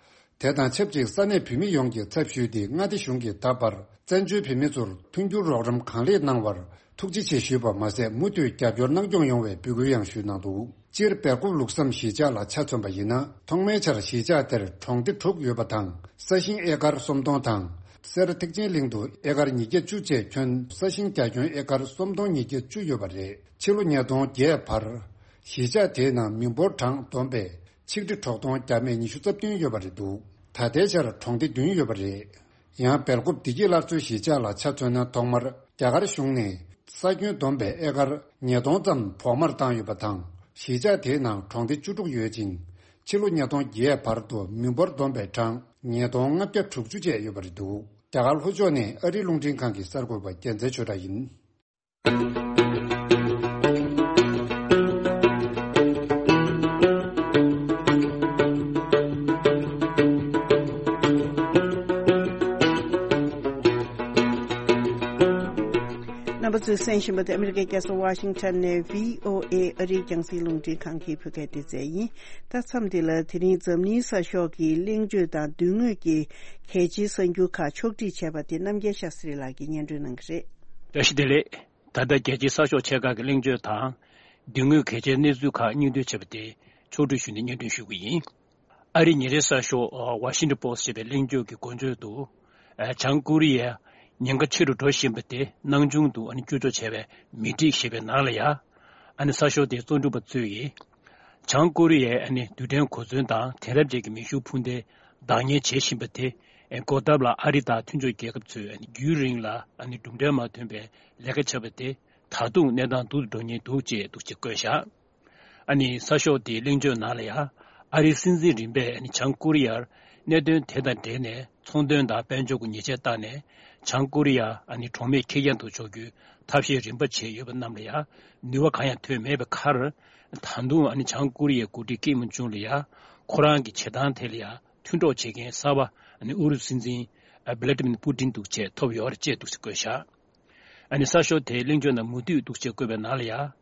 དེ་དང་ཆབས་ཅིག་ས་གནས་བོད་མི་ཡོངས་ཀྱི་ཚབ་ཞུས་ཏེ་མངའ་སྡེ་གཞུང་གིས་ད་བར་བཙན་བྱོལ་བོད་མི་ཚོར་མཐུན་འགྱུར་རོགས་རམ་གང་ལེགས་གནང་བར་ཐུགས་རྗེ་ཆེ་ཞུས་པ་མ་ཟད་མུ་མཐུད་རྒྱབ་སྐྱོར་གནང་སྐྱོང་ཡོང་བའི་འབོད་སྐུལ་ཡང་ཞུས་གནང་འདུག་སྤྱིར་སྦེལ་ཀོབ་ལུགས་བསམ་གཞིས་ཆགས་ལ་ཆ་མཚོན་པ་ཡིན་ན་ཐོག་མའི་ཆར་གཞིས་ཆགས་དེར་གྲོང་སྡེ་དྲུག་ཡོད་པ་དང་ས་ཞིང་ཨེ་ཀར་སུམ་སྟོང་དང་། སེར་ཐེག་ཆེན་གླིང་དུ་ཨེ་ཀར་ཉིས་བརྒྱ་བཅུ་བཅས་ཁྱོན་ས་ཞིང་རྒྱ་ཁྱོན་ཨེ་ཀར་སུམ་སྟོང་ཉིས་བརྒྱ་བཅུ་ཡོད་པ་རེད། ཕྱི་ལོ་ཉིས་སྟོང་བརྒྱད་བར་གཞིས་ཆགས་དེའི་ནང་མི་འབོར་གྲངས་བསྡོམས་པས་ཆིག་ཁྲི་དྲུག་སྟོང་བརྒྱ་མེད་ཉི་ཤུ་རྩ་བདུན་ཡོད་པ་རེད་འདུག་ད་ལྟའི་ཆར་གྲོང་སྡེ་བདུན་ཡོད་པ་རེད། ཡང་སྦེལ་ཀོབ་བདེ་སྐྱིད་སླར་གསོའི་གཞིས་ཆགས་ལ་ཆ་མཚོན་ན་ཐོག་མར་རྒྱ་གར་གཞུང་ནས་ས་ཁྱོན་བསྡོམས་པའི་ཨེ་ཀར་ཉིས་སྟོང་ཙམ་བོགས་མར་བཏང་ཡོད་པ་དང་གཞིས་ཆགས་དེའི་ནང་གྲོང་སྡེ་བཅུ་དྲུག་ཡོད་ཅིང་ཕྱི་ལོ་ཉིས་སྟོང་བརྒྱད་བར་དུ་མི་འབོར་བསྡོམས་པའི་གྲངས་ཉིས་སྟོང་ལྔ་བརྒྱ་དྲུག་ཅུ་བཅས་ཡོད་པ་རེད་འདུག་རྒྱ་གར་ལྷོ་ཕྱོགས་ནས་ཨ་རིའི་རླུང་འཕྲིན་ཁང་གི་གསར་འགོད་པ་རྒྱལ་མཚན་ཆོས་གྲགས་ཡིན། རྣམ་པ་ཚོས་གསན་བཞིན་པ་དེ་ཨ་མི་རི་ཀའི་རྒྱལ་ས་ཝ་ཤིང་ཊོན་ནས་བྷི་ཨོ་ཨེ་ཨ་རིའི་རྒྱང་སྲིང་རླུང་འཕྲིན་ཁང་གི་བོད་སྐད་སྡེ་ཚན་ཡིན། ད་མཚམས་འདི་ལ་དེ་རིང་འཛམ་གླིང་གསར་ཤོག་གི་གླེང་བརྗོད་དང་མདུན་ངོས་ཀྱི་གལ་ཆེའི་གསར་འགྱུར་ཁག་ཕྱོགས་སྒྲིག་བྱས་པ་དེ་རྣམ་རྒྱལ་ཤཱ་སི་རི་ལགས་ཀྱིས་སྙན་སྒྲོན་གནང་གི་རེད། བཀྲ་ཤིས་བདེ་ལེགས། ད་ལྟ་རྒྱལ་སྤྱིའི་གསར་ཤོག་ཆེ་ཁག་གི་གླེང་བརྗོད་དང་། མདུན་ངོས་གལ་ཆེའི་གནས་ཚུལ་ཁག་སྙིང་བསྡུས་བྱས་པ་དེ་ཕྱོགས་སྒྲིག་ཞུས་ནས་སྙན་སྒྲོན་ཞུ་གི་ཡིན། ཨ་རིའི་ཉིན་རེའི་གསར་ཤོག་ཝ་ཤིང་ཊོན་པོ་སི་ཊི་ཞེས་པའི་གླེང་བརྗོད་ཀྱི་འགོ་བརྗོད་དུ། བྱང་ཀོ་རི་ཡ་ཉེན་ཁ་ཆེ་རུ་འགྲོ་བཞིན་པ་དེ་སྣང་ཆུང་དུ་ཨ་ནི་བསྐྱུར་བཅོས་བྱས་པས་མི་འགྲིག་ཞེས་པའི་ནང་ལ་ཡ། ཨ་ནི་གསར་ཤོག་དེའི་གཙོ་འགྲེལ་པ་ཚོས་ཀྱིས། བྱང་ཀོ་རི་ཡའི་ཨ་ནི་རྡུལ་ཕྲན་གོ་མཚོན་དང་དེང་རབས་ཅན་གྱི་མེ་ཤུགས་འཕུར་མདེལ་བདག་གཉེར་བྱེད་བཞིན་པ་དེ། འགོག་ཐབས་ལ་ཨ་རི་དང་མཐུན་ཕྱོགས་རྒྱལ་ཁབ་ཚོས་ཨ་ནི་རྒྱུན་རིང་ལ་ཨ་ནི་གྲུབ་འབྲས་མ་ཐོན་པའི་ལས་ཀ་བྱས་པ་དེ་ད་དུང་གནས་སྟངས་སྡུག་ཏུ་འགྲོ་ཉེན་འདུག་ཅེས་འདུག་ཅེས་བཀོད་བཞག་ཨ་ནི་གསར་ཤོག་དེའི་གླེང་བརྗོད་ནང་ལ་ཡང་ཨ་རིའི་སྲིད་འཛིན་རིམ་པས་ཨ་ནི་བྱང་ཀོ་རི་ཡར་གནད་དོན་དེ་དང་འབྲེལ་ནས་ཚོང་དོན་དང་དཔལ་འབྱོར་གྱི་ཉེས་ཆད་བཏང་ནས་བྱང་ཀོ་རི་ཡ་ཨ་ནི་གྲོགས་མེད་ཁེར་རྐྱང་དུ་འཇོག་རྒྱུའི་ཐབས་ཤེས་རིམ་པ་བྱས་ཡོད་པ་རྣམས་ལ་ཡང་ནུས་པ་གང་ཡང་ཐོན་མེད་པའི་ཁར། ད་དུང་ཨ་ནི་བྱང་ཀོ་རི་ཡའི་འགོ་ཁྲིད་ཀིམ་ཇོང་ལ་ཡང་ཁོ་རང་གི་བྱེད་སྟངས་དེ་ལ་ཡང་མཐུན་གྲོགས་བྱེད་མཁན་གསར་པ་ཨ་ནི་ཨུ་རུ་སུ་སྲིད་འཛིན་བྷི་ལ་ཏི་མིར་པུ་ཏིན་འདུག་ཅེས་ཐོབ་ཡོད་རེད་ཅེས་འདུག་ཅེས་བཀོད་བཞག་ཨ་ནི་གསར་ཤོག་དེའི་གླེང་བརྗོད་ནང་མུ་མཐུད་འདུག་ཅེས་བཀོད་པའི་ནང་ལ་ཡང་།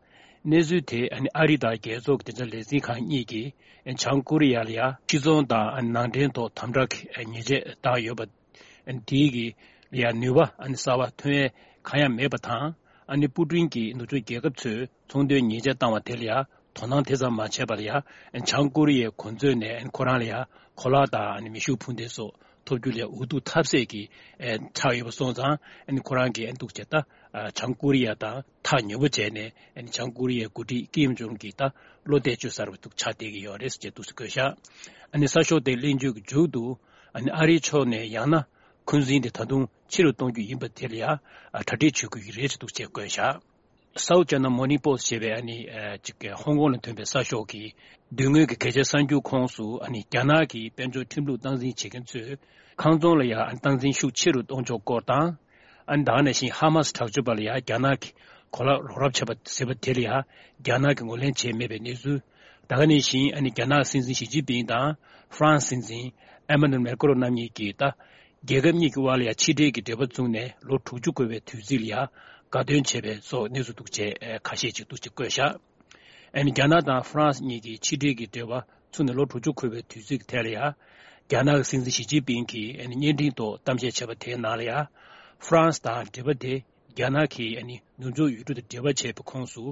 གནས་ཚུལ་དེ་ཨ་ནི་ཨ་རི་དང་རྒྱལ་ཚོགས་ཀྱི་བདེ་འཇགས་ལས་འཛིན་ཁང་གཉིས་ཀྱིས་བྱང་ཀོ་རི་ཡ་ལ་ཡང་སྤྱི་ཚོང་དང་ནང་འདྲེན་ཐོག་དམ་དྲག་ཉེས་ཆད་བཏང་ཡོད་པ། དེའི་གི་ལ་ཡང་ནུས་པ་ཨ་ནི་གསར་པ་ཐོན་ཡས་གང་ཡང་མེད་པ་དང་། ཨ་ནི་པུ་ཏིན་གྱིས་ནུབ་ཕྱོགས་རྒྱལ་ཁབ་ཚོས་ཚོང་དོན་ཉེས་ཆད་བཏང་བ་དེ་ལ་ཡང་དོ་སྣང་དེ་ཙམ་མ་བྱས་པ་ལ་ཡང་བྱང་ཀོ་རི་ཡའི་གོ་མཛོད་ནས་ཨ་ནི་ཁོ་རང་ལ་ཡང་གོ་ལག་དང་ཨ་ནི་མེ་ཤུགས་འཕུར་མདེལ་སོགས། ཐོབ་རྒྱུ་ལས་འུ་ཐུག་ཐབས་ཟད་ཀྱི་ཨེ་ཆགས་ཡོད་པ་སོང་ཙང་ཨ་ནི་ཁོ་རང་གིས་ཨ་ནི་འདུག་བྱས་ད་ཨ་བྱང་ཀོ་རི་ཡ་དང་ཐག་ཉེ་པོ་བྱས་ནས་ཨ་ནི་བྱང་ཀོ་རི་ཡའི་འགོ་ཁྲིད་ཀིམ་ཇོང་གིས་ད་བློ་གཏད་བཅོལ་ཚར་བ་འདུག་ཆགས་བསྡད་ཀྱི་ཡོད་རེད་ཟེར་བྱས་འདུག་སེ་བཀོད་ཤག་ཨ་ནི་གསར་ཤོག་དེའི་གླེང་བརྗོད་ཀྱི་མཇུག་ཏུ་ཨ་ནི་ཨ་རིའི་ཕྱོགས་ནས་ཡང་ན་འཁོན་འཛིན་དེ་ད་དུང་ཆེ་རུ་གཏོང་རྒྱུ་ཡིན་པ་དེ་ལ་ཡང་ཨ་གྲ་སྒྲིག་བྱེད་དགོས་ཀྱི་རེད་ཅེས་འདུག་ཅེས་བཀོད་ཤག South China Morning Post ཞེས་པའི་ཨ་ནི་ཨ་ཅིག་ཧོང་ཀོང་ལ་ཐོན་པའི་གསར་ཤོག་གིས་མདུན་ངོས་ཀྱི་གལ་ཆེའི་གསར་འགྱུར་ཁོངས་སུ་ཨ་ནི་རྒྱ་ནག་གི་དཔལ་འབྱོར་ཁྲིམས་ལུགས་སྟངས་འཛིན་བྱེད་མཁན་ཚོས་ཁང་ཚོང་ལ་ཡང་སྟངས་འཛིན་ཤུགས་ཆེ་རུ་གཏོང་ཕྱོགས་སྐོར་དང་། ཨ་ནི་ད་ག་ནང་བཞིན་ཧ་མ་སི་དྲག་སྤྱོད་པ་ལ་ཡང་རྒྱ་ནག་གིས་གོ་ལག་རོགས་རམ་བྱས་པ་ཟེར་བ་དེ་ལ་ཡང་རྒྱ་ནག་གིས་ངོས་ལེན་བྱས་མེད་པའི་གནས་ཚུལ། ད་ག་ནང་བཞིན་ཨ་ནི་རྒྱ་ནག་སྲིད་འཛིན་ཞི་ཅིན་ཕིང་དང་ཧྥ་རན་སི་སྲིད་འཛིན་ཨེ་མ་ནུ་ཨེལ་མེ་ཀ་རོན་རྣམ་གཉིས་ཀྱིས་ད། རྒྱལ་ཁབ་གཉིས་ཀྱི་དབར་ལ་ཡང་ཕྱི་འབྲེལ་གྱི་འབྲེལ་བ་བཙུགས་ནས་ལོ་དྲུག་ཅུ་འཁོར་བའི་དུས་ཚིགས་ལ་ཡང་དགའ་སྟོན་བྱས་པའི་སོགས་གནས་ཚུལ་འདུག་ཅེས་ཁ་ཤས་ཅིག་འདུག་ཅེས་བཀོད་བཞག་ཨ་ནི་རྒྱ་ནག་དང་ཧྥ་རན་སི་གཉིས་ཀྱིས་ཕྱི་འབྲེལ་གྱི་འབྲེལ་བ་ཚུགས་ནས་ལོ་དྲུག་ཅུ་འཁོར་བའི་དུས་ཚིགས་དེ་ལ་ཡང་རྒྱ་ནག་གི་སྲིད་འཛིན་ཞི་ཅིན་ཕིང་གིས་ཨ་ནི་བརྙན་འཕྲིན་ཐོག་གཏམ་བཤད་བྱས་པ་དེའི་ནང་ལ་ཡང་ཧྥ་རན་སི་དང་འབྲེལ་བ་དེ། རྒྱ་ནག་གིས་ཨ་ནི་ནུབ་ཕྱོགས་ཡུལ་གྲུ་དང་འབྲེལ་བ་བྱས་པའི་ཁོངས་སུ་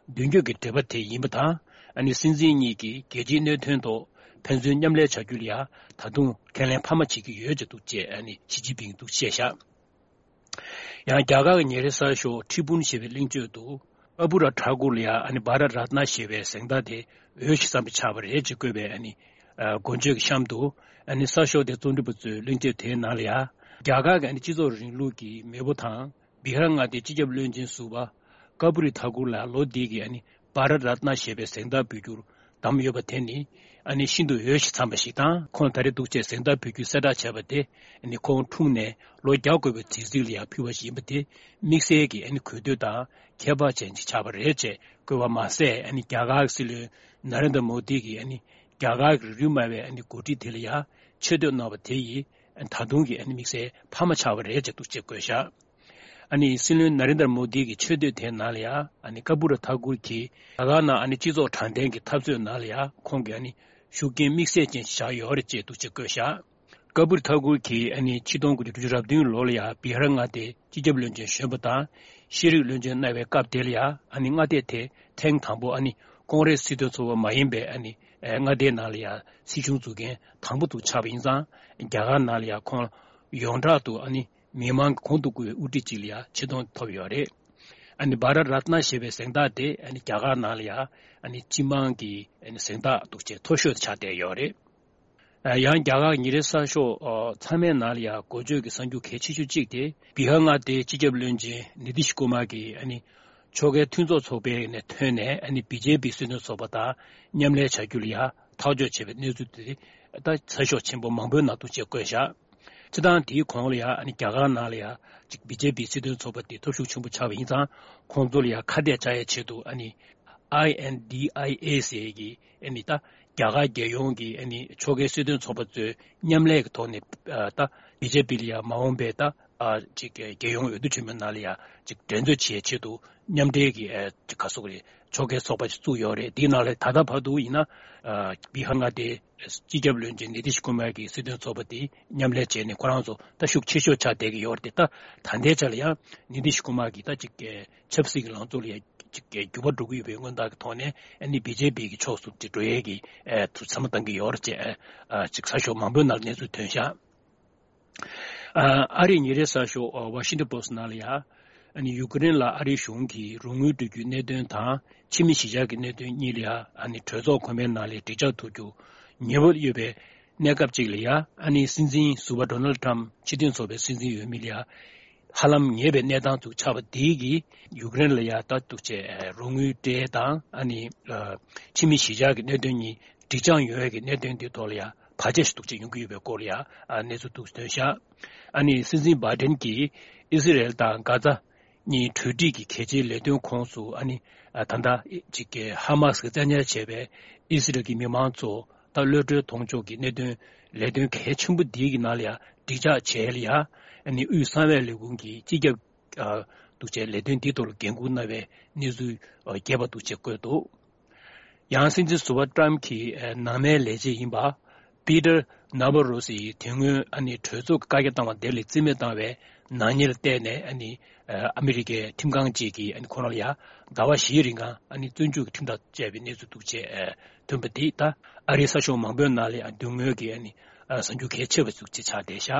མདུན་སྐྱོད་ཀྱི་འབྲེལ་བ་དེ་ཡིན་པ་དང་། ཨ་ནི་སྲིད་འཛིན་གཉིས་ཀྱིས་རྒྱལ་སྤྱིའི་གནད་དོན་ཐོག་ཕན་ཚུན་མཉམ་ལས་བྱ་རྒྱུ་ལ་ཡང་ད་དུང་ཁས་ལེན་འཕར་མ་བྱེད་ཀྱི་ཡོད་ཅེས་འདུག་ཅེས་ཨ་ནི་ཞི་ཅིན་ཕིང་འདུག་བཤད་བཞག་ཡང་རྒྱ་གར་གྱི་ཉིན་རེའི་གསར་ཤོག་ཁྲི་པུན་ཞེས་པའི་གླེང་བརྗོད་དུ་ཀ་པུ་ར་ཐ་ཀུར་ལ་ཡང་ཨ་ནི་བྷ་ར་རཏ་ན་ཞེས་པའི་གཟེངས་རྟགས་དེ་འོས་ཤིང་འཚམས་པ་ཆགས་པ་རེད་ཅེས་བཀོད་པའི་ཨ་ནི་འགོ་བརྗོད་ཀྱི་གཤམ་དུ་ཨ་ནི་གསར་ཤོག་དེ་རྩོམ་སྒྲིག་པ་ཚོས་གླེང་བརྗོད་དེའི་ནང་ལ་ཡང་རྒྱ་གར་གྱི་ཨ་ནི་སྤྱི་ཚོགས་རིང་ལུགས་ཀྱི་མེས་པོ་དང་། བི་ཧར་མངའ་སྡེའི་སྤྱི་ཁྱབ་བློན་ཆེན་ཟུར་པ་ཀ་པུ་རི་ཐ་ཀུར་ལ་ལོ་འདི་གི་ཨ་ནི་བྷ་ར་རཏ་ན་ཞེས་པའི་གཟེངས་རྟགས་འབུལ་རྒྱུར་བདམས་ཡོད་པ་དེ་ནི་ཨ་ནི་ཤིན་ཏུ་འོས་ཤིང་འཚམས་པ་ཞིག་དང་། ཁོང་ད་རེས་འདུག་ཅེས་གཟེངས་རྟགས་འབུལ་རྒྱུའི་གསལ་བསྒྲགས་བྱས་པ་དེ་ཨ་ནི་ཁོང་འཁྲུངས་ནས་ལོ་བརྒྱ་འཁོར་བའི་དུས་ཚིགས་ལ་ཡང་ཕུལ་བ་ཞིག་ཡིན་པ་དེ་དམིགས་བསལ་གྱི་ཨ་ནི་གུས་འདུད་དང་ཁྱད་པར་ཅན་ཞིག་ཆགས་པ་རེད་ཅེས་བཀོད་པ་མ་ཟད། ཨ་ནི་རྒྱ་གར་གྱི་སྲིད་བློན་ནཱ་རེན་དྲ་མོ་དི་གིས་ཨ་ནི་རྒྱ་གར་གྱི་རིགས་རུས་སྨྲ་བའི་ཨ་ནི་འགོ་ཁྲིད་དེ་ལ་ཡང་ཆེ་བསྟོད་གནང་བ་དེ་ཡིས་ད་དུང་གི་ཨ་ནི་དམིགས་བསལ་འཕར་མ་ཆགས་པ་རེད་ཅེས་འདུག་ཅེས་བཀོད་བཞག་ཨ་ནི་སྲིད་བློན་ནཱ་རེན་དྲ་མོ་དི་གི་ཆེ་བསྟོད་དེའི་ནང་ལ་ཡང་ཨ་ནི་ཀ་པུ་ར་ཐ་ཀུར་གྱིས་རྒྱ་གར་ནང་ཨ་ནི་སྤྱི་ཚོགས་དྲང་བདེན་གྱི་འཐབ་རྩོད་ནང་ལ་ཡང་ཁོང་གིས་ཨ་ནི་ཤུགས་རྐྱེན་དམིགས་བསལ་ཅན་ཞིག་བཞག་ཡོད་རེད་ཅེས་འདུག་ཅེས་བཀོད་བཞག་ཀ་པུ་ར་ཐ་ཀུར་གྱིས་ཨ་ནི་ཆིག་སྟོང་དགུ་བརྒྱ་དྲུག་ཅུ་རེ་བདུན་ལོ་ལ་ཡང་བི་ཧར་མངའ་སྡེའི་སྤྱི་ཁྱབ་བློན་ཆེན་གཞོན་པ་དང་ཤེས་རིག་བློན་ཆེན་གནང་བའི་སྐབས་དེ་ལ་ཡང་ཨ་ནི་མངའ་སྡེ་དེ་ཐེངས་དང་པོ་ཨ་ནི་ཀོང་རེས་སྲིད་དོན་ཚོགས་པ་མ་ཡིན་པའི་ཨ་ནི་མངའ་སྡེའི་ནང་ལ་ཡང་སྲིད་གཞུང་འཛུགས་མཁན་དང་པོ་དུ་ཆགས་པ་ཡིན་ཙང་། རྒྱ་གར་ནང་ལ་ཡང་ཁོང་ཡོངས་གྲགས་དུ་ཨ་ནི་མི་མང་གི་གོང་དུ་བཀུར་བའི་དབུ་ཁྲིད་ཅིག་ལ་ཡང་ཆེ་མཐོང་ཐོབ་ཡོད་རེད། ཨ་ནི་བྷ་ར་རཏ་ན་ཞེས་པའི་གཟེངས་རྟགས་དེ་ཨ་ནི་རྒྱ་གར་ནང་ལ་ཡང་ཨ་ནི་སྤྱི་དམངས་ཀྱི་ཨ་ནི་གཟེངས་རྟགས་འདུག་ཅེས་མཐོ་ཤོས་ཆགས་བསྡད་ཡོད་རེད། ཡང་རྒྱ་གར་ཉིན་རེའི་གསར་ཤོག་ཚང་མའི་ནང་ལ་ཡང་འགོ་བརྗོད་ཀྱི་གསར་འགྱུར་གལ་ཆེ་ཤོས་གཅིག་དེ་བི་ཧར་མངའ་སྡེའི་སྤྱི་ཁྱབ་བློན་ཆེན་ནི་ཏི་ཤི་ཀུ་མར་གྱིས་ཨ་ནི་ཕྱོགས་འགལ་མཐུན་ཚོགས་ཚོགས་པའི་ནས་ཐོན་ནས་ཨ་ནི་བི་ཇེ་པི་སྲིད་དོན་ཚོགས་པ་དང་མཉམ་ལས་བྱ་རྒྱུ་ལ་ཡང་ཐག་གཅོད་བྱས་པའི་གནས་ཚུལ་དེ་ད་གསར་ཤོག་ཆེན་པོ་མང་པོའི་ནང་དུ་ཅེས་བཀོད་བཞག་སྤྱིར་བཏང་དེའི་གོང་ལ་ཡང་ཨ་ནི་རྒྱ་གར་ནང་ལ་ཡང་ཅིག་བི་ཇེ་པི་སྲིད་དོན་ཚོགས་པ་དེ་སྟོབས་ཤུགས་ཆེན་པོ་ཆགས་པ་ཡིན་ཙང་། ཁོང་ཚོ་ལ་ཡང་ཁ་གཏད་བཅག་ཡའི་ཆེད་དུ་ཨ་ནི་ཨའི་ཨེན་ཌི་ཨའི་ཨེ་ཟེར་གྱི་ཨ་ནི་ད་རྒྱ་གར་རྒྱལ་ཡོངས་ཀྱི་ཨ་ནི་ཕྱོགས་འགལ་སྲིད་དོན་ཚོགས་པ་ཚོའི་མཉམ་ལས་ཀྱི་ཐོག་ནས་ད་བི་ཇེ་པི་ལ་ཡང་མ་འོངས་པའི་ད་ ཨ་ཅིག་རྒྱལ་ཡོངས་འོས་བསྡུ་ཆེན་མོའི་ནང་ལ་ཡ་ཅིག་འགྲན་རྩོད་བྱེད་ཆེད་དུ་མཉམ་འབྲེལ་གྱི་ཨ་ཅིག་ག་སོག་རེད། ཕྱོགས་འགལ་ཚོགས་པ་ཅིག་བཙུགས་ཡོད་རེད། དེའི་ནང་ལ་ད་ལྟ་བར་དུ་ཡིན་ན་ཨ་བི་ཧར་མངའ་སྡེའི་སྤྱི་ཁྱབ་བློན་ཆེན་ནི་ཏི་ཤི་ཀུ་མར་གྱི་སྲིད་དོན་ཚོགས་པ་དེ་མཉམ་ལས་བྱས་ནས་ཁོ་རང་ཚོ་ད་ཤུགས་ཆེ་ཤོས་ཆགས་བསྡད་ཀྱི་ཡོད་རེད། ད་ད་ལྟའི་ཆ་ལ་ཡང་ནི་ཏི་ཤི་ཀུ་མར་གྱིས་ད་ཅིག་ཆབ་སྲིད་ཀྱི་ལངས་ཕྱོགས་ལ་ཡ་ཅིག་འགྱུར་བ་འགྲོ་གི་ཡོད་པའི་མངོན་རྟགས་ཀྱི་ཐོག་ནས་ཨ་ནི་བི་ཇེ་པི་གི་ཕྱོགས་སུ་ཅིག་འགྲོ་ཡས་ཀྱི་ཨ་ཐུགས་བསམ་བཏང་གི་ཡོད་རེད་ཅེས་ཨ་ཅིག་གསར་ཤོག་མང་པོའི་ནང་གནས་ཚུལ་ཐོན་ཤག་ཨ་ཨ་རིའི་ཉིན་རེའི་གསར་ཤོག་ཨ་ཝ་ཤིང་ཏོན་པོ་སི་ཊི་ནང་ལ་ཡ། ཨ་ནི་ཡུ་ཀེ་རེན་ལ་ཨ་རིའི་གཞུང་གིས་རོགས་དངུལ་སྤྲོད་རྒྱུའི་གནད་དོན་དང་ཕྱི་མི་གཞིས་ཆགས་ཀྱི་གནད་དོན་གཉིས་ལ་ཡ་ཨ་ནི་གྲོས་ཚོགས་གོང་མའི་ནང་ལ་དྲིལ་བསྒྲགས་ཐུབ་རྒྱུ་ཉེ་བོ་ཡོད་པའི་གནས་སྐབས་ཅིག་ལ་ཡ། ཨ་ནི་སྲིད་འཛིན་ཟུར་པ་ཌོ་ནལ་ཊམ་ཕྱི་དོན་ཚོགས་པའི་སྲིད་འཛིན་འོས་མི་ལ་ཡ་ཧ་ལམ་ཉེ་བའི་གནས་སྟངས་ཚུར་ཆགས་པ་དེ་གིས་ཡུཀ་རེན་ལ་ཡ་ད་འདུག་བྱས་རོགས་དངུལ་སྤྲད་དང་ཨ་ནི་ཕྱི་མི་གཞིས་ཆགས་ཀྱི་གནད་དོན་གཉིས་སྒྲིག་འཇགས་ཡོད་ཀྱི་གནད་དོན་དེ་ཐོག་ལ་ཡ་བར་ཆད་ཞིག་འདུག་ཅེས་ཡོང་གི་ཡོད་པའི་སྐོར་ལ་ཡ་ཨ་གནས་ཚུལ་འདུག་ཐོན་ཤག་ཨ་ནི་སྲིད་འཛིན་བྷའི་ཌེན་གྱིས་ཨི་སི་རེལ་དང་གྷ་ཛ་གཉིས་གྲོས་འགྲིག་གི་གལ་ཆེའི་ལས་དོན་ཁོངས་སུ་ཨ་ནི་ཨ་ད་ལྟ་ཅིག་གི་ཧ་མ་སི་གིས་བཙན་ཉར་བྱས་པའི་ཨི་སི་རེལ་གྱི་མི་མང་ཚོ་ད་གློད་གྲོལ་གཏོང་ཕྱོགས་ཀྱི་གནད་དོན་ལས་དོན་གལ་ཆེན་པོ་འདིའི་གི་ནང་ལ་ཡ་སྒྲིག་འཇགས་བྱས་ལ་ཡ་ཨ་ནི་དབུས་གསང་བའི་ལས་ཁུངས་ཀྱི་སྤྱི་ཁྱབ་ཨ་འདུག་བྱས་ལས་དོན་འདིའི་ཐོག་ལ་འགན་འཁུར་གནང་བའི་གནས་ཚུལ་ཨ་རྒྱས་པ་འདུག་བྱས་བཀོད་འདུག་ཡང་སྲིད་འཛིན་ཟུར་པ་ཊམ་གྱི་ཨ་ནང་མའི་ལས་བྱེད་ཡིན་པ་པི་ཏར་ནཱ་བྷ་རོ་སི་ཡིས་དེ་སྔོན་ཨ་ནི་གྲོས་ཚོགས་ཀྱི་བཀའ་རྒྱ་བཏང་བ་དེ་ལ་རྩིས་མེད་བཏང་བའི་ནག་ཉེས་ལ་བརྟེན་ནས་ཨ་ནི་ཨ་ཨ་མི་རི་ཀའི་ཁྲིམས་ཁང་གཅིག་གིས་ཨ་ནི་ཁོ་རང་ལ་ཡ་ཟླ་བ་བཞིའི་རིང་ལ་ཨ་ནི་བཙོན་འཇུག་གི་ཁྲིམས་ཐག་བཅད་པའི་གནས་ཚུལ་འདུག་བྱས་ཨ་ཐོན་པ་དེ་ད་ཨ་རིའི་གསར་ཤོག་མང་པོའི་ནང་ལ་ཡ་མདུན་ངོས་ཀྱི་ཨ་ནི་ཨ་གསར་འགྱུར་གལ་ཆེ་བ་ཞིག་ཅིག་ཆགས་བསྡད་ཤག་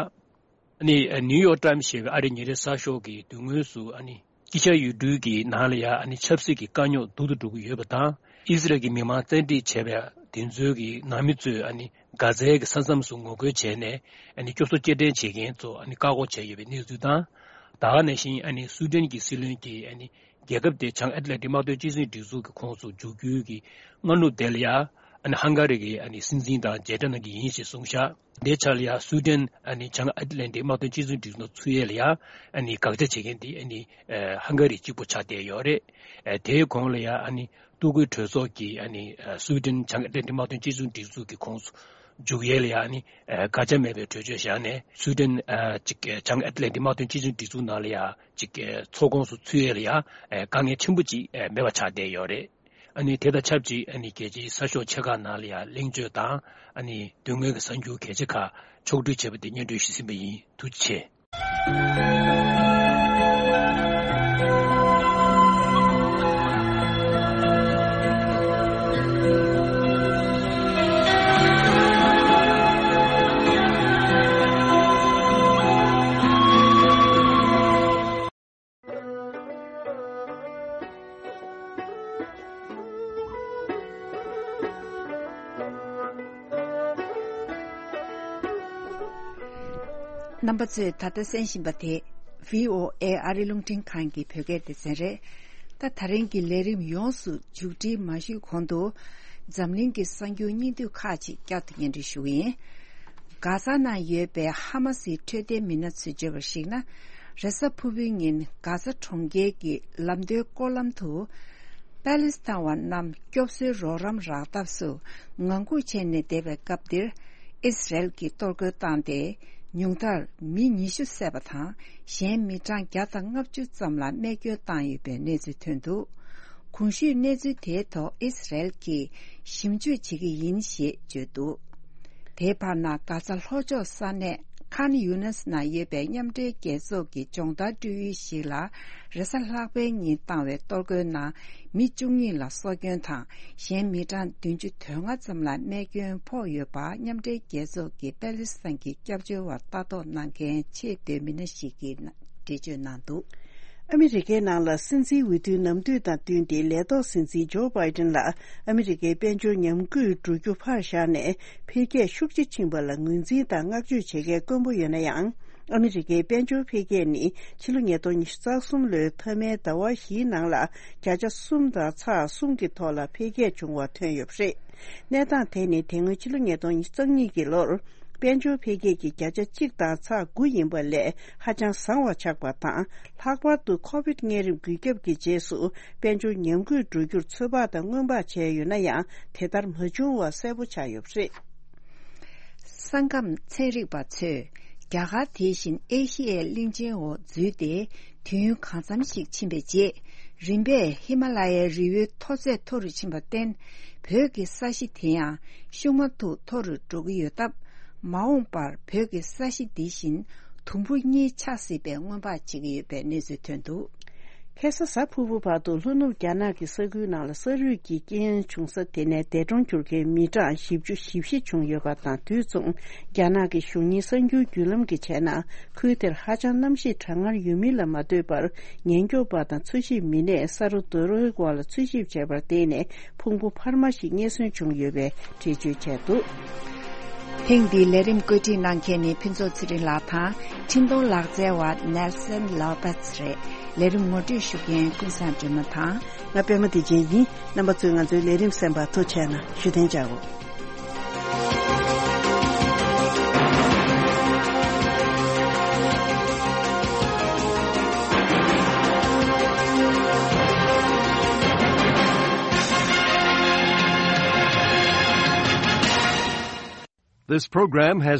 ཨ་ནི་ཨ་ནིའུ་ཡོག་ཊམ་ཞེས་པའི་ཨ་རིའི་ཉིན་རེའི་གསར་ཤོག་གི་མདུན་ངོས་སུ་ཨ་ནི་དཀྱིལ་ཤར་ཡུལ་གྲུའི་གི་ནང་ལ་ཡ་ཨ་ནི་ཆབ་སྲིད་ཀྱི་དཀའ་རྙོག་སྡུག་ཏུ་འགྲོ་གི་ཡོད་པ་དང་། ཨི་སི་རལ་གྱི་མི་མང་བཙན་ཁྲིད་བྱས་པ་དེ་ཚོའི་གི་ནང་མི་ཚོས་ཨ་ནི་གྷ་ཛའི་གི་ས་མཚམས་སུ་ངོ་རྒོལ་བྱས་ནས་ཨ་ནི་སྐྱོབ་གསོ་སྐྱེལ་འདྲེན་བྱེད་མཁན་ཚོ་ཨ་ནི་བཀག་འགོག་བྱས་ཡོད་པའི་གནས་ཚུལ་དང་། ད་ག་ནང་བཞིན་ཨ་ནི་སུའུ་ཏན་གྱི་སྲིད་བློན་གྱིས་ཨ་ནི་རྒྱལ་ཁབ་དེ་བྱང་ཨེཊ་ལན་ཊིག་དམག་དོན་གཅིག་མཚུངས་སྒྲིག་འཛུགས་ཀྱི་ཁོངས་སུ་འཇུག་རྒྱུའི་གི་སྔ་ནུབ་དེ་ལ་ཡ་ཨ་ནི་ཧང་ག་རི་གི་ཨ་ནི་སྲིད་འཛིན་དང་མཇལ་འཕྲད་གནང་གི་ཡིན་ཞེས་གསུངས་ཤག་དེའི་ཆ་ལ་ཡ་སུའུ་ཏན་ཨ་ནི་བྱང་ཨེཊ་ལན་ཊིག་དམག་དོན་གཅིག་མཚུངས་སྒྲིག་འཛུགས་ནང་ཚུད་ཡས་ལ་ཡ་ཨ་ནི་དགག་བྱ་བྱེད་མཁན་དེ་ཨ་ནི་ཧང་ག་རི་གཅིག་པུ་ཆགས་བསྡད་ཡོད་རེད། དེའི་གོང་ལ་ཡ་ཨ་ནི་གཏོར་རྒོལ་གྲོས་ཚོགས་ཀྱིས་ཨ་ནི་སུའུ་ཏན་བྱང་ཨེཊ་ལན་ཊིག་དམག་དོན་གཅིག་མཚུངས་སྒྲིག་འཛུགས་ཀྱི་ཁོངས་སུ་འཇུག་ཡས་ལ་ཡ་ཨ་ནི་དགག་བྱ་མེད་པའི་གྲོས་ཆོད་བཞག་ནས་སུའུ་ཏན་ཅིག་བྱང་ཨེཊ་ལན་ཊིག་དམག་དོན་གཅིག་མཚུངས་སྒྲིག་འཛུགས་ནང་ལ་ཡ་ཅིག་ཚོགས་ཁོངས་སུ་ཚུད་ཡས་ལ་ཡ་དཀའ་ངལ་ཆེན་པོ་ཅིག་མེད་པ་ཆགས་བསྡད་ཡོད་རེད། ཨ་ནི་དེ་དང་ཆབས་ཅིག་ཨ་ནི་རྒྱལ་སྤྱིའི་གསར་ཤོག་ཆེ་ཁག་ནང་ལ་ཡང་གླེང་བརྗོད་དང་ཨ་ནི་མདུན་ངོས་ཀྱི་གསར་འགྱུར་གལ་ཆེ་ཁག་ཕྱོགས་བསྡུས་བྱས་པ་དེ་སྙན་སྒྲོན་ཞུས་ཟིན་པ་ཡིན། ཐུགས་རྗེ་ཆེ། རྣམ་པ་ཚོས་ད་ལྟ་གསན་བཞིན་པ་དེ་བྷི་ཨོ་ཨེ་ཨ་རི་རླུང་འཕྲིན་ཁང་གི་བོད་སྐད་སྡེ་ཚན་རེད། ད་ད་རིང་གི་ལས་རིམ་ཡོངས་སུ་མཇུག་སྒྲིལ་མ་ཞུས་གོང་དུ་འཛམ་གླིང་གི་གསར་འགྱུར་སྙིང་བསྡུས་ཁག་ཅིག་བསྐྱར་དུ་སྙན་སྒྲོན་ཞུ་གི་ཡིན། གྷ་ཟ་ནང་ཡོད་པའི་ཧ་མ་སིའི་འཕྲོད་བསྟེན་མི་སྣ་ཚོས་བརྗོད་པར་གཞིགས་ན། རེས་གཟའ་ཕུར་བུའི་ཉིན་གྷ་ཟ་གྲོང་ཁྱེར་གྱི་ལམ་མདོའི་སྐོར་ལམ་དུ། པ་ལི་སི་ཐན་བ་རྣམས་སྐྱོབ་གསོའི་རོགས་རམ་རག་ཐབས་སུ་ངང་སྒུག་བྱས་ནས་བསྡད་པའི་སྐབས་འདིར། ཨིས་རལ་གྱིས་གཏོར་རྒོལ་བཏང་སྟེ། ཉུང་མཐར་མི་ཉི་ཤུ་བསད་པ་དང་། གཞན་མི་གྲངས་བརྒྱ་དང་ལྔ་བཅུ་ཙམ་ལ་རྨས་སྐྱོན་བཏང་ཡོད་པའི་གནས་ཚུལ་ཐོན་འདུག་གོང་ཞུས་གནས་ཚུལ་དེའི་ཐོག་ཨིས་རལ་གྱིས་ཞིབ་འཇུག་བྱེད་ཀྱི་ཡིན་ཞེས་བརྗོད་འདུག་དེའི་བར་ན་གྷ་ཛ་ལྷོ་ཕྱོགས་ས་གནས་ཁཱན་ཡུ་ནས་ནང་ཡོད་པའི་མཉམ་འབྲེལ་རྒྱལ་ཚོགས་ཀྱི་སྦྱོང་བརྡར་སྤྲོད་ཡུལ་ཞིག་ལ་རེས་གཟའ་ལྷག་པའི་ཉིན་བཏང་བའི་གཏོར་རྒོལ་ནང་མི་བཅུ་གཉིས་ལ་སྲོག་སྐྱོན་དང་གཞན་མི་གྲངས་བདུན་ཅུ་དོན་ལྔ་ཙམ་ལ་རྨས་སྐྱོན་ཕོག་ཡོད་པ་མཉམ་འབྲེལ་རྒྱལ་ཚོགས་ཀྱི་པེ་ལི་སི་ཐན་གྱི་སྐྱབས་བཅོལ་བར་ལྟ་རྟོག་གནང་མཁན་ཆེས་མཐོའི་མི་སྣ་ཞིག་གིས་འགྲེལ་བརྗོད་གནང་འདུག་ཨ་མི་རི་ཀའི་ནང་ལ་སྲིད་འཛིན་འོས་བསྡུའི་ནམ་དུས་དང་བསྟུན་ཏེ་ལས་ཐོག་སྲིད་འཛིན་ཇོ་བྷའི་ཏིན་ལ་ཨ་མི་རི་ཀའི་དཔལ་འབྱོར་ཉམས་རྒུད་འགྲོ་རྒྱུ་ཕར་བཞག་ནས་འཕེལ་རྒྱས་ཤུགས་ཆེ་ཕྱིན་པ་ལ་ངོས་འཛིན་དང་བསྔགས་བརྗོད་བྱེད་མཁན་དཀོན་པོ་ཡོད་ན་ཡང་། ཨ་མི་རི་ཀའི་དཔལ་འབྱོར་འཕེལ་རྒྱས་ནི་ཕྱི་ལོ་ཉིས་སྟོང་ཉི་ཤུ་རྩ་གསུམ་ལོའི་མཐའ་མའི་ཟླ་བ་བཞིའི་ནང་ལ་བརྒྱ་ཆ་གསུམ་དང་ཚེག་གསུམ་གྱི་ཐོག་ལ་འཕེལ་རྒྱས་བྱུང་བ་ཐོན་ཡོད་པ་རེད། གནས་སྟངས་དེ་ནི་དེ་སྔོན་ཕྱི་ལོ་ཉིས་སྟོང་ཉི་ཤུ་རྩ་གཉིས་ཀྱི་ལོར་དཔལ་འབྱོར་འཕེལ་རྒྱས་ཀྱི་བརྒྱ་ཆ་གཅིག་དང་ཚེག་དགུ་ཡིན་པ་ལས་ཧ་ཅང་བཟང་བ་ཆགས་པ་དང་། ལྷག་པར་དུ་ཁོ་བིད་གཉན་རིམས་འགོས་ཁྱབ་ཀྱི་རྗེས་སུ་དཔལ་འབྱོར་ཉམས་རྒུད་འགྲོ་རྒྱུར་ཚོད་དཔག་དང་སྔོན་དཔག་བྱས་ཡོད་ན་ཡང་། དེ་ལྟར་མ་བྱུང་བ་གསལ་པོ་ཆགས་ཡོད་པ་རེད། ས་ཁམས་ཚན་རིག་པ་ཚོས། རྒྱ་གར་དེ་བཞིན་ཨེ་ཤི་ཡའི་གླིང་ཆེན་འོག་འཛུལ་ཏེ་དུས་ཡུན་གང་འཚམ་ཞིག་ཕྱིན་པའི་རྗེས། རིམ་པས་ཧི་མ་ལ་ཡའི་རི་བོའི་མཐོ་ཚད་མཐོ་རུ་ཕྱིན་པར་བརྟེན། བོད་ཀྱི་ས་གཞི་དེ་ཡང་ཤུགས་མ་ཐུག་མཐོ་རུ་འགྲོ་གི་ཡོད་སྟབས། མ་འོངས་པར་བོད་ཀྱི་ས་གཞི་འདི་བཞིན་དུམ་བུ་གཉིས་ཆགས་སྲིད་པའི་སྔོན་དཔག་བྱེད་ཀྱི་ཡོད་པའི་གནས་ཚུལ་ཐོན་འདུག། ཁ་སང་གཟའ་ཕུར་བུ་བར་དུ་ལྷོ་ནུབ་རྒྱ་ནག་གི་ས་ཁུལ་ནང་ལ་ས་རུད་ཀྱི་རྐྱེན་བྱུང་ས་དེ་ནས་འདས་གྲོངས་གྱུར་མཁན་མི་གྲངས་བཞི་བཅུ་ཞེ་བཞི་བྱུང་ཡོད་པ་དང་། དུས་མཚུངས་རྒྱ་ནག་གི་གཞུང་གཉེར་གསར་འགྱུར་བརྒྱུད་ལམ་གྱི་བྱས་ན། ཁུལ་དེར་ཧ་ཅང་གནམ་གཤིས་གྲང་ངར་ཡོད་མིན་ལ་མ་ལྟོས་པར། ཉེན་སྐྱོབ་པ་དང་འཚོལ་ཞིབ་མི་སྣས་ས་རུད་རྡོ་རོའི་འོག་ལ་འཚོལ་ཞིབ་བྱས་པར་བརྟེན་ནས། ཕུང་པོ་འཕར་མ་ཞིག་རྙེད་སོན་བྱུང་ཡོད་པའི་འགྲེལ་བརྗོད་བྱས་འདུག། ཐེངས་འདིའི་ལས་རིམ་བཀོད་སྒྲིག་གནང་མཁན་ནི་ཕུན་ཚོགས་ཚེ་རིང་ལགས་དང་། འཕྲིན་གཏོང་ལག་རྩལ་བ་ནེལ་སན་ལོ་པེ་ཚ་རེད། ལས་རིམ་ངོ་སྤྲོད་ཞུ་མཁན་ཀུན་བཟང་སྒྲོལ་མ་དང་། ང་པད་མ་བདེ་ཆེན་ཡིན། རྣམ་པ་ཚོས་ང་ཚོའི་ལས་རིམ་གསན་པར་ཐུགས་རྗེ་ཆེ་གནང་། བཞུགས་གདན་འཇགས་སྒོ། This program has